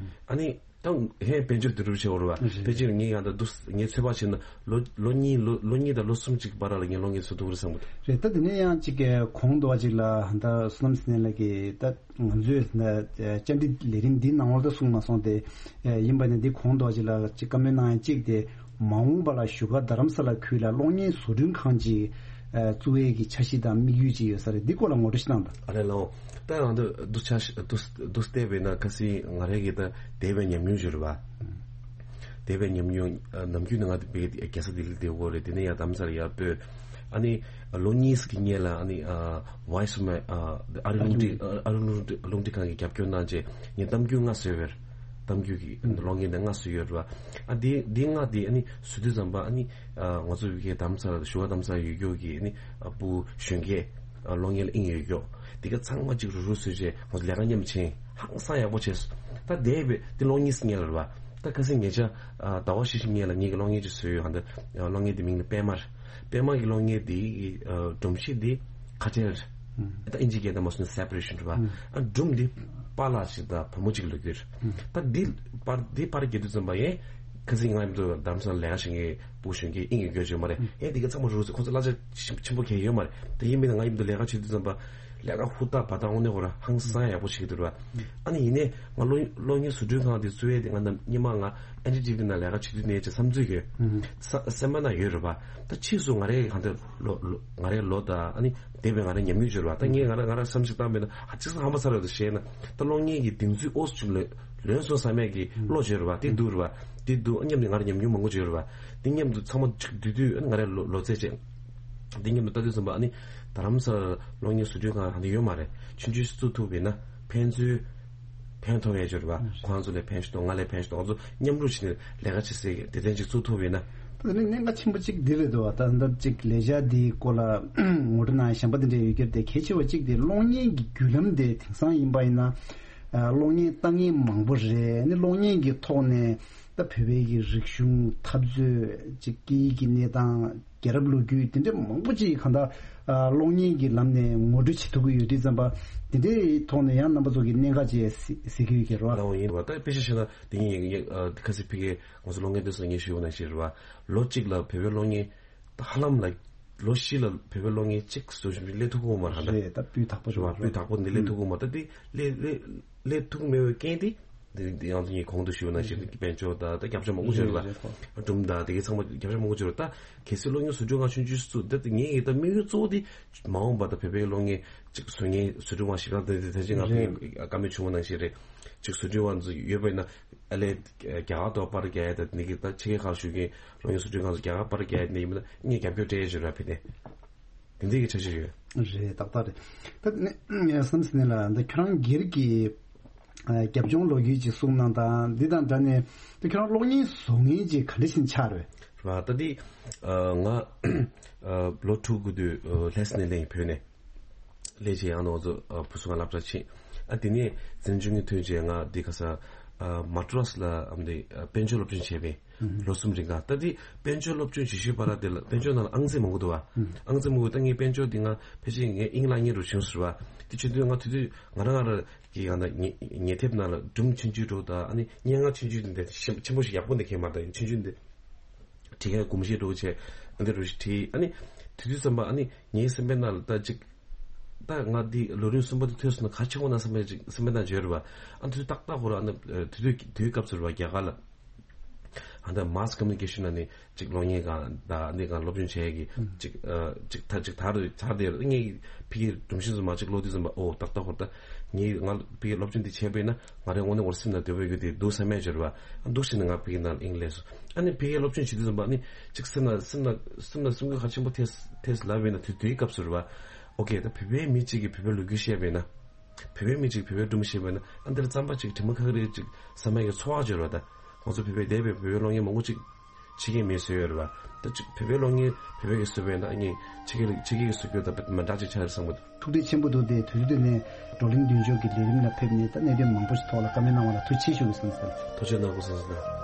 ཨ་ནི་ད་ཧེ་དཔལ་འབྱོར་དུ་རུབ་བྱེད་འོར་བ། ཕལ་ཆེར་ངས་ཡང་ད་དུ་ངས་ཚོད་དཔག་བྱས་ན་ལོ་ལོ་གཉིས་ལོ་ལོ་གཉིས་དང་ལོ་གསུམ་གཅིག་བར་ལ་ངས་གློག་བརྙན་བཟོ་ཐུབ་རེད་བསམ་གི་འདུག་རེད། ད་དེ་ནས་ཡང་གཅིག་གི་གོང་དུ་བ་ཅིག་ལ་ད་བསོད་ནམས་ཟེར་མཁན་ལགས་ཀྱིས་ད། ང་ཚོས་བཅར་འདྲི་ལས་རིམ་འདིའི་ནང་ལོགས་ལ་གསུངས་མ་སོང་སྟེ། ཡིན་པ་ནི་འདི་གོང་དུ་ཅིག་ལ་ཅིག་བཀའ་མོལ་གནང་ཡ་གཅིག་དེ། མ་འོངས་པ་ལ་བཞུགས་སྒར་རྡ་རམ་ས་ལ་ཁུལ་ལ་གློག་བརྙན་བཟོ་སྐྲུན་ཁང་ཅིག་བཙུགས་ཡས་ཀྱི་འཆར་གཞི་དང་དམིགས་ཡུལ་ཅིག་ཡོད་ས་རེད། འདི་སྐོར་ལ་ངོ་སྤྲོད་ཞིག་གནང་དང་། ཨ་ལས་ལགས། ད་ང་ཚོ་འདུག་ཆ་འདུག་འདུག་བལྟས་པས་ན་ཁ་སང་ང་རང་གི་ད་འདས་པའི་ཉམས་མྱོང་ཅིག་རེད་བ། འདས་པའི་ཉམས་མྱོང་། ཨ་ནམ་རྒྱུན་ནས་ང་དེ་བས་རྒྱལ་ས་ལྡི་ལི་བསྡད་ཡོད་རེད། དེ་ནས་ཡང་རྡ་རམ་ས་ལ་ཡར་སྤོས། ཨ་ནི་ལོ་གཉིས་ཀྱི་སྔོན་ལ་ཨ་ནི་ཨ་Voice of America ཨ་ཨ་རི་རླུང་འཕྲིན་ཨ་ཨ་རི་རླུང་འཕྲིན་རླུང་འཕྲིན་ཁང་གིས་རྒྱབ་སྐྱོར་གནང་རྗེས་ངས་གཏམ་རྒྱུད་ལྔ་བཟོས་པ་རེད། གཏམ་རྒྱུད་ཀྱི་གློག་བརྙན་དེ་ལྔ་བཟོས་ཡོད་རེད་བ། ཨ་འདི་འདི་ལྔ་དེ་ཨ་ནི་བཟོ་དུས་ཙམ་པ་ཨ་ནི་ཨ་ང་ཚོ་བོད་ཀྱི་རྡ་རམ་ས་ལ་བཞུགས་སྒར་རྡ་རམ་ས་ལ་ཡོད་རྒྱུ་གི་ཨ་ནི་ཨ་བུ་གཞོན་སྐྱེས་ཨ་གློག་བརྙན་ལ་དབྱིངས་ཡོད་རྒྱུ་དེ་ག་ཚང་མ་གཅིག་རུ་རུ་བཟོས་རྗེས་ང་ཚོ་ལས་ཀ་མཉམ་བྱས། ཧང་སང་ཡག་པོ་བྱས་སོང་། ད་འདས་པའི་འདི་ལོ་གཉིས་སྔོན་ལ་རེད་བ། ད་ཁ་སང་ཉེ་ཆར་ཨ་ཟླ་བ་ཕྱེད་ཀྱི་སྔོན་ལ་ངེད་ཀྱི་གློག་བརྙན་ཅིག་བཟོས་ཡོད། ཧ་འདི་གློག་བརྙན་འདི་མིང་ནི་པད་མ་རེད། པད་མ་གི་གློག་བརྙན་འདི་གི་ཨ་སྒྲོམ་གཞི་འདི་ཁ་བྲལ་རེད། ད་ཨིན་ཇི་སྐད་ད་མ་སོང་ན་སེ་པ་རེ་ཤན་རེད་བ། ཨ་སྒྲུང་འདི་པཱ་ལགས་ཤིག་དང་བུ་མོ་གཅིག་ལོ་རྒྱུས་རེད། ད་འདི་པར་འདི་པར་རྒྱག་དུས་ཙམ་པ་ཡང་ཁ་སང་ང་ཡིན་དུས་རྡ་རམ་ས་ལ་ལས་ཀ་བྱེད་མཁན་བུ་གཞོན་སྐྱེས་དབྱིངས་ཡོད་རྒྱུ་ཅིག་མ་རེད། ཡང་འདི་ག་ཚང་མ་རུ་རུ་ཟེར། ཁོ་ཚོ་གླ་ཆ་ཆེན་ཆེན་པོ་གང་ཡོད་མ་རེད། དེ་ཡིན་མིན་ན་ང་ཡིན་དུས་ལས་ཀ་བྱེད་དུས་ཙམ་པ་ལས་ཀ་ཧུར་ཐག་བར་ཐག་དངོས་གནས་ཁོ་རང་ཧང་སང་ཡག་པོ་བྱེད་ཀྱི་འདུག་ར། ཨ་ནི་ཡིན་ནའི་ང་གློག་གློག་བརྙན་བཟོ་སྐྲུན་ཁང་དེ་བཙུགས་ཡས་དེ་ང་ནམ་སྔོན་མ་ང་ཨེན་ཌི་ཊི་ཝི་ནང་ལས་ཀ་བྱེད་དུས་ནས་ཅིག་བསམ་ཚུལ་ཡོད། ས་སེམས་པ་ན་ཡོད་རེད་པ། ད་ཕྱིས་སུ་ང་རའི་གང་ལྟར་ལོ་ལོ་ང་རའི་ལོ་དང་ཨ་ནི་འདས་པའི་ང་རའི་ཉམས་མྱོང་བརྗོད་རེད་པ། ད་ངས་ང་ར་ང་ར་བསམ་གཞིག་བཏང་བས་ན་ཧ་ཅང་ཧམ་པ་ཚ་རེད་དུ་བཤད་ན་ད་གློག་བརྙན་གྱི་གདེང་ཚོད་ཨོ་སི་ཅུང་ལོན་ལོན་སོང་བསམ་ཡས་ཀྱི་བློ་བརྗོད་རེད་པ། དེ་འདུག་རེད་པ། དེ་འདུག་ཨ་མཉམ་དུ་ང་ར་ཉམས་མྱོང་མང་པོ་བརྗོད་རེད་པ། དེ་མཉམ་དུ་ཚང་མ་ཅིག་བསྡུས་དུས་ཨ་ནི་ང་རའི་ལོ་ལོ་ཚད་བྱས། འདི་མཉམ་དུ་ལྟ་དུས་ཙམ་པ་ཨ་ནི་རྡ་རམ་ས་ལ་གློག་བརྙན་བཟོ་སྐྲུན་ཁང་ཧ་འདི་ཡོད་མ་རེད། ཆུང་ཆུང་ཞིག་བཙུགས་ཐུབ་པས་ན་ཕན་ཚུན་ཕན་ཐོགས་ཡས་ཅིག་རེད་པ། ཁོང་ཚོ་ལ་ཕན་ཞིག་ཐོགས། ང་ལ་ཕན་ཞིག་ཐོགས། ང་ཚོ་མཉམ་རུབ་བྱས་ནས་ལས་ཀ་བྱེད་སའི་སྡེ་ཚན་ཅིག་བཙུགས་ཐུབ་པས་ན། ད་ནི་གནད་འགག་ཆེན་པོ་གཅིག་འདི་རེད་འདུག་ད་ལྟ་གཅིག་ལས་འཆར་འདིའི་སྐོར་ལ་ངོ་སྤྲོད་གནང་ཡ་གཞན་པ་དེ་འདྲ་ཡོད་ཀྱི་རེད་དེ། གལ་ཆེ་བ་གཅིག་དེ་གློག་བརྙན་གྱི་བརྒྱུད་ལམ་དེ་དེང་སང་ཡིན་པ་ཡིན་ན་གློག་བརྙན་ལྟ་མཁན་མང་པོ་རེད། ནི་གློག་བརྙན་གྱི་ཐོག་ནས་ ད་བོད་པའི་གི་རིག་གཞུང་འཐབ་རྩོད་ཅིག་སྐད་ཡིག་གི་གནས་སྟངས་རྒྱལ་རབས་ལོ་རྒྱུས་དེ་འདྲ་མང་པོ་ཅིག་གང་ལྟར་ཨ་གློག་བརྙན་གྱི་ལམ་ནས་ངོ་སྤྲོད་བྱེད་ཐུབ་ཀྱི་ཡོད་དུས་ཙམ་པ་དེ་འདྲའི་ཐོག་ནས་ཡང་རྣམ་པ་ཚོ་གི་གནད་འགག་ཅིག་གཟིགས་གཟིགས་ཀྱི་ཡོད་ཀྱི་རེད་བ། ལའོ་ཡིན་རེད་བ། ད་དཔེ་ཆ་བཞག་ན་དེ་ཉིད་ཡིན་ཡིན་ཁ་སི་ཕི་གའི་ང་ཚོ་གློག་བརྙན་དེ་ཚོ་ངས་ཞུས་པ་ནང་བཞིན་རེད་བ། ལོ་གཅིག་ལ་བོད་པའི་གློག་བརྙན་ཧ་ལམ་ལ་ལོ་བཞི་ལ་བོད་པའི་གློག་བརྙན་གཅིག་བཟོ་བཞིན་སླེབས་ཐུབ་ཀྱི་ཡོད་མ་རེད་ད། རེད་ད་སྤུས་དག་པོ་རེད་བ། སྤུས་དག་པོ་འདི་སླེབས་ཐུབ་ཀྱི་ཡོད་མ་རེད་ད། འདི་སླེབས་སླེབས་སླེབས་ཐུབ་ཀྱི་མེད་པའི་རྐྱེན་དེ་འདི་འདི་ཡང་ཚོ་ངས་གོང་དུ་ཞུས་པ་ནང་བཞིན་དཔལ་འབྱོར་དང་ད་རྒྱབ་ཆ་མང་པོ་བྱོས་རེད་ལ། རེད་རེད། སྒྲུང་དང་དེ་གའི་ཚང་མ་རྒྱབ་ཆ་མང་པོ་བྱོས་རེད་ད། གལ་སྲིད་གློག་བརྙན་བཟོ་སྐྲུན་ཁང་ཆུང་ཆུང་སུ་ད་དེ་ངའི་ཡིད་ད་དམིགས་ཡུལ་གཙོ་བོ་དེ་མ་འོངས་པ་ད་བོད་པའི་གློག་བརྙན་གཅིག་བཟོ་མཁན་བཟོ་སྐྲུན་ཁང་ཞིག་རང་དེ་དེ་ད་ཅི་ང་རེད། བཀའ་མོལ་བྱུང་བ་ནང་བཞིན་རེད། གཅིག་བཟོ་སྐྲུན་ཁང་ཚོ་ཡོད་པ་ཡིན་ན་ཨ་ལས་རྒྱ་གར་དུ་པར་རྒྱག་ཡ་ད་ནི་གི་ད་ཕྱི་རྒྱལ་ཁག་བཞུགས་མཁན་གློག་བརྙན་བཟོ་སྐྲུན་ཁང་ཚོ་རྒྱ་གར་པར་རྒྱག་ཡ་ནི་ཡིན་ན་ངས་རྒྱབ་སྐྱོར་སྤྲད་ཡ་ཞིག་ར་ཕི་ནས། དེ་འདྲའི་གི་འཆར་གཞི་ཡོད། རེད་ཏག་ཏག་རེད། ད་ནི་བསམ་སྲིད་ནས་ལ་འདི་ཁྱོད་རང་སྒེར་གྱི་ཨ་རྒྱབ་ལྗོངས་ལོ་རྒྱུས་ཅིག་གསུངས་གནང་དང་འདི་དང་འདྲ་ནས་ད་ཁྱོད་རང་གློག་བརྙན་བཟོ་མཁན་ཅིག་ག་འདྲ་ཞིག་ཆགས་རེད། རེད་བ། ད་འདི་ཨ་ང་ཨ་ལོ་དྲུག་གི་དུས་ཨ་ལྷ་ས་ནས་སླེབས་ཡིན་བོད་ནས། སླེབས་བྱས་ཡང་ང་ཚོ་ཨ་བུ་སུ་ང་སློབ་གྲྭ་ཕྱིན། ཨ་དེ་ནས་འཛིན་སྐྱོང་གི་ཐོན་རྗེས་ང་འདི་ག་ས་ཨ་མ་ཏྲོས་ལ་ཨ་འདི་ཨ་དཔལ་འབྱོར་སློབ་སྦྱོང་བྱས་པས། ལོ་གསུམ་རིང་ག་ད་དེ་དཔལ་འབྱོར་སློབ་སྦྱོང་བྱེད་ཤུལ་བར་དེ་ལ་དཔལ་འབྱོར་ནང་ལ་ཨང་རྩིས་མང་པོ་འདུག་བ། ཨང་རྩིས་མང་པོ་ད་ངའི་དཔལ་འབྱོར་དེ་ང་ཕལ་ཆེར་ངའི་དབྱིངས་ལ་ཉེ་རུ་བྱུང་ཟེར་བ། དེ་བྱེད་དུས་ང་དེ་དུས་ང་རང་ང་རང་གི་ཡང་ན་ཉེ་ཉེ་དེབ་ནང་ལ་སྒྲུང་ཆུང་ཆུང་འདྲ་བོ་དང་ཨ་ནི་སྙན་ངག་ཆུང་ཆུང་དེ་འདྲ་ཞིམ་ཆེན་པོ་ཞིག་ཡག་པོ་འདི་ཁེལ་མ་ད་ཡིན་ཆུང་ཆུང་འདི་བྲིས་མཁན་གོམས་གཤིས་འདྲ་བོ་བྱས་ཨ་འདི་འདྲ་བོ་ཞིག་བྲིས། ཨ་ནི་དེ་དུས་ཙམ་པ་ཨ་ནི་ངའི་སེམས་པའི་ནང་ལ་ད་ཅིག་ད་ང་འདི་ལོ་རིམ་གསུམ་པ་དེ་ཐོས་སོང་ན་ག་ཆེན་པོ་ན་སེམས་པའི་ཅིག་སེམས་པའི་ནང་བརྗོད་རེད་བ། ཨ་དེ་དུས་ཏག་ཏག་ཁོ་ར་ཨ་ནི་དེ་དུས་དེའི་སྐབས་སུ་རེད་བ་རྒྱ་གར་ལ། ཨ་ད་mass communication ནང་ནས་ཅིག་གློག་བརྙན་སྒང་དང་འདི་སྒང་སློབ་སྦྱོང་བྱས་ཀྱི་ཅིག་ཨ་ཅིག་ད་ཅིག་ད་རེད་ད་དེ་ངས་ཕ་གིའི་སྒྲོམ་གཞི་ཚོ་མ་ཅིག་ཀློག་དུས་ཙམ་པ་ཨོ་ཏག་ཏག་ཧོར་ད་ངས་ང་ཕ་གིའི་སློབ་སྦྱོང་འདི་བྱས་པས་ན་ང་རའི་དངོས་གནས་འོར་སེམས་ན་འདོད་པའི་རྒྱུ་དེ་འདུག་བསམ་ཡས་བྱོས་རེད་བ། ཨ་འདུག་ཟེར་ནས་ང་ཕ་གིའི་ནང་ལ་དབྱིངས་སླེབས་སོང་། ཨ་ནི་ཕ་གིའི་སློབ་སྦྱོང་བྱེད་དུས་ཙམ་པ་ཨ་ནི་ཅིག་སེམས་ན་སེམས་ན་སེམས་ན་སེམས་འགུལ་ག་ཆེན་པོ་ཐེབས་ཐེབས་ལབ་པས་ན་དེ་དུས་སྐབས་སུ་རེད་བ། ཨོ་ཀེ་ད་བོད་པའི་མི་གཅིག་གིས་བོད་པའི་ལོ་རྒྱུས་བཤད་པས་ན། བོད་པའི་མི་གཅིག་བོད་པའི་སྒྲུང་བཤད་པས་ན་ཨ་འདིར་རྩམ་པ་གཅིག་དྲི་མ་ཁ་ཁ་རེ་གཅིག་ཟ་མ་གི་ཚོར་བ་བྱོས་ར་ད། ང་ཚོ་བོད་པའི་འདས་པའི་བོད་པའི་གློག་བརྙན་མང་པོ་གཅིག་ཕྱི་རྒྱལ་མིས་བཟོས་ཡོད་རེད་བ། ད་གཅིག་བོད་པའི་གློག་བརྙན་བོད་པའི་གིས་བཟོས་པས་ན་ཨ་ནི་ཕྱི་རྒྱལ་ཕྱི་རྒྱལ་གྱིས་བཟོ་རྒྱུ་དང་མི་འདྲ་གཅིག་ཆགས་ཡོད་བསམ་གི་འདུག་ཐུགས་རྗེ་ཆེན་པོ་འདུག་དེ་དུས་ཚོད་ནས་བགྲོ་གླེང་མདུན་ལྕོག་གི་ལས་རིམ་ལ་ཕེབས་ནས་ད་གནད་དོན་མང་པོ་ཞིག་ཐོག་ལ་བཀའ་མོལ་གནང་བ་ལ་ཐུགས་རྗེ་ཆེ་ཞུ་གི་ཟེར་ཟེར། ཐུགས་རྗེ་གནང་དགོས་ཟེར་ཟེར།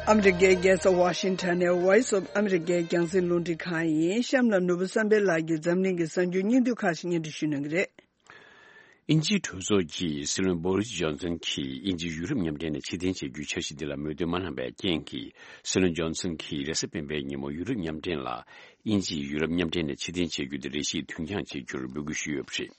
ཨ་མི་རི་ཀའི་རྒྱལ་ས་ཝ་ཤིང་ཊོན་ནས་Voice of America་རྒྱང་སྲིང་རླུང་འཕྲིན་ཁང་ཡིན། གཤམ་ལ་ནོར་བུ་བསམ་འཕེལ་ལགས་ཀྱིས་འཛམ་གླིང་གི་གསར་འགྱུར་སྙིང་བསྡུས་ཁག་ཅིག་སྙན་སྒྲོན་ཞུ་གནང་གི་རེད། དབྱིན་ཇིའི་གྲོས་ཚོགས་ཀྱིས་སྲིད་བློན་བོ་རིས་ཇོན་སན་གྱིས་དབྱིན་ཇི་ཡུ་རོབ་མཉམ་འབྲེལ་ནས་ཕྱིར་འཐེན་བྱེད་རྒྱུའི་འཆར་གཞི་འདི་ལ་མོས་མཐུན་མ་གནང་བའི་རྐྱེན་གྱིས། སྲིད་བློན་ཇོན་སན་གྱིས་རེས་གཟའ་སྤེན་པའི་ཉིན་མོ་ཡུ་རོབ་མཉམ་འབྲེལ་ལ་དབྱིན་ཇིས་ཡུ་རོབ་མཉམ་འབྲེལ་ནས་ཕྱིར་འཐེན་བྱེད་རྒྱུ་དེ་རེ་ཞིག་དུས་འགྱངས་བྱེད་རྒྱུར་འབོད་སྐུལ་ཞུས་ཡོད་པ་རེད།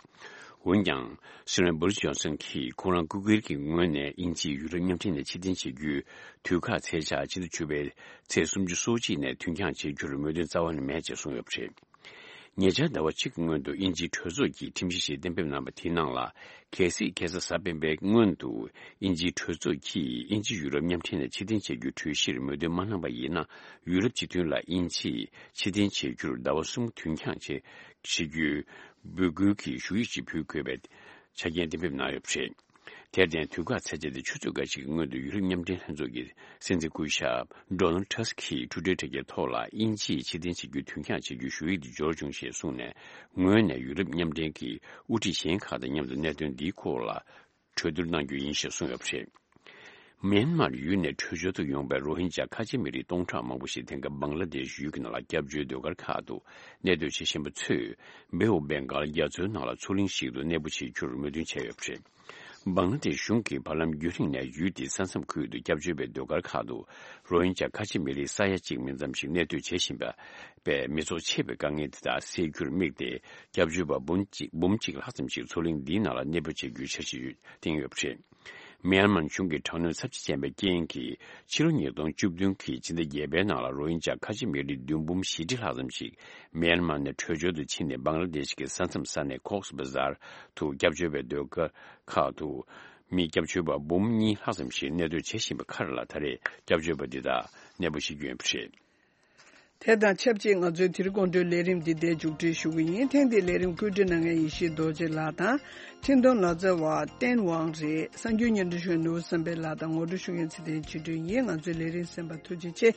འོན་ཀྱང་། སྲིད་བློན་བོ་རིས་ཇོན་སན་གྱིས་ཁོང་རང་སྐུ་སྒེར་གྱི་ངོས་ནས་དབྱིན་ཇིས་ཡུ་རོབ་མཉམ་འབྲེལ་ནས་ཕྱིར་འཐེན་བྱེད་རྒྱུའི་དུས་བཀག་ཚེས་ཆ་ཕྱི་ཟླ་བཅུ་པའི་ཚེས་སུམ་ཅུ་སོ་གཅིག་ནས་དུས་འགྱངས་བྱེད་རྒྱུར་མོས་མཐུན་རྩ་བ་ནས་མེད་ཅེས་གསུངས་ཡོད་པ་རེད། ཉེ་ཆར་ཟླ་བ་གཅིག་གི་སྔོན་དུ་དབྱིན་ཇིའི་གྲོས་ཚོགས་ཀྱིས་ཁྲིམས་གཞི་ཞིག་གཏན་འབེབས་གནང་བ་དེའི་ནང་ལ། གལ་སྲིད་ཁ་སང་གཟའ་སྤེན་པའི་སྔོན་དུ་དབྱིན་ཇིའི་གྲོས་ཚོགས་ཀྱིས་དབྱིན་ཇི་ཡུ་རོབ་མཉམ་འབྲེལ་ནས་ཕྱིར་འཐེན་བྱ་རྒྱུའི་གྲོས་གཞིར་མོས་མཐུན་མ་གནང་པ་ཡིན་ན། ཡུ་རོབ་སྤྱི་མཐུན་ལ་དབྱིན་ཇིས་ཕྱིར་འཐེན་བྱ་རྒྱུར་ཟླ་བ་གསུམ་དུས་འགྱངས་བྱེད་བྱེད་རྒྱུའི་འབོད་སྐུལ་གྱི་ཞུ་ཡིག་ཅིག་ཕུལ་དགོས་པའི་ཆ་རྐྱེན་གཏན་འབེབས་གནང་ཡོད་པ་རེད། དེར་བརྟེན། དུས་བཀག་ཚེས་ཆ་དེ་ཆུ་ཚོད་འགའ་ཞིག་གི་སྔོན་དུ་ཡུ་རོབ་མཉམ་འབྲེལ་ལྷན་ཚོགས་ཀྱི་སྲིད་འཛིན་སྐུ་ཞབས་Donald Tusk གིས་ཊུ་ཊར་དྲ་རྒྱའི་ཐོག་ལ་དབྱིན་ཇིས་ཕྱིར་འཐེན་བྱེད་རྒྱུ་དུས་འགྱངས་བྱེད་རྒྱུའི་ཞུ་ཡིག་དེ་འབྱོར་བྱུང་ཞེས་གསུངས་ནས། ངོས་ནས་ཡུ་རོབ་མཉམ་འབྲེལ་གྱི་དབུ་ཁྲིད་གཞན་ཁག་དང་མཉམ་དུ་གནད་དོན་འདིའི་སྐོར་ལ་གྲོས་བསྡུར་གནང་རྒྱུ་ཡིན་ཞེས་གསུངས་ཡོད་པ་རེད། མིན་མར་ཡུལ་ནས་བྲོས་བྱོལ་དུ་ཡོང་པའི་རོ་ཧིན་ཇཱ་ཁ་ཆེ་མི་རིགས་སྟོང་ཕྲག་མང་པོ་ཞིག་དེང་སྐབས་བང་ལ་དེཤ་ཡུལ་གྱི་ནང་ལ་སྐྱབས་བཅོལ་ཟློས་གར་ཁག་ཏུ་གནས་སྡོད་བྱེད་བཞིན་པ་ཚོས་བེ་ཨོ་བེང་གཱལ་རྒྱ་མཚོའི་ནང་ལ་མཚོ་གླིང་ཞིག་ཏུ་གནས་སྤོ་བྱེད་རྒྱུར་མོས་མཐུན་བྱས་ཡོད་པ་རེད། བང་ལ་དེཤ་གཞུང་གིས་བར་ལམ་རྒྱུན་རིང་ནས་ཡུལ་དེའི་ས་མཚམས་ཁུལ་དུ་སྐྱབས་བཅོལ་བའི་ཟློས་གར་ཁག་ཏུ་རོ་ཧིན་ཇཱ་ཁ་ཆེ་མི་རིགས་ས་ཡ་གཅིག་མིན་ཙམ་ཞིག་གནས་སྡོད་བྱེད་བཞིན་པ་པས་མི་ཚོགས་ཆེ་བའི་དཀའ་ངལ་དེ་དག་སེལ་རྒྱུར་དམིགས་ཏེ། སྐྱབས་བཅོལ་བ་འབུམ་གཅིག་འབུམ་གཅིག་ལྷག་ཙམ་ཞིག་མཚོ་གླིང་འདིའི་ནང་ལ་གནས་སྤོ་བྱེད་རྒྱུའི་འཆར་གཞི་བཏིང་ཡོད་པ་རེད། མིའན་མཱར་གཞུང་གི་དྲག་གནོན་ཚབས་ཆེ་ཅན་པའི་རྐྱེན་གྱིས། ཕྱི་ལོ་ཉིས་སྟོང་བཅུ་བདུན་གྱི་ཕྱི་ཟླ་བརྒྱད་པའི་ནང་ལ་རོ་ཧིན་ཇཱ་ཁ་ཆེ་མི་རིགས་བདུན་འབུམ་བཞི་ཁྲི་ལྷག་ཙམ་ཞིག་མིའན་མཱར་ནས་བྲོས་བྱོལ་དུ་ཕྱིན་ནས་བང་ལ་དེཤ་གི་ས་མཚམས་ས་གནས་ཀོག་སི་བ་ཟར་དུ་སྐྱབས་བཅོལ་བའི་ཟློས་གར་ཁག་ཏུ་མི་སྐྱབས་བཅོལ་བ་འབུམ་གཉིས་ལྷག་ཙམ་ཞིག་གནས་སྡོད་བྱེད་བཞིན་པའི་ཁར་ལ། ད་རེས་སྐྱབས་བཅོལ་བ་འདི་དག་གནས་སྤོ་བྱེད་རྒྱུ་ཡིན་པ་རེད། དེ་དང་ཆབས་ཅིག་ང་ཚོའི་དེ་རིང་དགོང་དྲོའི་ལས་རིམ་འདི་འདིར་མཇུག་སྒྲིལ་ཞུ་གི་ཡིན། ཐེངས་འདིའི་ལས་རིམ་བཀོད་སྒྲིག་གནང་མཁན་ཡེ་ཤེས་རྡོ་རྗེ་ལགས་དང་། འཕྲིན་གཏོང་ལག་རྩལ་བ་བསྟན་དབང་རེད། གསར་འགྱུར་སྙན་སྒྲོན་ཞུ་མཁན་ནོར་བུ་བསམ་འཕེལ་ལགས་དང་ངོ་སྤྲོད་ཞུ་མཁན་ཚེ་བརྟན་ཆོས་སྒྲོན་ཡིན། ང་ཚོའི་ལས་རིམ་གསན་པར་ཐུགས་རྗེ་ཆེ།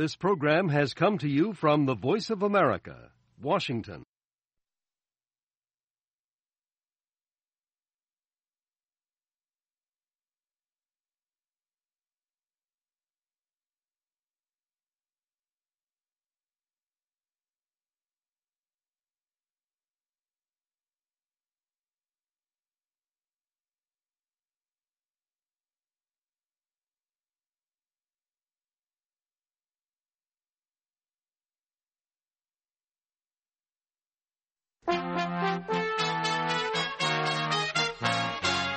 This program has come to you from the Voice of America, Washington.